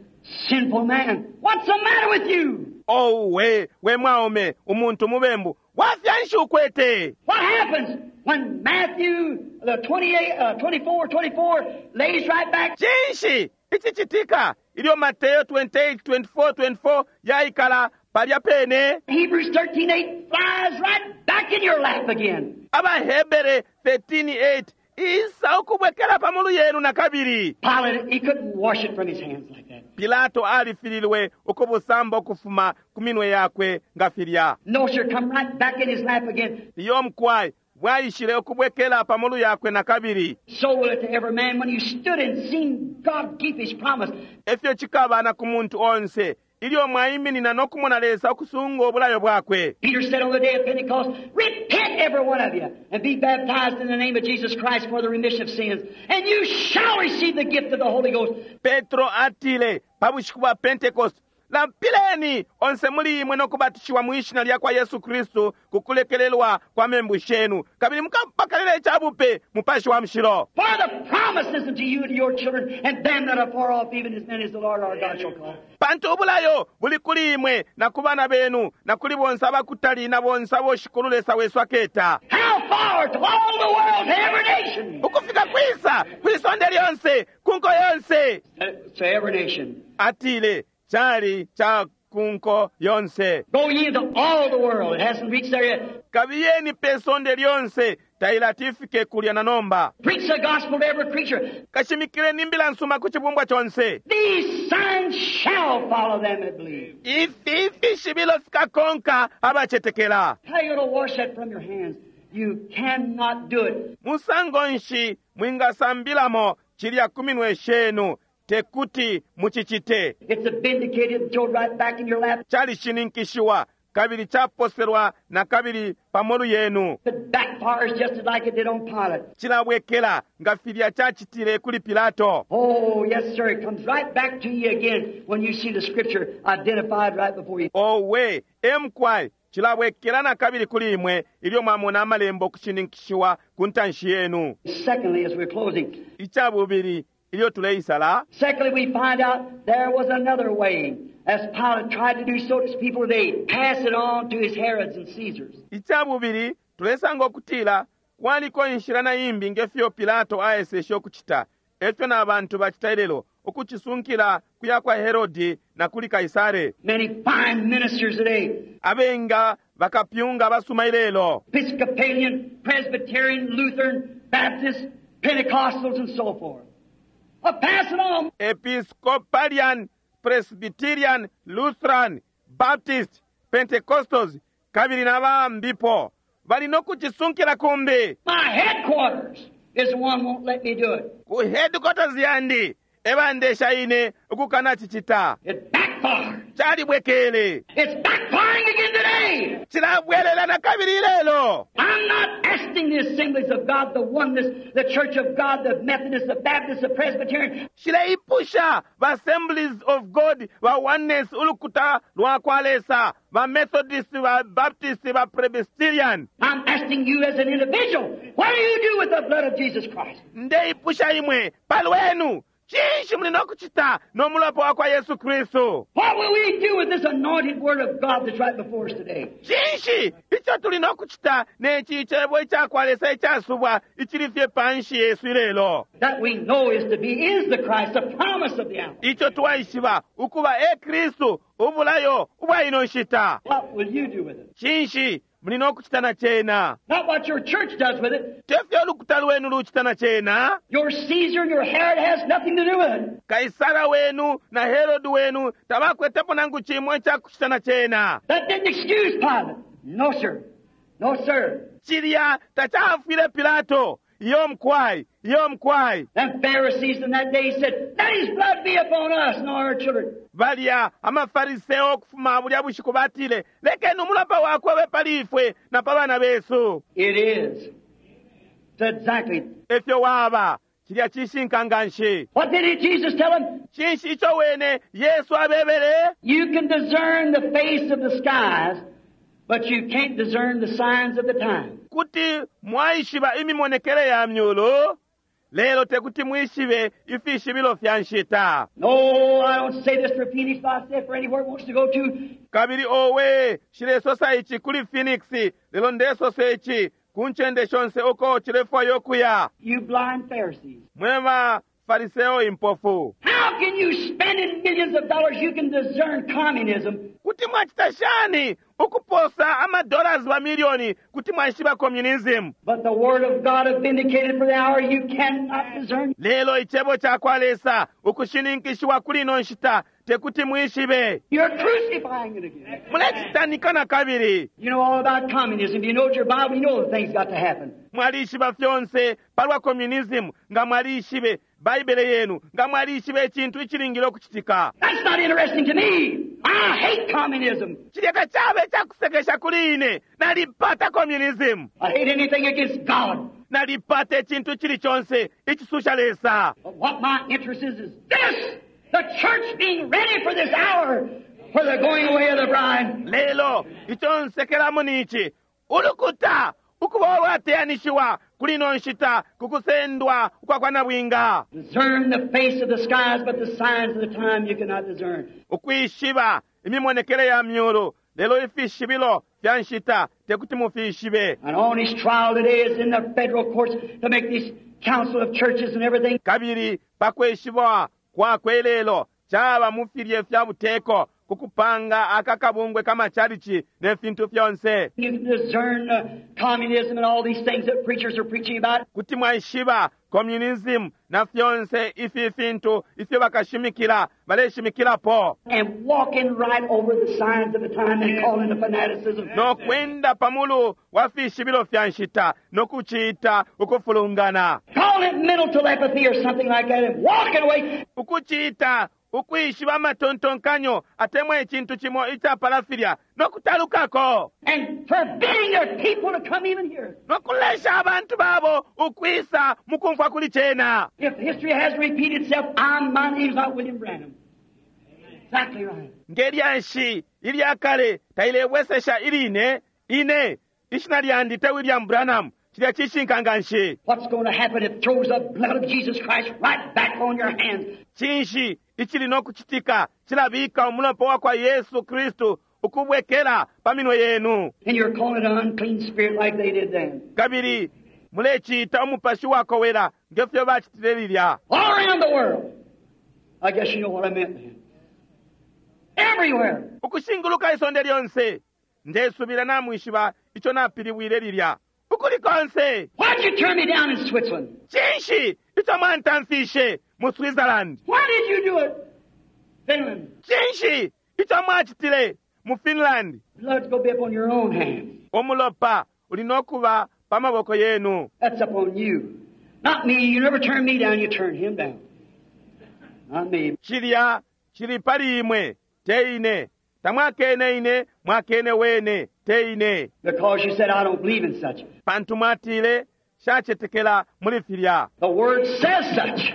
sinful man, what's the matter with you? Oh, we, we mwaume, umuntu mubembu, wafya nshi ukwete? What happens when Matthew, the 28, 24, 24, lays right back? Cinshi icicitika ilyo Mateo 28, 24, 24 yaikala palya pene? Hebrews 13, 8 flies right back in your lap again. AbaHebere 13:8 isa ukubwekela pa mulu yenu na kabili. Pilate, he couldn't wash it from his hands like that. Pilato alifililwe ukubusamba ukufuma ku minwe yakwe nga filya. No, sir, come right back in his lap again. Iyo mukwai bwaishile ukubwekela pa mulu yakwe na kabili. So will it to every man when you stood and seen God keep his promise. Efyo cikaba na ku muntu onse ilyo mwaiminina no kumona Lesa ukusunga obulayo bwakwe. Peter said on the day of Pentecost, Repent, every one of you, and be baptized in the name of Jesus Christ for the remission of sins, and you shall receive the gift of the Holy Ghost. Petro atile pa bushiku bwa Pentecost, Lampileni onse muli imwe no kubatishiwa mu ishina lya kwa Yesu Kristu ku kulekelelwa kwa membu shenu, kabili mukapakalila icabupe Mupashi wa Mushilo. For the promise is unto you and to your children, and them that are far off, even as many as the Lord our God shall call. Pantu ubulayo buli kuli imwe na ku bana benu na kuli bonse abakutali na bonse abo Shikulu Lesa wesu aketa. How far? To all the world, to every nation. Ukufika kwisa kwisonde lyonse ku nko yonse. To every nation. Atile cali ca ku nko yonse. Go ye into all the world. It hasn't reached there yet. Kabiyeni pe sonde lyonse tailati ifike kulya na nomba. Preach the gospel to every creature. Kashimikileni imbila nsuma ku cibumbwa conse. These signs shall follow them that believe. Ifi ifishibilo fikakonka abacetekela. How you going to wash that from your hands? You cannot do it. Musango nshi mwingasambilamo cilya ku minwe shenu tekuti mucicite. It's a vindicated and thrown right back in your lap. Calishininkishiwa kabili caposelwa na kabili pa molu yenu. It backfires just like it did on Pilate. Cilabwekela nga filya cacitile kuli Pilato. Oh, yes, sir. It comes right back to you again when you see the scripture identified right before you. Owe emkwai cilabwekela na kabili kuli imwe ilyo mwamona amalembo kushininkishiwa ku ntanshi yenu. Secondly, as we're closing, Icabubili ilyo tuleisala, secondly, we find out there was another way. As Pilate tried to do so to his people today, pass it on to his Herods and Caesars. Icabubili tulesanga ukutila kwaliko inshila na imbi ngefyo Pilato aeseshe ukucita, efyo na bantu bacita ilelo, ukucisunkila kuya kwa Herodi na kuli Kaisare. Many fine ministers today, Abenga bakapyunga basuma ilelo, Episcopalian, Presbyterian, Lutheran, Baptist, Pentecostals, and so forth. Pass it on. Episcopalian, Presbyterian, Lutheran, Baptist, Pentecostals, kabili na bambipo bali no kucisunkila kumbi. My headquarters is the one won't let me do it. Ku headquarters yandi ebandesha ine ukukana cicita. It backfired. Calibwekele. It's backfiring again today. Cilabwelela na kabili ilelo. I'm not asking the assemblies of God, the oneness, the Church of God, the Methodist, the Baptist, the Presbyterian. Cileipusha ba Assemblies of God, ba Oneness, ulukuta lwa kwa Lesa, ba Methodist, ba Baptist, ba Presbyterian. I'm asking you as an individual, what do you do with the blood of Jesus Christ? Ndeipusha imwe palwenu cinshi muli no kucita no mulopa wa kwa Yesu Kristu? What will we do with this anointed word of God that's right before us today? Cinshi ico tuli no kucita neci cebo ica kwa Lesa icasubwa icili fye panshi yesu ilelo? That we know is to be is the Christ, the promise of the hour. Ico twaishiba ukuba e Kristu ubulayo ubwa ino nshita. What will you do with it? Cinshi Muli no kucita na cena. Not what your church does with it. Tefyo ulukuta lwenu lucita na cena. Your Caesar and your Herod has nothing to do with it. Kaisara wenu na Herod wenu tabakwetepo nangu chimwe chakuchita na cena. That didn't excuse Pilate. No, sir. No, sir. Chilya tachafwile Pilato. Iyo mkwai, iyo mkwai. Them Pharisees in that day said, Let his blood be upon us and on our children. Balya amafariseo okufuma bulya bushiku batile, lekeni umulopa wakwe ube pali ifwe na pa bana besu. It is. It's exactly. Efyo waba, chilya chishinka nganshi. What did he, Jesus tell them? Chinshi icho wene Yesu abebele? You can discern the face of the skies, but you can't discern the signs of the time. Kuti mwaishiba imimonekele ya myulu, lelo tekuti mwishibe ifishibilo fya nshita. No, I don't say this for Phoenix, but I say it for anywhere it wants to go to. Kabili owe, shilesosa ichi kuli Phoenix, lelo ndesosa ichi ku ncende shonse uko chilefwayo kuya. You blind Pharisees. Mwe Fariseo impofu. How can you spend in millions of dollars you can discern communism? Kuti mwachita shani ukuposa amadollars wa milioni kuti mwaishiba communism. But the Word of God has vindicated for the hour you cannot discern. Lelo ichebo cha kwa Lesa ukushininkishiwa kuli ino nshita tekuti mwishibe. You're crucifying it again. Mulechitanika na kabili. You know all about communism. You know your Bible. You know the things got to happen. Mwalishiba fyonse palwa communism nga mwalishibe Baibele yenu nga mwalishibe icintu icilingile okuchitika. That's not interesting to me. I hate communism. Chilya tachabe chakusekesha kuli ine. Nalipata communism. I hate anything against God. Nalipata icintu chili chonse ichisusha Lesa. But what my interest is is this: the church being ready for this hour for the going away of the bride. Lelo icho nsekelamo nichi ulukuta ukuba olwateyanishiwa kuli ino nshita kukusendwa ukwa kwa nabwinga. Discern the face of the skies, but the signs of the time you cannot discern. Ukwishiba imimonekele ya myulu lelo ifishibilo fya nshita tekuti mufishibe. And on his trial today is in the federal courts to make this council of churches and everything. Kabili pakweshibwa kwakwe lelo chaba mufilye fya buteko kukupanga akakabungwe kamachalichi ne fintu fyonse. You can discern communism and all these things that preachers are preaching about. Kuti mwaishiba communism na fyonse ifi fintu ifyo bakashimikila baleshimikilapo. And walking right over the signs of the time and calling the fanaticism. No kwenda pamulu wa fishibilo fya nshita no kuchiita ukufulungana. Call it mental telepathy or something like that and walking away. Ukuchiita ukwishiba amatontonkanyo atemwa icintu chimo ichapala filya no kutalukako. And forbidding their people to come even here. No kulesha abantu babo ukwisa mukumfwa kuli chena. If history has repeated itself, I'm, my name's not William Branham. Exactly right. Ngelyanshi ilyakale tailebwesesha iline ine ishina lyandi te William Branham chilya chishinka nganshi. What's going to happen? It throws the blood of Jesus Christ right back on your hands. Chinshi ichili nokuchitika chilabika umulopa wa kwa Yesu Kristu ukubwekela pa minwe yenu. And you're calling it an unclean spirit like they did then. Kabili mulechiita umupashi wakowela ngefyo bachitile lilya. All around the world. I guess you know what I meant then. Everywhere. Ukushinguluka isonde lyonse ndesubila namwishiba icho napiliwile lilya. Ukuli konse. Why'd you turn me down in Switzerland? Chinshi icho mwantamfishe mu Switzerland. Why did you do it? Finland. Chinshi icho mwachitile mu Finland. Blood's gonna be upon your own hands. Umulopa uli nokuba pa maboko yenu. That's upon you. Not me. You never turn me down, you turn him down. Not me. Chilya chili pali imwe te ine. Tamwakene ine mwakene wene te ine. Because you said I don't believe in such. Pantu mwatile shachetekela muli filya. The word says such.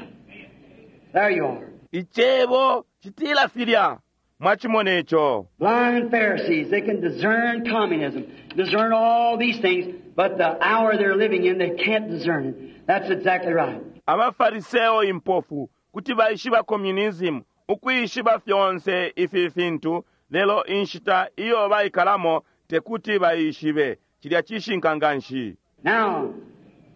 There you are. Ichebo chitila filya. Mwachimona icho. Blind Pharisees, they can discern communism, discern all these things, but the hour they're living in, they can't discern it. That's exactly right. Abafariseo impofu kuti baishiba communism ukwishiba fyonse ifi fintu lelo inshita iyo baikalamo tekuti baishibe chilya chishinka nganshi. Now,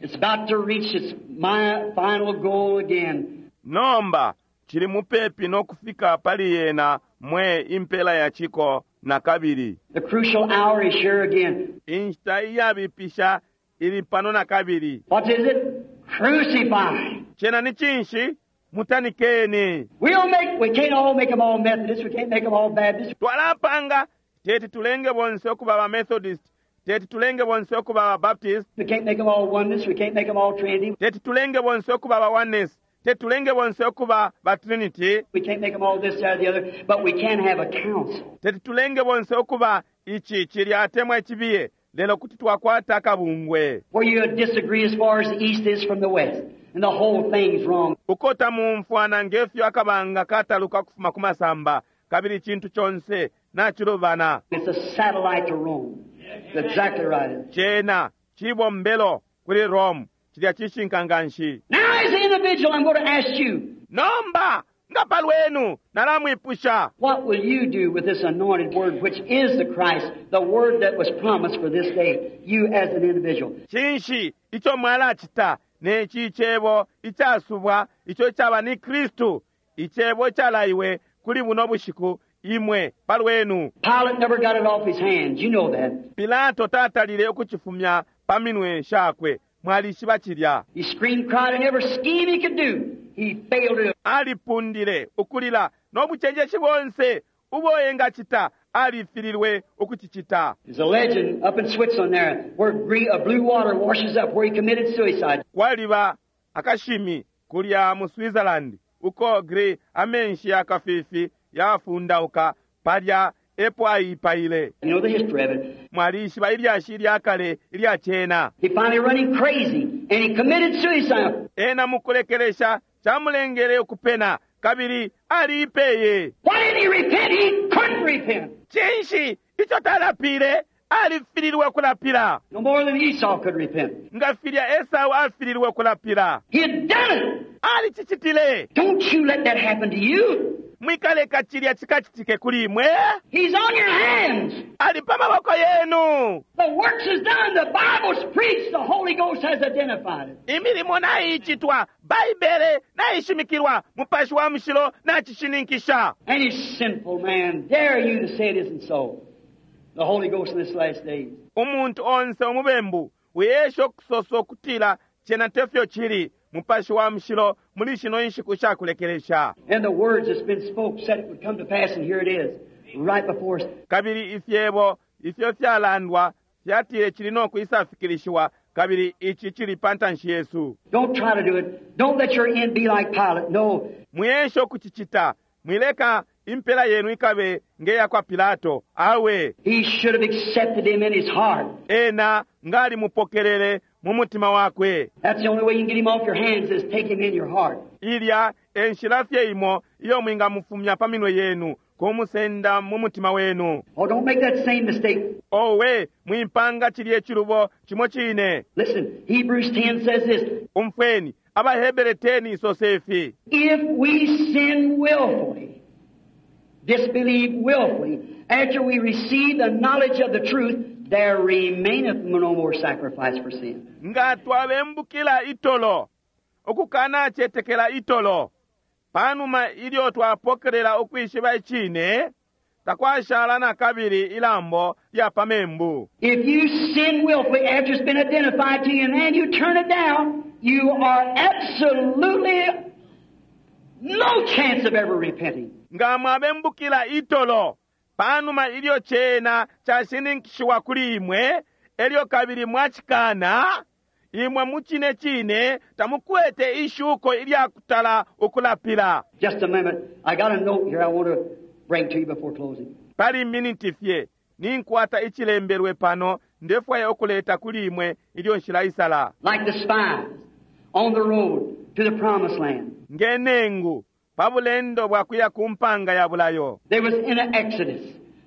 it's about to reach its my final goal again. Nomba Cili mupepi no kufika pali yena mwe impela ya ciko na kabili. The crucial hour is here again. Inshita iyabipisha ili pano na kabili. What is it? Crucify. Cena ni cinshi? Mutanikeni. We'll make, we can't all make them all Methodists, we can't make them all Baptists, Twalapanga teti tulenge bonse okuba ba Methodist, teti tulenge bonse okuba ba Baptist, we can't make them all Oneness, we can't make them all Trinity, teti tulenge bonse okuba ba Oneness, teti tulenge bonse okuba ba Trinity, we can't make them all this, that, or the other, but we can have a council. teti tulenge bonse okuba ichi chili atemwa ichibiye lelo kuti twakwata akabungwe. Where you disagree as far as the East is from the West, and the whole thing's wrong. Uko tamumfwana ngefyo akabanga kataluka kufuma ku masamba kabili chintu chonse nachilubana. It's a satellite to Rome. That's exactly right. Chena chibombelo kuli Rome chilya chishinka nganshi. Now, as an individual, I'm going to ask you, Nomba nga palwenu nalamwipusha what will you do with this anointed word, which is the Christ, the word that was promised for this day, you as an individual? Chinshi icho mwalachita nechi chebo ichasubwa icho chaba ni Kristu ichebo chalaiwe kuli buno bushiku imwe palwenu. Pilate never got it off his hands. You know that. Pilato tatalile ukuchifumya pa minwe shakwe mwalishiba chilya. He screamed, cried, and every scheme he could do, he failed to. Alipundile ukulila nobuchenjeshi bonse ubo engachita alifililwe ukuchichita. There's a legend up in Switzerland there where blue water washes up where he committed suicide. Kwaliba akashimi kulya mu Switzerland uko gre amenshi yakafifi yafundauka palya epo ayipaile. You know the history of it. Mwalishiba ilyashi ilyakale ilya chena. He finally run him crazy and he committed suicide. Ena mukulekelesha chamulengele ukupena kabili aliipeye. Why didn't he repent? He couldn't repent. Chinshi icho talapile alifililwe kulapila. No more than Esau could repent. Nga filya Esau afililwe kulapila. He had done it. Alichichitile. Don't you let that happen to you. Mwikaleka chilya chikachitike kuli imwe. He's on your hands. Ali pa maboko yenu. The works is done. The Bible's preached. The Holy Ghost has identified it. Imilimo naichitwa, Baibele naishimikilwa, mupashi wa mushilo nachishininkisha. Any sinful man, dare you to say it isn't so. The Holy Ghost in this last days. Umuntu onse umubembu wiyesha okusosa okutila chena tefyo chili mupashi wa mushilo muli shino inshiku shakulekelesha. And the words that's been spoke said it would come to pass, and here it is, right before us. Kabili ifyebo ifyo fyalandwa fyatile chili nokwisafikilishiwa kabili ichi chili pantanshi yesu. Don't try to do it. Don't let your end be like Pilate. No. Mwiyesha okuchichita mwileka impela yenu ikabe ngeya kwa Pilato awe. He should have accepted him in his heart. Ena ngali mupokelele mu mutima wakwe. That's the only way you can get him off your hands is take him in your heart. Ilya enshila fye imo iyo mwingamufumya pa minwe yenu kumusenda mu mutima wenu. Oh, don't make that same mistake. Owe mwimpanga chili echilubo chimo chine. Listen, Hebrews 10 says this. Umfweni Abahebere 10 isosefi. If we sin willfully, disbelieve willfully, after we receive the knowledge of the truth, there remaineth no more sacrifice for sin. Nga twabembukila itolo, okukana chetekela itolo, panuma ilyo twapokelela ukwishiba ichine, takwashala na kabili ilambo lya pamembu. If you sin willfully after it's been identified to you and then you turn it down, you are absolutely no chance of ever repenting. Nga mwabembukila itolo, panuma ilyo chena chashininkishiwa kuli imwe, elyo kabili mwachikana, imwe muchine chine tamukwete ishuko ilyakutala ukulapila. Just a minute. I got a note here I want to bring to you before closing. Pali miniti fye, ninkwata ichilembelwe pano, ndefwaya okuleta kuli imwe ilyo nshilaisala. Like the spies on the road to the promised land. Ngenengu, pabulendo bwakuya kumpanga ya bulayo. They was in an exodus,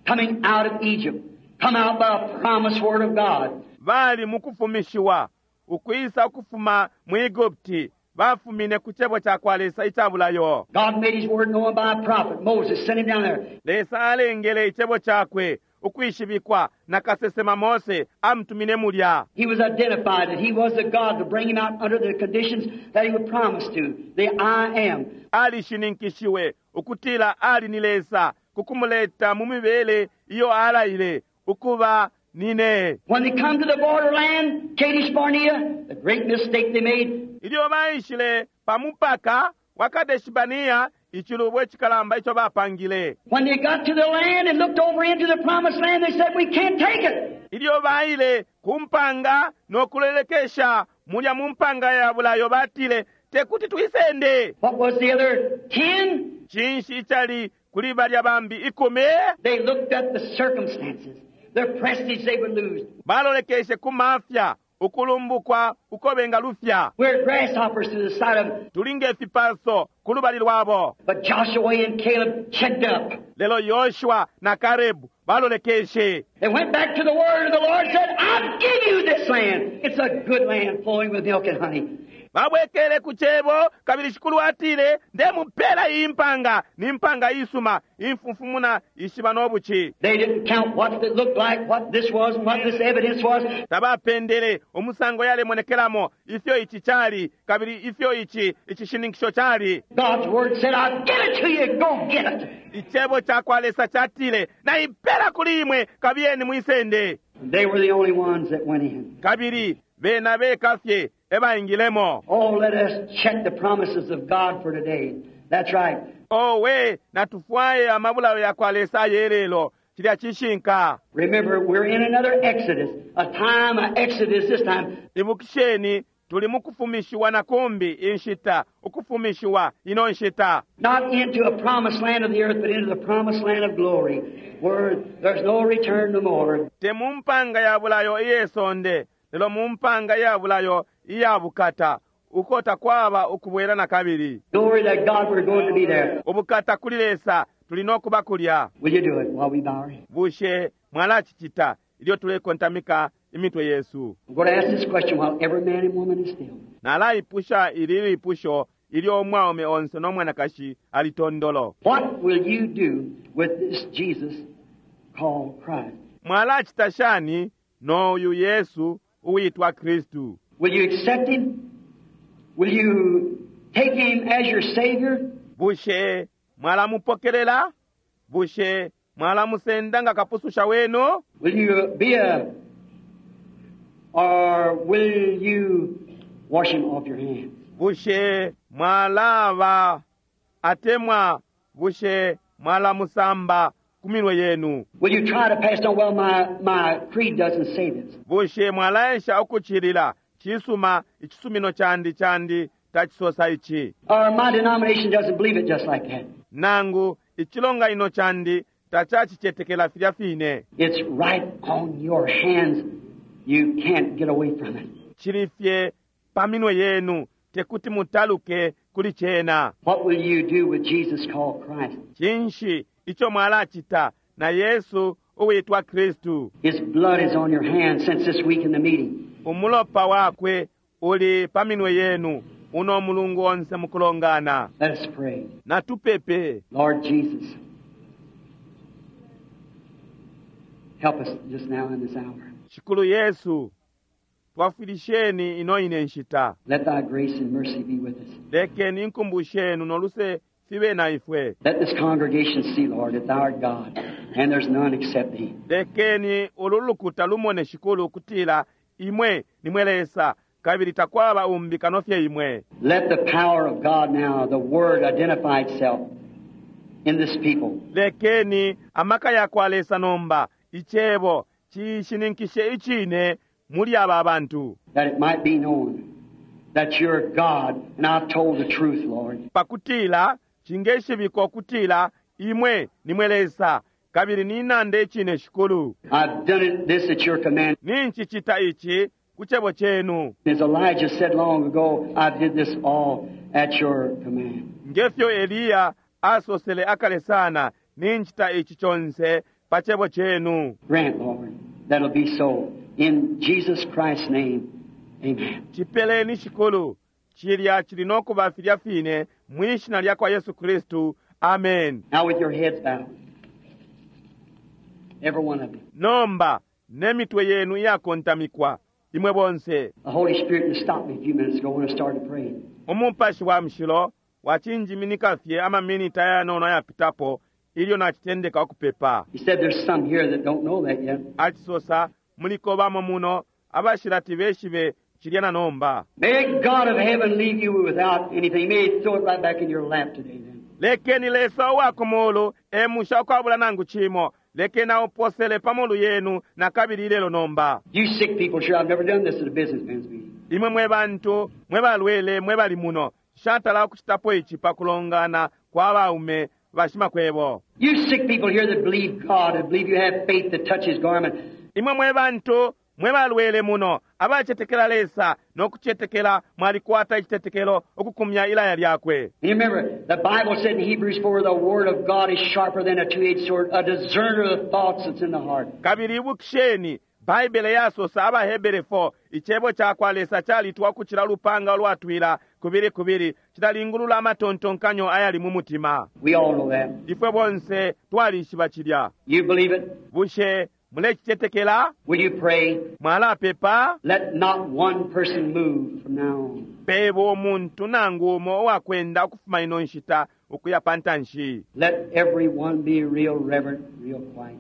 coming out of Egypt, come out by a promised word of God. Bali mukufumishiwa, ukwisa ukufuma mu Egupti, bafumine ku chebo cha kwa Lesa icha bulayo. God made his word known by a prophet. Moses sent him down there. Lesa alengele ichebo chakwe ukwishibikwa na kasesema Mose amutumine mulya. He was identified that he was the God to bring him out under the conditions that he would promise to, the I am. Alishininkishiwe ukutila ali ni Lesa kukumuleta mu mibele iyo alaile ukuba nine. When they come to the borderland, Kadesh Barnea, the great mistake they made, Ilyo baishile pa mupaka wa Kadeshibania, icilubo icikalamba ico bapangile. when they got to the land and looked over into the promised land, they said, We can't take it. Ilyo baile ku mpanga no kulelekesha mulya mu mpanga ya bulayo batile tekuti tuisende. What was the other 10? Cinshi icali kuli balya bambi 10? They looked at the circumstances, their prestige they would lose. Balolekeshe ku mafya ukulumbukwa uko bengalufya. We're grasshoppers to the sight of them. Tuli ngefipaso ku lubali lwabo. But Joshua and Caleb checked up. Lelo Yoshua na Kalebu balolekeshe. They went back to the word of the Lord and said, I'll give you this land. It's a good land flowing with milk and honey. Babwekele ku cebo kabili shikulu atile ndemupela iyi mpanga ni mpanga isuma imfumfumuna ishiba n'obuki. They didn't count what it looked like, what this was, and what this evidence was. Tabapendele umusango yalemonekelamo ifyo ichi chali kabili ifyo ichi icishininkisho chali. God's word said, I'll give it to you. Go get it. Icebo cha kwa Lesa chatile naipela kuli imwe kabiyeni mwisende. They were the only ones that went in. Kabili bena bekafye ebaingilemo. Oh, let us check the promises of God for today. That's right. Owe natufwaye amabulayo ya kwa Lesa ayelelo chilya chishinka. Remember, we're in another exodus, a time of exodus this time. Ibukisheni tuli mukufumishiwa na kumbi inshita ukufumishiwa ino nshita. Not into a promised land of the earth, but into the promised land of glory, where there's no return no more. Te mu mpanga ya bulayo iyesonde lelo mu mpanga ya bulayo iya bukata uko takwaba ukubwela na kabili. Glory to God, we're going to be there. Ubukata kuli Lesa tuli nokuba kulya. Will you do it while we bow our heads? Bushe mwalacicita ilyo tulekontamika imitwe yesu? I'm going to ask this question while every man and woman is still. Nalaipusha ili lipusho ilyo umwaume onse no mwanakashi ali tondolo. What will you do with this Jesus called Christ? Mwalacita shani n'oyu Yesu uwitwa Kristu? Will you accept him? Will you take him as your Savior? Bushe mwalamupokelela? Bushe mwalamusenda nga kapususha wenu? Will you be a, or will you wash him off your hands? Bushe mwalaba atemwa bushe mwalamusamba ku minwe yenu? Will you try to pass on, well, my creed doesn't say this. Bushe mwalaesha ukuchilila chisuma ichisumino chandi chandi tachisosa ichi? Or my denomination doesn't believe it just like that. Nangu ichilonganino chandi tachachichetekela filya fine. It's right on your hands. You can't get away from it. Chili fye pa minwe yenu tekuti mutaluke kuli chena. What will you do with Jesus called Christ? Chinshi icho mwalachita na Yesu uwitwa Kristu? His blood is on your hands since this week in the meeting. Umulopa wakwe uli pa minwe yenu uno mulungu onse mukulongana. Let us pray. Natupepe. Lord Jesus, help us just now in this hour. Shikulu Yesu, twafwilisheni ino ine nshita. Let thy grace and mercy be with us. Lekeni inkumbu shenu noluse fibe na ifwe. Let this congregation see, Lord, that thou art God, and there's none except thee. Lekeni ulu lukuta lumone shikulu kutila imwe nimwe Lesa kabili takwaba umbi kano fye imwe. Let the power of God now, the Word, identify itself in this people. Lekeni amaka ya kwa Lesa nomba icebo cishininkishe icine muli aba bantu. That it might be known that you're God, and I've told the truth, Lord. Pakutila chingeshibikwa kutila imwe nimwe Lesa kabili ninande icine shikulu. I've done it this at your command. Ninchichita ichi ku cebo chenu. As Elijah said long ago, I did this all at your command. Ngefyo Eliya asosele akale sana ninchita ichi chonse pa cebo chenu. Grant, Lord, that'll be so. In Jesus Christ's name, amen. Chipeleni shikulu chilya chili nokuba filya fine mwishina lya kwa Yesu Kristu. Amen. Now with your heads bowed, Every one of you. Nomba ne mitwe yenu iyakontamikwa, imwe bonse. The Holy Spirit just stopped me a few minutes ago when I started praying. Umupashi wa mushilo wacinjiminika fye amaminiti ayanono ayapitapo ilyo nacitendeka ukupepa. He said there's some here that don't know that yet. Acisosa muliko bamo muno abashilati beshibe cilya na nomba. May God of heaven leave you without anything. May He throw it right back in your lap today then. Lekeni Lesa uwa ku mulu emusha ukwabula nangu cimo. Lekeni auposele pa molu yenu na kabili ilelo nomba. You sick people, sure, I've never done this at a businessman's meeting. Imwe mwe bantu mwe balwele mwe bali muno, nshatala ukucitapo ici pa kulongana kwa baume bashimakwebo. You sick people here that believe God and believe you have faith to touch His garment. Imwe mwe bantu mwe balwele muno abacetekela Lesa no kucetekela mwalikwata icitetekelo ukukumya ilaya lyakwe. And you remember, the Bible said in Hebrews 4, the Word of God is sharper than a two-edged sword, a discerner of the thoughts that's in the heart. Kabili ibukisheni Baibele yasosa abaHebere 4 icebo ca kwa Lesa calitwa ukucila lupanga ulwatwila kubili kubili cilalingulula amatontonkanyo ayali mu mutima. We all know that. Ifwe bonse twalishiba cilya. You believe it? Bushe mulecicetekela? Will you pray? Mwalapepa? Let not one person move from now on. Pebo umuntu nangu umo uwakwenda ukufuma ino nshita ukuya pa ntanshi. Let everyone be real reverent, real quiet.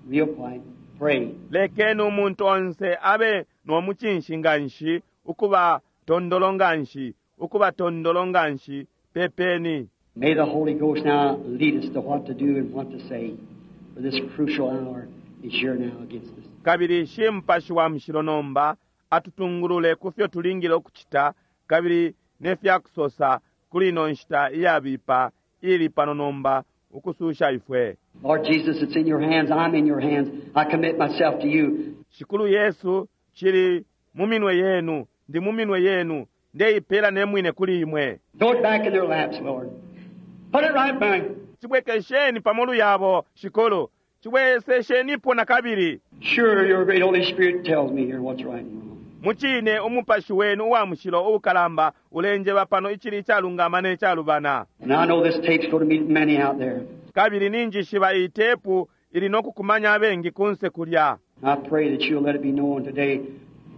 Real quiet. Pray. Lekeni umuntu onse abe no mucinshi nganshi, ukuba tondolo nganshi, ukuba tondolo nganshi, pepeni. May the Holy Ghost now lead us to what to do and what to say, for this crucial hour is here now against us. Kabili shi Mupashi wa Mushilo nomba atutungulule ku fyo tulingile ukucita kabili ne fya kusosa kuli ino nshita iyabipa ili pano nomba ukususha ifwe. Lord Jesus, it's in your hands. I'm in your hands. I commit myself to you. Shikulu Yesu, cili mu minwe yenu, ndi mu minwe yenu, ndeipela ne mwine kuli imwe. Throw it back in their laps, Lord. Put it right back. Cibwekesheni pa molu yabo, Shikulu. Cibweseshenipo na kabili. Sure, your great Holy Spirit tells me here what's right and wrong. Mucine umupashi wenu uwa mushilo uukalamba ulenjeba pano icili icalungama ne calubana. And I know this tape's going to meet many out there. Kabili ninjishiba iyi tepu ili no kukumanya abengi kunse kulya. I pray that you'll let it be known today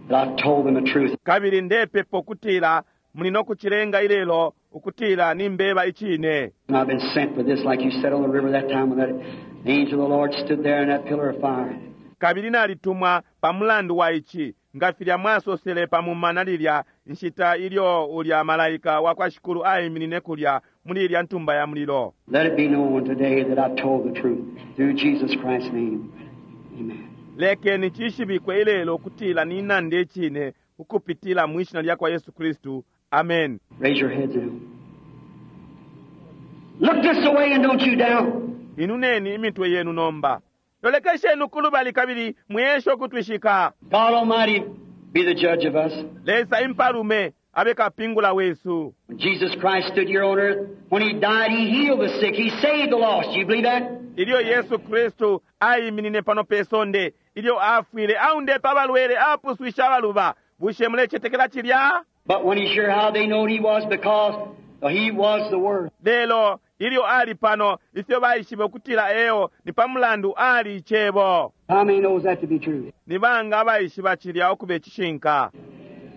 that I've told them the truth. Kabili ndepepa ukutila muli no kucilenga ilelo ukutila nimbeba icine. And I've been sent for this, like you said on the river that time when that angel of the Lord stood there in that pillar of fire. Kabili nalitumwa pa mulandu wa ici, nga filya mwasosele pa mumana lilya nshita ilyo ulya malaika wa kwa Shikulu aiminine kulya muli ilya ntumba ya mulilo. Let it be known today that I've told the truth through Jesus Christ's name. Amen. Lekeni cishibikwe ilelo ukutila ninanda icine ukupitila mwi shina lya kwa Yesu Kristu. Amen. Raise your heads now. Look this way and don't you doubt. Inuneni imitwe yenu nomba. Lolekesheni kulubali kabili mweshe ukutwishika. God Almighty be the judge of us. Lesa impalume abe kapingula wesu. When Jesus Christ stood here on earth, when He died, He healed the sick. He saved the lost. You believe that? Ilyo Yesu Kristu aiminine pano pe sonde, ilyo afwile aundepe abalwele, apuswisha abaluba. Bushe mulecetekela cilya? But when He sure how they knowed He was because He was the Word. Lelo ilyo ali pano, ifyo baishibe ukutila eo ni pa mulandu ali icebo. How many knows that to be true? Ni banga abaishiba cilya ukuba icishinka?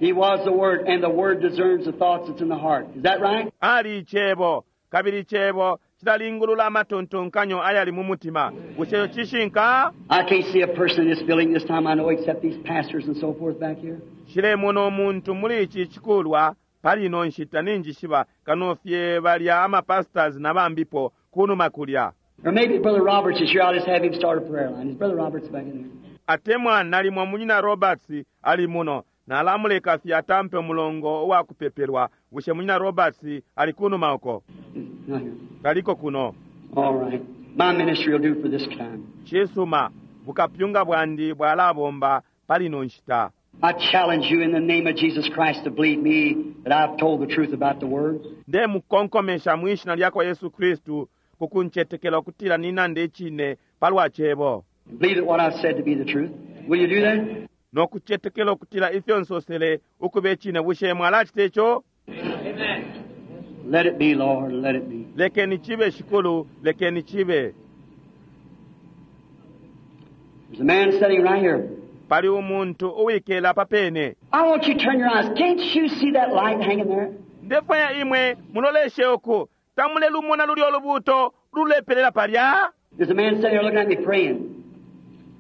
He was the Word, and the Word discerns the thoughts that's in the heart. Is that right? Ali icebo, kabili icebo cilalingulula amatontonkanyo ayali mu mutima. Bushe ico cishinka? I can't see a person in this building this time I know except these pastors and so forth back here. Nshilemona umuntu muli ici cikulwa pali ino nshita ninjishiba kano fye balya ama pastors na bambipo kunuma kulya. Or maybe Brother Roberts is here. I'll just have him start a prayer line. Is Brother Roberts back in there? Atemwa nalimo munyina Roberts ali muno. Nalamuleka fye atampe mulongo uwa kupepelwa. Bushe munyina Roberts ali kunuma uko? Not here. Kaliko kuno. All right. My ministry will do for this time. Cisuma, bukapyunga bwandi bwalabomba pali ino nshita. I challenge you in the name of Jesus Christ to believe me that I've told the truth about the Word. Ndemukonkomesha mwi shina lya kwa Yesu Kristu kukuncetekela ukutila ninanda icine palwa cebo. Believe that what I've said to be the truth. Will you do that? No kucetekela ukutila ifyo nsosele ukuba icine. Bushe mwalacita ico? Let it be, Lord. Let it be. Lekeni cibe, Shikulu, lekeni cibe. There's a man sitting right here. Pali umuntu uwikele apa pene. I want you to turn your eyes. Can't you see that light hanging there? Ndefwaya imwe muloleshe uku tamulelumona luli olubuto lulepelela palya. There's a man sitting here looking at me praying.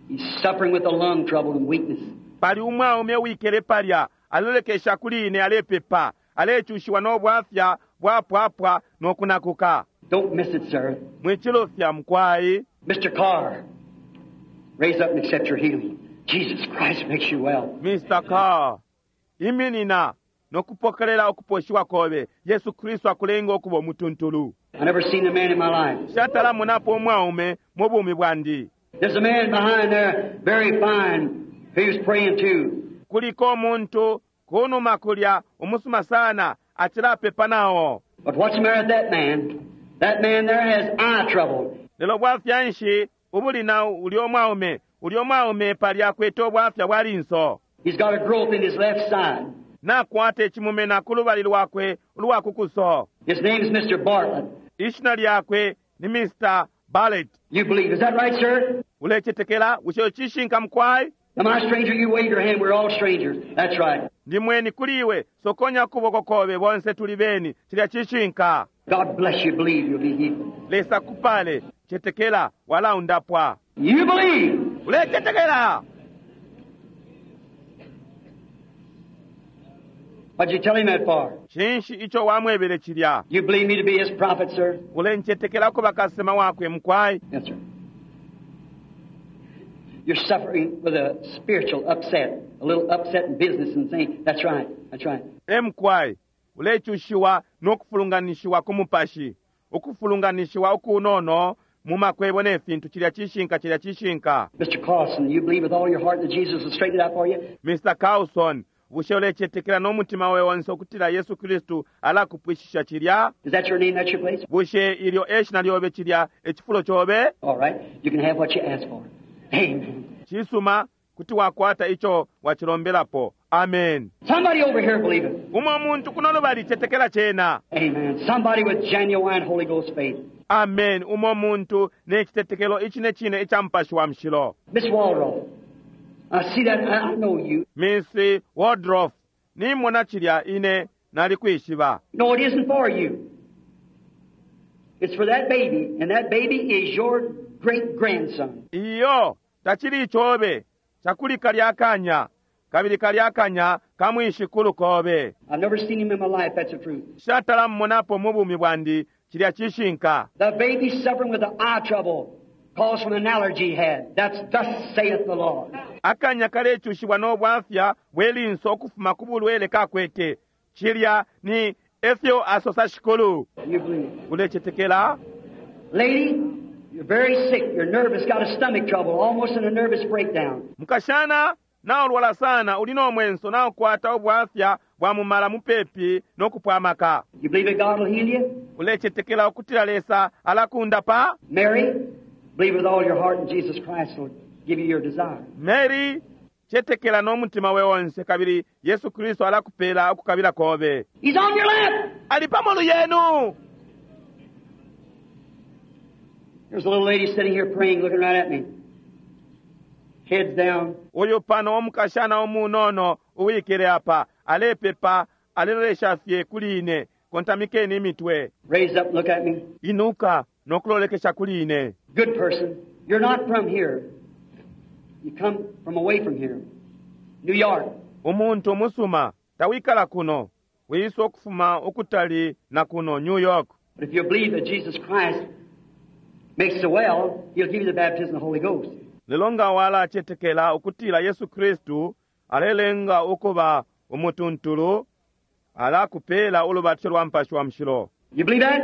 He's suffering with a lung trouble and weakness. Pali umwaume uwikele palya alolekesha kuli ine alepepa alechushiwa n'obwafya bwapwapwa n'okunakuka. Don't miss it, sir. Mwikilofya mukwayi. Mr. Carr, raise up and accept your healing. Jesus Christ makes you well. Mr. Carr, iminina n'okupokelela okuposhiwa kobe. Yesu Kristu akulenga okuba omutuntulu. I never seen the man in my life. Shatala munapo omwaume mu bumi bwandi. There's a man behind there, very fine, he was praying too. Kuliko omuntu kunuma kulya omusuma sana achilapepa nawo. But what's the matter with that man? That man there has eye trouble. Lelo bwafya nshi ubuli na uli omwaume uli omwaume pali akwete obwafya bwa linso. He's got a growth in his left side. Nakwata ekimumena ku lubali lwakwe olwakukuso. His name's Mr. Bartlett. Ishina lyakwe ni Mr. Bartlett. You believe. Is that right, sir? Ulechetekela bushe chishinka mukwai? Am I a stranger? You wave your hand. We're all strangers. That's right. Ndi mweni kuli iwe sokonya kuboko kobe bonse tuli beni chilya chishinka. God bless you. Believe you'll be healed. Lesa kupale chetekela wala undapwa. You believe. Ulechetekela. What'd you tell him that for? Chinshi icho wamwebele chilya. You believe me to be his prophet, sir? Ulenchetekela kuba kasema wakwe mukwai. Yes, sir. You're suffering with a spiritual upset, a little upset in business and things. That's right. That's right. Emkwai ulechushiwa n'okufulunganishiwa ku mupashi okufulunganishiwa okunono mu makwebo n'efintu chilya chishinka chilya chishinka. Mr. Carlson, you believe with all your heart that Jesus will straighten it out for you? Mr. Carlson, bushe ulechetekela n'omutima we wonse okutila Yesu Kristu alakupwishisha chilya? Is that your name? That's your place? Bushe ilyo eshina lyobe chilya echifulo chobe? All right. You can have what you asked for. Amen. Chisuma kuti wakwata icho wachilombelapo. Amen. Somebody over here believe it. Umwe muntu kuno lubali chetekela chena. Amen. Somebody with genuine Holy Ghost faith. Amen. Umwe muntu n'echitetekelo ichi ne chine echa mupashi wa mushilo. Miss Waldrop, I see that. I know you. Miss Waldrop, nimona chilya ine nali kwishiba. No, it isn't for you. It's for that baby, and that baby is your great-grandson. Iyo tachili chobe chakuli kalyakanya kabili kalyakanya kamwishikulu kobe. I've never seen him in my life, that's the truth. Shatala mmonapo mu bumi bwandi chilya chishinka. The baby suffering with the eye trouble caused from an allergy he had. That's thus saith the Lord. Akanya kalechushibwa n'obwafya bwelinso okufuma ku bulwele kakwete. Chilya ni efyo asosa shikulu. You believe. Ulechetekela? Lady, you're very sick. You're nervous, got a stomach trouble, almost in a nervous breakdown. Mukashana naolwala sana ulina omwenso naokwata obwafya bwa mumala mupepi n'okupwamaka. You believe that God will heal you? Ulechetekela okutila Lesa alakundapa? Mary, believe with all your heart in Jesus Christ will give you your desire. Mary, chetekela n'omutima we wonse kabili Yesu Kristo alakupela okukabila kobe. He's on your lap. Ali pamolu yenu. There's a little lady sitting here praying, looking right at me. Heads down. Uyu pano omukashana omunono uwikele apa alepepa alelolesha fye kuli ine kontamikeni imitwe. Raise up, look at me. Inuka n'okulolekesha kuli ine. Good person. You're not from here. You come from away from here. New York. Umuntu omusuma tawikala kuno wiyisa okufuma okutali na kuno New York. But if you believe that Jesus Christ makes the well, He'll give you the baptism of the Holy Ghost. Lelo nga walachetekela okutila Yesu Kristu alelenga okuba omutuntulu alakupela ulubatiro lwa mpashi wa mushilo. You believe that?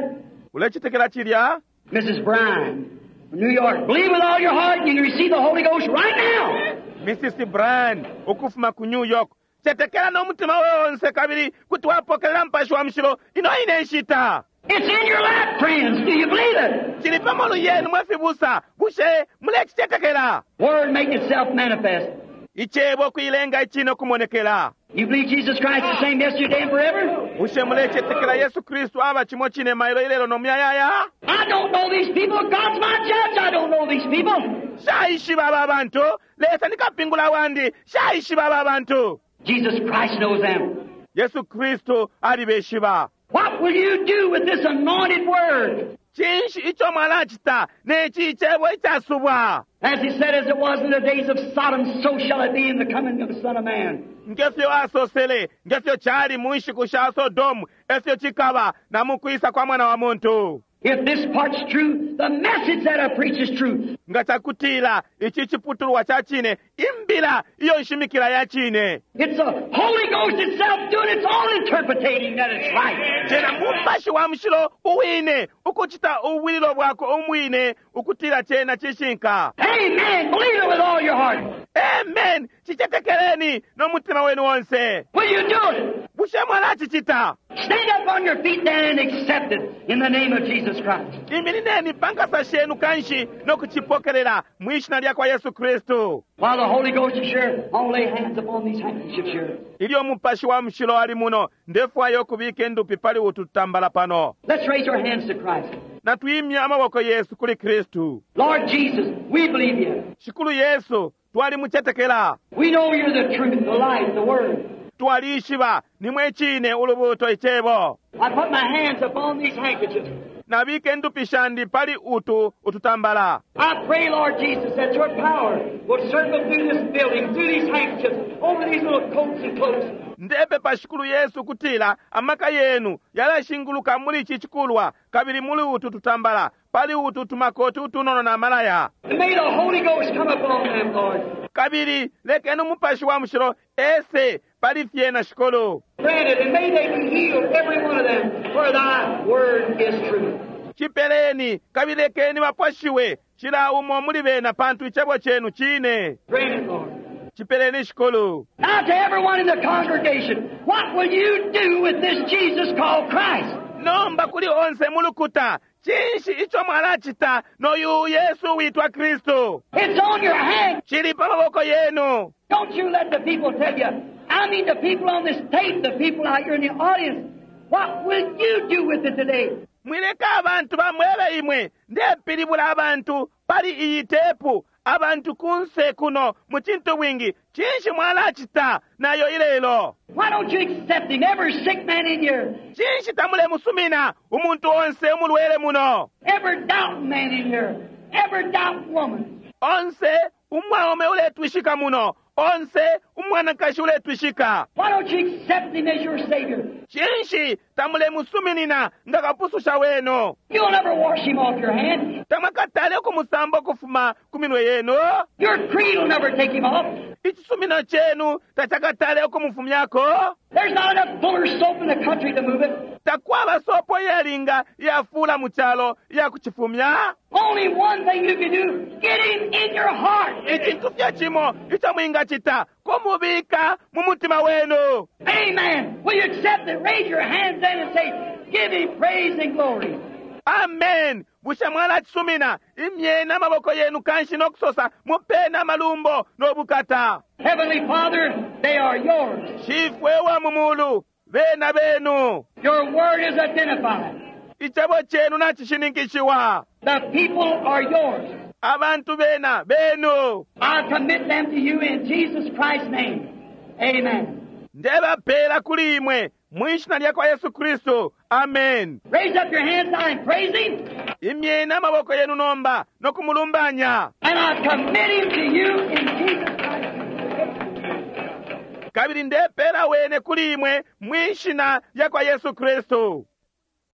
Ulechetekela chilya? Mrs. Bryan from New York. Believe with all your heart and you can receive the Holy Ghost right now. Mrs. Bryan okufuma ku New York. Chetekela n'omutima wonse kabili kuti wapokelela mpashi wa mushilo ino ine nshita. It's in your lap, friends. Do you believe it? Chili pamolu yenu mwefibusa bushe mulechichetekela. Word making itself manifest. Ichebo kuilenga ichino kumonekela. You believe Jesus Christ the same yesterday and forever? Bushe mulechetekela Yesu Kristu aba chimo chine mailo ilelo nomuyayaya? I don't know these people. God's my judge. I don't know know these people. Shaishiba aba bantu. Lesa ni kapingula wandi. Shaishiba aba bantu. Jesus Christ knows them. Yesu Kristu alibeshiba. What will you do with this anointed word? Cinshi ico mwalacita neci icebo icasubwa? As he said, as it was in the days of Sodom, so shall it be in the coming of the Son of Man. Ngefyo asosele, ngefyo cali mu nshiku sha Sodomu, efyo cikaba na mu kwisa kwa mwana wa muntu. If this part's true, the message that I preach is true. Nga cakutila ici ciputulwa ca cine, imbila iyo nshimikila ya cine. It's the Holy Ghost itself doing its own interpreting that it's right. Cena mupashi wa mushilo uwine ukucita ubwililo bwako umwine ukutila cena cishinka. Amen. Believe it with all your heart. Amen. Cicetekeleni no mutima wenu onse. Will you do it? Bushe mwalacicita? Stand up on your feet then and accept it in the name of Jesus Christ. Iminineni pa nkasa shenu kanshi no kucipokelela mwi shina lya kwa Yesu Kristu. While the Holy Ghost is here, I'll lay hands upon these handkerchiefs here. Ilyo mupashi wa mushilo ali muno, ndefwaya ukubika endupi pali utu tutambala pano. Let's raise our hands to Christ. Natwimya amaboko yesu kuli Kristu. Lord Jesus, we believe you. Shikulu Yesu, twalimucetekela. We know you're the truth, the life, the Word. Twalishiba nimwe cine ulubuto icebo. I put my hands upon these handkerchiefs. Nabika endupi shandi pali utu ututambala. I pray, Lord Jesus, that your power will circle through this building, through these handkerchiefs, over these little coats and cloaks. Ndepepa Shikulu Yesu kutila amaka yenu yalashinguluka muli ici cikulwa kabili muli utu tutambala pali utu tumakoti utunono na malaya. And may the Holy Ghost come upon them, Lord. Kabili lekeni umupashi wa mushilo ese pali fyena Shikulu. Grant it, and may they be healed, every one of them, for thy word is true. Cipeleni kabili lekeni bapwashiwe cila umo muli bena pantu icebo cenu cine. Grant it, Lord. Cipeleni Shikulu. Now to everyone in the congregation, what will you do with this Jesus called Christ? Nomba kuli onse mulukuta cinshi ico mwalacita noyu Yesu witwa Kristu? It's on your hand. Cili pa maboko yenu. Don't you let the people tell you. I mean the people on this tape, the people out here in the audience. What will you do with it today? Mwileka abantu bamwebe imwe ndepilibula abantu pali iyi tepu abantu kunse kuno mu cintu bwingi cinshi mwalacita nayo ilelo. Why don't you accept him? Every sick man in here, Cinshi tamulemusumina umuntu onse umulwele muno. every doubting man in here, every doubting woman. Onse umwaume uletwishika muno, onse umwanakashi uletwishika. Why don't you accept him as your Savior? Cinshi tamulemusuminina nga kapususha wenu. You'll never wash him off your hand. Tamwakatale ukumusamba ukufuma ku minwe yenu. Your creed will never take him off. Icisumino cenu tacakatale ukumufumyako. There's not enough Fuller's soap in the country to move it. Takwaba sopo iyalinga iyafula mu calo iyakucifumya. Only one thing you can do, get him in your heart. Icintu fye cimo ico mwingacita kumubika mu mutima wenu. Amen. Will you accept it? Raise your hands then and say, give him praise and glory. Amen. Bushe mwalacisumina imyeni amaboko yenu kanshi nokusosa mupeni amalumbo nobukata. Heavenly Father, they are yours. Shifwe wa mu mulu bena benu. Your word is identified. Icebo cenu nacishininkishiwa. The people are yours. Abantu bena benu. I commit them to you in Jesus Christ's name. Amen. Ndebapela kuli imwe mwishina lya kwa Yesu Kristu. Amen. Raise up your hands now and praise him. Imyeni amaboko yenu nomba nokumulumbanya. And I commit him to you in Jesus Christ's name. Kabili ndepela wene kuli imwe mwishina lya kwa Yesu Kristu.